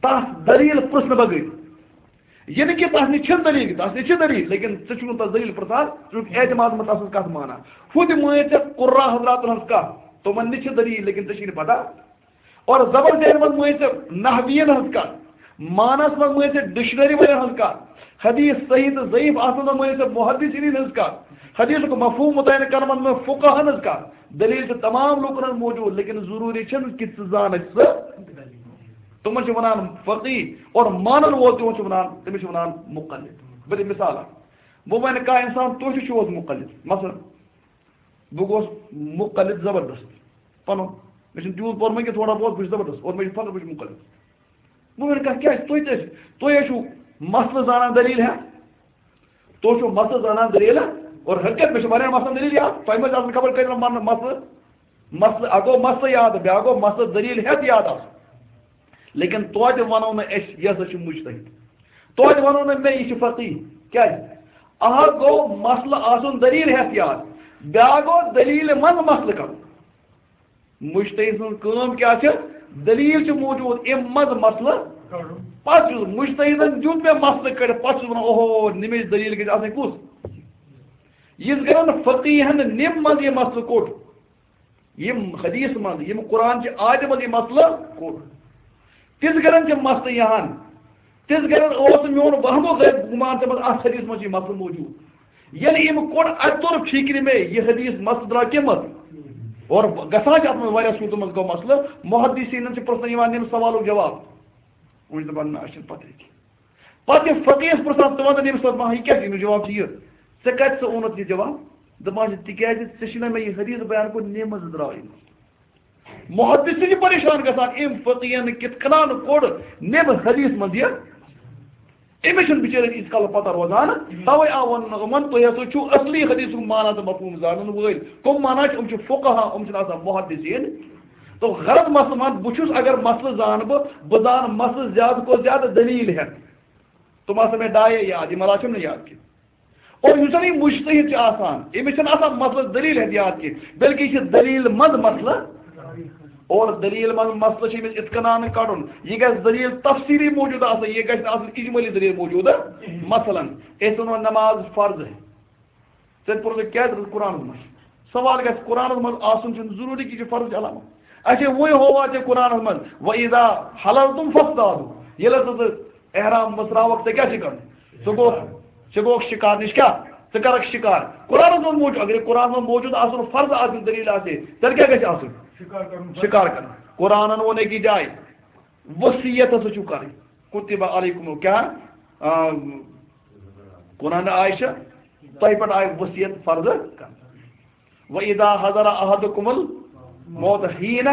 تَس دٔلیٖل پرٛژھنہٕ بغٲر۔ یہِ نہٕ کہِ تَس نِش چھِنہٕ دٔلیٖل، تَس نِش چھِ دٔلیٖل، لیکن ژٕ چھُکھ نہٕ تَس دٔلیٖل پرٛژھان، ژٕ چھُکھ اعتماد منٛز تَس سٕنٛز کَتھ مانان۔ ہُہ تہِ مٲنۍ ژےٚ قُرّا حضراتَن ہٕنٛز کَتھ، تِمَن نِش چھِ دٔلیٖل، لیکن ژےٚ چھِی نہٕ پَتہ۔ اور زبر ذہن منٛز مٲنۍ ژےٚ نحویَن ہٕنٛز کَتھ، معنس منٛز مٲنۍ ژےٚ ڈکشنری والٮ۪ن ہٕنٛز کَتھ، حدیث صحیح تہٕ ضعیف آسنَس منٛز مٲنۍ ژےٚ محدثیٖنَن ہٕنٛز کَتھ، حدیثُک مفہوم متعین کرنَس منٛز فقہَن ہٕنٛز کَتھ۔ دٔلیٖل چھِ تمام لوٗکَن ہٕنٛز موجوٗد، لیکن ضروٗری چھِنہٕ کہِ ژٕ زانَکھ سُہ۔ تِمَن چھِ وَنان فقیہ، اور مانَن وول تِمَن چھِ وَنان، تٔمِس چھِ وَنان مقلد۔ بہٕ دِمہٕ مثال اَکھ۔ وۄنۍ وَنہِ کانٛہہ اِنسان، "تُہۍ تہِ چھِو حظ مقلد؟" مثلاً، بہٕ گوس مقلد زبردست پنُن، مےٚ چھُنہٕ تیوٗت پوٚرمُت کینٛہہ، تھوڑا بہت، بہٕ چھُس زبردست، اور مےٚ چھُ فخر، بہٕ چھُس مقلد۔ بہٕ وَنہٕ کانٛہہ، کیٛازِ تُہۍ تہِ ٲسِو، تُہۍ ٲسِو مسلہٕ زانان دٔلیٖل ہٮ۪تھ، تُہۍ چھِو مسلہٕ زانان دٔلیٖل ہٮ۪تھ، اور حقیقت مےٚ چھِ واریاہ مسلہٕ دٔلیٖل یاد، تۄہہِ منٛز آسَن خبر کٔژَن من-، مسلہٕ، مسلہٕ، اَکھ گوٚو مسلہٕ یاد، بیٛاکھ گوٚو مسلہٕ دٔلیٖل ہٮ۪تھ یاد آسُن۔ لیکن توتہِ وَنو نہٕ أسۍ، یہِ ہسا چھُ مُجتہِد۔ توتہِ وَنو نہٕ مےٚ، یہِ چھُ فقیہ۔ کیٛازِ؟ اَکھ گوٚو مسلہٕ آسُن دٔلیٖل ہٮ۪تھ یاد، بیٛاکھ گوٚو دٔلیٖلہِ منٛز مسلہٕ کَرُن۔ مُجتہِد سٕنٛز کٲم کیٛاہ چھِ؟ دٔلیٖل چھِ موجوٗد، اَمہِ منٛز مسلہٕ۔ پَتہٕ چھُس مُجتہِدَن دیُت مےٚ مسلہٕ کٔڑِتھ، پَتہٕ چھُس وَنان، اوہو، نِمِچ دٔلیٖل گژھِ آسٕنۍ کُس؟ یِتھ کٔنۍ فقیٖہَن نِم منٛز یہِ مسلہٕ کوٚڑ، یِم حدیث منٛز، یِم قرآن چہِ آیتہِ منٛز یہِ مسلہٕ کوٚڑ۔ تِژھ گرن چھِ مسلہٕ یِہان، تِژھ گرن اوس نہٕ میون وہمو غٲب گُمان تِمن اتھ حدیث منٛز چھُ یہِ مسلہٕ موجود۔ ییٚلہِ أمۍ کوٚڑ، اتہِ توٚر فکرِ مےٚ، یہِ حدیث مسلہٕ درٛاو کمہِ منٛز؟ اور گژھان چھِ اتھ منٛز واریاہ صورتن منٛز گوٚو مسلہٕ، محدثینن چھِ پرژھنہٕ یِوان ییٚمہِ سوالُک جواب۔ وۄنۍ چھِ دپان، نہ، اسہِ چھنہٕ پتہٕے کینٛہہ۔ پتہٕ ییٚلہِ فقیٖہس پرژھان، ژٕ وَن تہٕ ییٚمِس پتہٕ ما، یہِ کیٛاہ چھُ؟ أمِس جواب چھُ یہِ، ژےٚ کَتہِ، ژٕ اوٚنُتھ یہِ جواب؟ دَپان چھِ، تِکیٛازِ ژےٚ چھُنہ مےٚ یہِ حدیث بیان کوٚرمُت، نِمہٕ منٛزٕ درٛاو یہِ۔ محدث چھِ پریشان گژھان، أمۍ فقیٖہن کِتھ کٔنۍ کوٚڑ نِمہٕ حدیث منٛز یہِ۔ أمِس چھُنہٕ بِچٲرِس ییٖتِس کالَس پَتہ روزان، تَوَے آو وَننہٕ یِمَن، تُہۍ ہسا چھِو اَصلی حدیثُک معنہ تہٕ مفہوٗم زانَن وٲلۍ۔ کٕم معنہ چھِ؟ یِم چھِ فقہا، یِم چھِنہٕ آسان محدثین۔ تو غرض مسلہٕ مان، بہٕ چھُس، اگر مسلہٕ زانہٕ بہٕ، بہٕ زانہٕ مسلہٕ زیادٕ کھۄتہٕ زیادٕ دٔلیٖل ہٮ۪تھ۔ تِم آسن مےٚ ڈایے یاد، یِم علاوٕ چھِم نہٕ یاد کینٛہہ۔ اور یُس زن یہِ مُجتہِد چھُ آسان، أمِس چھُنہٕ آسان مسلہٕ دٔلیٖل ہٮ۪تھ یاد کینٛہہ، بلکہِ یہِ چھِ دٔلیٖل منٛز مسلہٕ۔ اور دٔلیٖل منٛز مسلہٕ چھُ أمِس اِتھ کٔنۍ کڑُن، یہِ گژھِ دٔلیٖل تفصیٖلی موجود آسٕنۍ، یہِ گژھِ نہٕ آسٕنۍ اجمٲلی دٔلیٖل موجود۔ مثلاً، أسۍ وَنو نماز فرض ہے۔ ژےٚ پوٚرُتھ کیٛازِ روٗد قرآنَس منٛز؟ سوال گژھِ، قرآنَس منٛز آسُن چھُنہٕ ضروٗری کہِ یہِ چھُ فرض علامت۔ اچھا، وۄنۍ ہووا ژےٚ قرآنَس منٛز، "وَإِذَا حَلَلْتُمْ فَاصْطَادُوا"، ییٚلہِ ہسا ژٕ احرام مٔژراوَکھ، ژےٚ کیٛاہ چھِ کَرُن؟ ژٕ گوٚو، ژٕ گوٚوکھ شِکار نِش کیٛاہ؟ ژٕ کَرَکھ شِکار۔ قرآنَس منٛز موجود، اگر یہِ قرآنَس منٛز موجود آسُن، فرض آسُن، دٔلیٖل آسہِ ہے، تیٚلہِ کیٛاہ گژھِ آسُن؟ شِکار کَرُن۔ شِکار کَرُن۔ قرآنَن ووٚن أکِس جایہِ، وصیت ہسا چھُو کَرٕنۍ۔ کُتِبَ علیکُم، کیٛاہ؟ آ، قرآن آیہِ چھِ، تۄہہِ پٮ۪ٹھ آیہِ وصیت فرض کرنہٕ۔ وَإِذَا حَضَرَ أَحَدَكُمُ الْمَوْتُ حِينَ،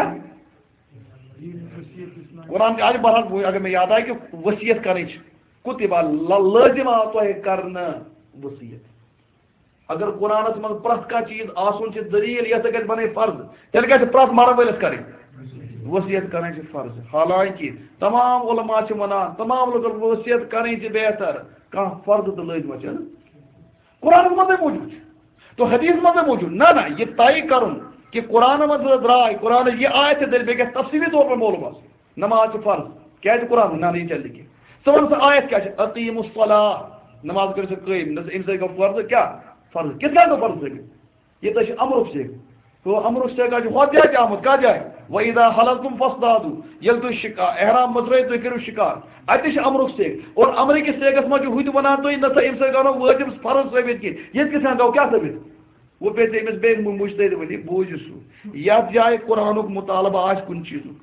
قرآن تہِ آیہِ، بہرحال، وۄنۍ اگر مےٚ یاد آیہِ کہِ وصیت کرٕنۍ چھِ، کُتِبَ، لا-، لٲزِم آو تۄہہِ کرنہٕ وصیت۔ اگر قرآنس منٛز پرٛٮ۪تھ کانٛہہ چیٖز آسُن چھِ دٔلیٖل، یَتھ سۭتۍ گژھِ بَنٕنۍ فرض، تیٚلہِ گژھِ پرٛٮ۪تھ مَرَن وٲلِس کَرٕنۍ۔ وصیت کَرٕنۍ چھِ فرض۔ حالانکہِ تمام علماء چھِ وَنان، تمام لُکَن وصیت کَرٕنۍ چھِ بہتر، کانٛہہ فرض تہٕ لٲزمہ چھَنہٕ۔ قرآنس منٛزٕے موجود چھِ، تو حدیث منٛزٕے موجود۔ نہ، نہ، یہِ طے کَرُن کہِ قرآن منٛز درٛاے، قرآنٕچ یہِ آیت چھِ دٔلیٖل، بیٚیہِ گژھِ تفصیٖلی طور پر معلوم آسُن۔ نماز چھِ فرض۔ کیٛازِ قرآن؟ نہ، نہ، یہِ چلہِ نہٕ کینٛہہ۔ ژٕ وَن سا آیت کیٛاہ چھِ؟ "اقیموا الصلاۃ"، نماز کٔرِو سا قٲیِم۔ نہ، اَمہِ سۭتۍ گوٚو فرض کیٛاہ؟ فرض۔ کِتھ کٔنۍ گوٚو فرض ثٲبِت؟ یہِ تۄہہِ چھِ امرُک صیغہ۔ تو امرُک صیغہ چھُ ہۄتھ جایہِ تہِ آمُت، کَتھ جایہِ؟ "وَإِذَا حَلَلْتُمْ فَاصْطَادُوا"، ییٚلہِ تُہۍ شِکا-، احرام مٔژرٲیِو، تُہۍ کٔرِو شِکار۔ اَتہِ تہِ چھِ امرُک صیغہ۔ اور امرٕ کِس صیغس منٛز چھُ ہُہ تہِ وَنان تُہۍ، نہ سا، اَمہِ سۭتۍ گوٚو نہٕ وٲجِب فرض ثٲبِت کینٛہہ۔ ییٚتہِ کِتھ کٔنۍ گوٚو کیٛاہ ثٲبِت؟ وۄنۍ پیٚیہِ أمِس بیٚیہِ مُ-، مُجتہد ؤنِتھ، بوٗزِو سُہ۔ یَتھ جایہِ قرآنُک مُطالبہٕ آسہِ کُنہِ چیٖزُک،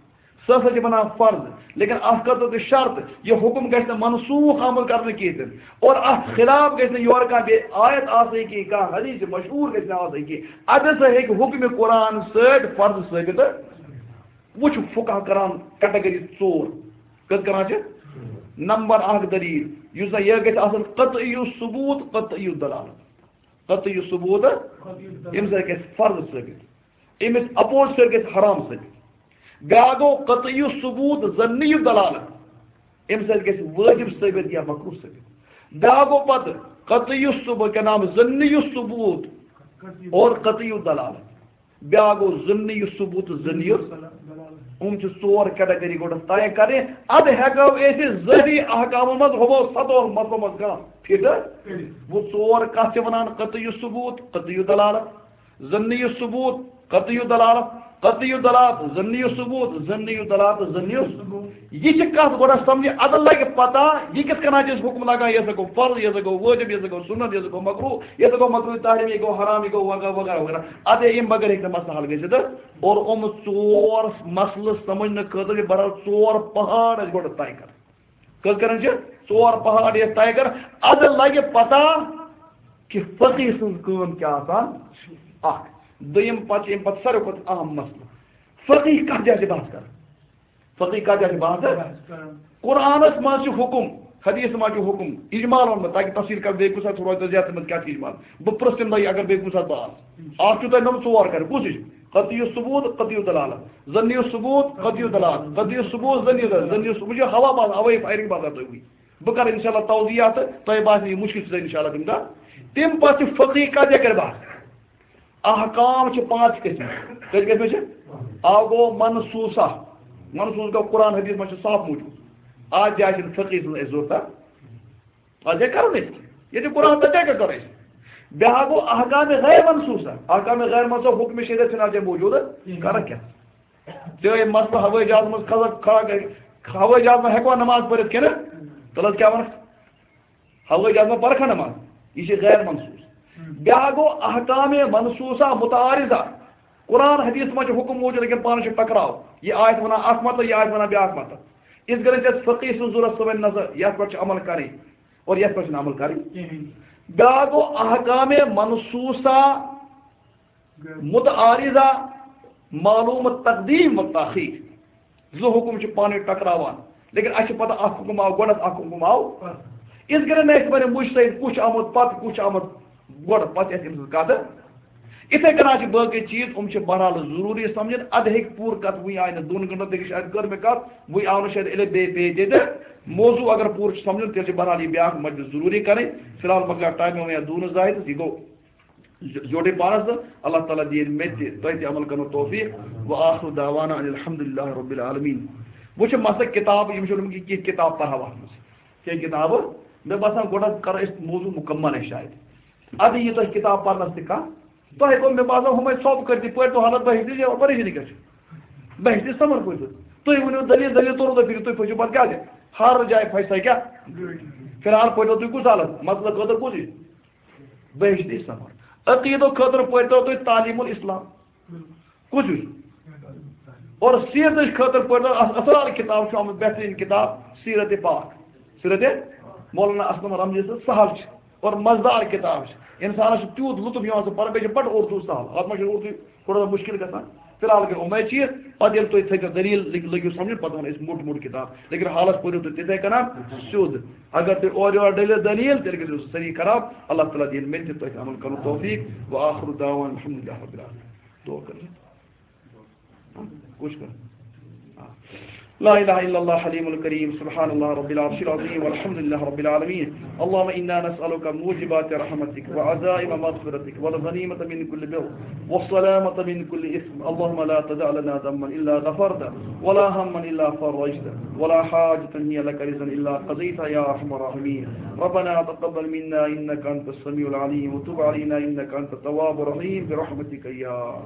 سُہ ہسا چھِ بَنان فرض۔ لیکن اَتھ خٲطرٕ تہِ شرط، یہِ حُکُم گژھِ نہٕ منسوٗخ عمل کرنہٕ کِہیٖنۍ تہِ نہٕ۔ اور اَتھ خلاف گژھِ نہٕ یورٕ کانٛہہ بیٚیہِ آیت آسٕنۍ کِہیٖنۍ، کانٛہہ حدیث مشہوٗر گژھِ نہٕ آسٕنۍ کِہیٖنۍ۔ اَدٕ ہسا ہیٚکہِ حُکمِ قرآن سۭتۍ فرض ثٲبِت۔ وۄنۍ چھُ فقہ کران category ژور۔ کٔژ کران چھِ؟ نمبر اکھ دلیٖل، یُس زَن یہِ گژھِ آسُن قطعی الثبوت، قطعی الدلالت۔ قطعی الثبوت، اَمہِ سۭتۍ گژھِ فرض ثٲبِت، أمِس opposite سۭتۍ گژھِ حرام ثٲبِت۔ بیٛاکھ گوٚو قطعی الثبوت، ظنی الدلالت، اَمہِ سۭتۍ گژھِ وٲجِب ثٲبِت یا مکروہ ثٲبِت۔ بیٛاکھ گوٚو پتہٕ قطعی الثبوت، کیٛاہ نام، ظنی الثبوت اور قطعی الدلالت۔ بیٛاکھ گوٚو ظنی الثبوت تہٕ ظنی ال-، یِم چھِ ژور category گۄڈٕ طے کرٕنۍ۔ اَدٕ ہٮ۪کو أسۍ ظٲہری احکامن منٛز ہُمو ستو مسلو منٛز کانٛہہ fit۔ گوٚو ژور کتھ چھِ ونان قطعی الثبوت، قطعی الدلالت، ظنی الثبوت، قطعی الدلالت، قطعی الدلالت، ظنی الثبوت، ظنی الدلالت، ظنی الثبوت۔ یہِ چھِ کتھ گۄڈٕ سمجھِ، ادٕ لگہِ پتہ، یہِ کِتھ کٔنۍ چھِ أسۍ حُکم لاگان، یہِ ہسا گوٚو فرض، یہِ ہسا گوٚو وٲجب، یہِ ہسا گوٚو سُنت، یہِ ہسا گوٚو مکروہ، یہِ ہسا گوٚو مکروہ تحریم، یہِ گوٚو حرام، یہِ گوٚو وغیرہ وغیرہ وغیرہ۔ ادے یِم بغٲر ہیٚکہِ نہٕ مسلہٕ حل گٔژھِتھ۔ اور یِم ژور مسلہٕ سمجھنہٕ خٲطرٕ چھِ بہرحال ژور پہاڑ اَسہِ گۄڈٕ طے کرٕنۍ۔ کٔژ کران چھِ؟ ژور پہاڑ یَتھ طے کر، ادٕ لگہِ پتہ کہِ فقیہ سٕنٛز کٲم کیٛاہ آسان۔ اکھ۔ دوٚیِم، پتہٕ چھِ اَمہِ پتہٕ ساروی کھۄتہٕ اہم مسلہٕ، فقیہ کتھ جایہِ چھِ بحث کران؟ فقیہ کتھ جایہِ چھِ بحث کران؟ قرآنس منٛز چھُ حُکم، حدیثس منٛز چھُ حُکم، اجمال ووٚنمُت، تاکہِ تفصیٖل کرٕ بیٚیہِ کُنہِ ساتہٕ، سُہ روزِ تۄہہِ زیادٕ سمجھ کیٛاہ چھِ اجمال۔ بہٕ پرٛژھٕ تَمہِ دۄہ یہِ اگر بیٚیہِ کُنہِ ساتہٕ بہٕ آسہٕ۔ اکھ چھُو تۄہہِ نوٚمُت ژور کرِ، کُس ہِش؟ قطعی الثبوت، قطعی الدلالت، قطعی الدلالت، قطعی الثبوت، ظنی الدلالت، ظنی الثبوت، یہِ چھُ ہوا باسان، ہوٲیی firing باسان تُہۍ وٕنۍ۔ بہٕ کرٕ انشاءاللہ توضیح اَتھ، تۄہہِ باسہِ یہِ مُشکِل چھُ انشاءاللہ تَمہِ دۄہ۔ تَمہِ پتہٕ چھُ فقیہ کتھ جایہِ کرِ بحث۔ احکام چھِ پانٛژھ قٕسم۔ کٔژ قٕسم چھِ؟ اکھ گوٚو منصوصہ۔ منصوص گوٚو قرآن حدیث منٛز چھُ صاف موجود۔ اتھ جایہِ چھِنہٕ فقیہ سٕنٛز اَسہِ ضروٗرت۔ اتھ جایہِ کرو نہٕ أسۍ۔ ییٚتہِ قرآن تتہِ کیٛاہ کرو أسۍ؟ بیٛاکھ گوٚو احکام غیر منصوصہ۔ احکام غیر منصوصہ حکم شریعت چھِنہٕ اتھ جایہِ موجود۔ کرکھ کیٛاہ؟ چاہے مسلہٕ ہوٲیی جہاز منٛز کھسکھ کھڑا کٔرِتھ، ہوٲیی جہاز منٛز ہٮ۪کوا نماز پٔرِتھ کِنہٕ؟ تیٚلہِ حظ کیٛاہ وَنکھ؟ ہوٲیی جہاز منٛز پَرکھا نماز؟ یہِ چھِ غیر منصوص۔ بیٛاکھ گوٚو احکام منصوصہ متعارضہ۔ قرآن حدیث منٛز چھُ حُکم موجود، لیکن پانہٕ چھُ ٹکراو۔ یہِ آیت وَنان اکھ مطلب، یہِ آیت وَنان بیٛاکھ مطلب۔ یِتھ کٔنۍ چھِ اَسہِ فقیہ سٕنٛز ضروٗرت، سُہ وَنہِ نہ سا یَتھ پٮ۪ٹھ چھِ عمل کَرٕنۍ اور یَتھ پٮ۪ٹھ چھِنہٕ عمل کَرٕنۍ۔ بیٛاکھ گوٚو احکام منصوصہ متعارضہ، معلوم تقدیم و تاخیر۔ زٕ حُکم چھِ پانہٕ ؤنۍ ٹکراوان، لیکن اَسہِ چھِ پتہ اکھ حُکم آو گۄڈٕ، اکھ حُکم آو۔ یِتھ کٔنۍ نہٕ اَسہِ وَنہِ مُجتہد کُس چھُ آمُت پتہٕ، کُس چھُ آمُت گۄڈٕ، پتہٕ چھِ اَسہِ أمۍ سٕنٛز کَتھ۔ یِتھَے کٔنۍ چھِ باقٕے چیٖز، یِم چھِ بہرحال ضروٗری سمجھٕنۍ۔ اَدٕ ہیٚکہِ پوٗرٕ کَتھ وٕنہِ آیہِ نہٕ دۄن گٲنٛٹَن، تہِ شاید کٔر مےٚ کَتھ، وٕنہِ آو نہٕ شاید علم بیٚیہِ پیٚیہِ تہِ۔ تہٕ موضوع اگر پوٗرٕ چھُ سمجھُن، تیٚلہِ چھِ بہرحال یہِ بیٛاکھ مجلس ضروٗری کَرٕنۍ۔ فی الحال مۄکلیو ٹایم، وۄنۍ یَتھ دوٗنہٕ زاہد، یہِ گوٚو۔ جو-، جوڑے پانس تہٕ اللہ تعالیٰ دِیِن مےٚ تہِ تۄہہِ تہِ عمل کرنُک توفیق۔ وآخر دعوانا ان الحمد للہ رب العالمین۔ وۄنۍ چھِ مسلہٕ کتاب، یِم چھِ ووٚنمُت کہِ کینٛہہ کتاب پرہاو اتھ منٛز۔ کینٛہہ کتابہٕ، مےٚ باسان گۄڈٕ کرو أسۍ موضوع مکمل اَسہِ شاید۔ ادٕ یہِ تۄہہِ کتاب پرنس تہِ کانٛہہ، تۄہہِ گوٚو مےٚ باسان ہُمے ژھۄپ کٔرۍ تہِ پٔرۍ تو حالت بحث تہِ پریشٲنی کیٛاہ چھِ؟ بحث تہِ سمر پٔرۍ تو۔ تُہۍ ؤنِو دٔلیٖل، دٔلیٖل توٚرو تۄہہِ فِکرِ، تُہۍ پٔرِو پتہٕ کیٛاہ چھِ؟ ہر جایہِ پھسہِ تۄہہِ کیٛاہ؟ فی الحال پٔرۍ تو تُہۍ کُس حالت؟ مسلہٕ خٲطرٕ کُس یہِ؟ بہشتی سفر۔ عقیدٕ خٲطرٕ پٔرۍتو تُہۍ تعلیٖم الاسلام۔ کُس ہیوٗ؟ اور سیرتٕچ خٲطرٕ پٔرۍتو اَتھ اصل کِتاب چھُ آمُت، بہتریٖن کِتاب سیرت پاک۔ سیرت مولانا اسلم رمضی سٕنٛز سہل چھِ اور مزٕدار کِتاب چھِ۔ اِنسانَس چھُ تیوٗت لطف یِوان سُہ پَران، بیٚیہِ چھِ بَڑٕ اردوٗ سہل۔ اَتھ منٛز چھُنہٕ اردوٗ تھوڑا سا مُشکِل گژھان۔ فی الحال گٔے یِمَے چیٖز، پَتہٕ ییٚلہِ تُہۍ تھٔکِو دٔلیٖل لٔگۍ-، لٔگِو سَمجھُن، پَتہٕ وَنو أسۍ موٚٹ موٚٹ کِتاب۔ لیکن حالَس پٔرِو تُہۍ تِتھَے کَنۍ سیوٚد۔ اگر تُہۍ اورٕ یورٕ ڈٔلِو دٔلیٖل، تیٚلہِ گٔژھِو سٲری خراب۔ اللہ تعالیٰ دِیِن مےٚ تہِ تۄہہِ عمل کَرُن توفیٖق۔ وآخر دعوانا الحمد للہ رب العالمین۔ دعا کٔرِو۔ کُس کَرِ؟ لا إله إلا الله الحليم الكريم، سبحان الله رب العرش العظيم، والحمد لله رب العالمين. اللهم إنا نسألك موجبات رحمتك وعزائم مغفرتك والغنيمة من كل بر والسلامة من كل إثم. اللهم لا تدع لنا ذنبا إلا غفرته ولا هما إلا فرجته ولا حاجة هي لك رضا إلا قضيتها يا أرحم الراحمين. ربنا تقبل منا إنك أنت السميع العليم وتب علينا إنك أنت التواب الرحيم برحمتك يا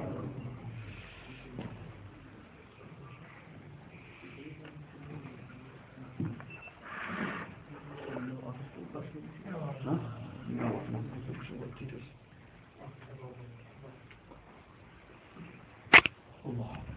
الله.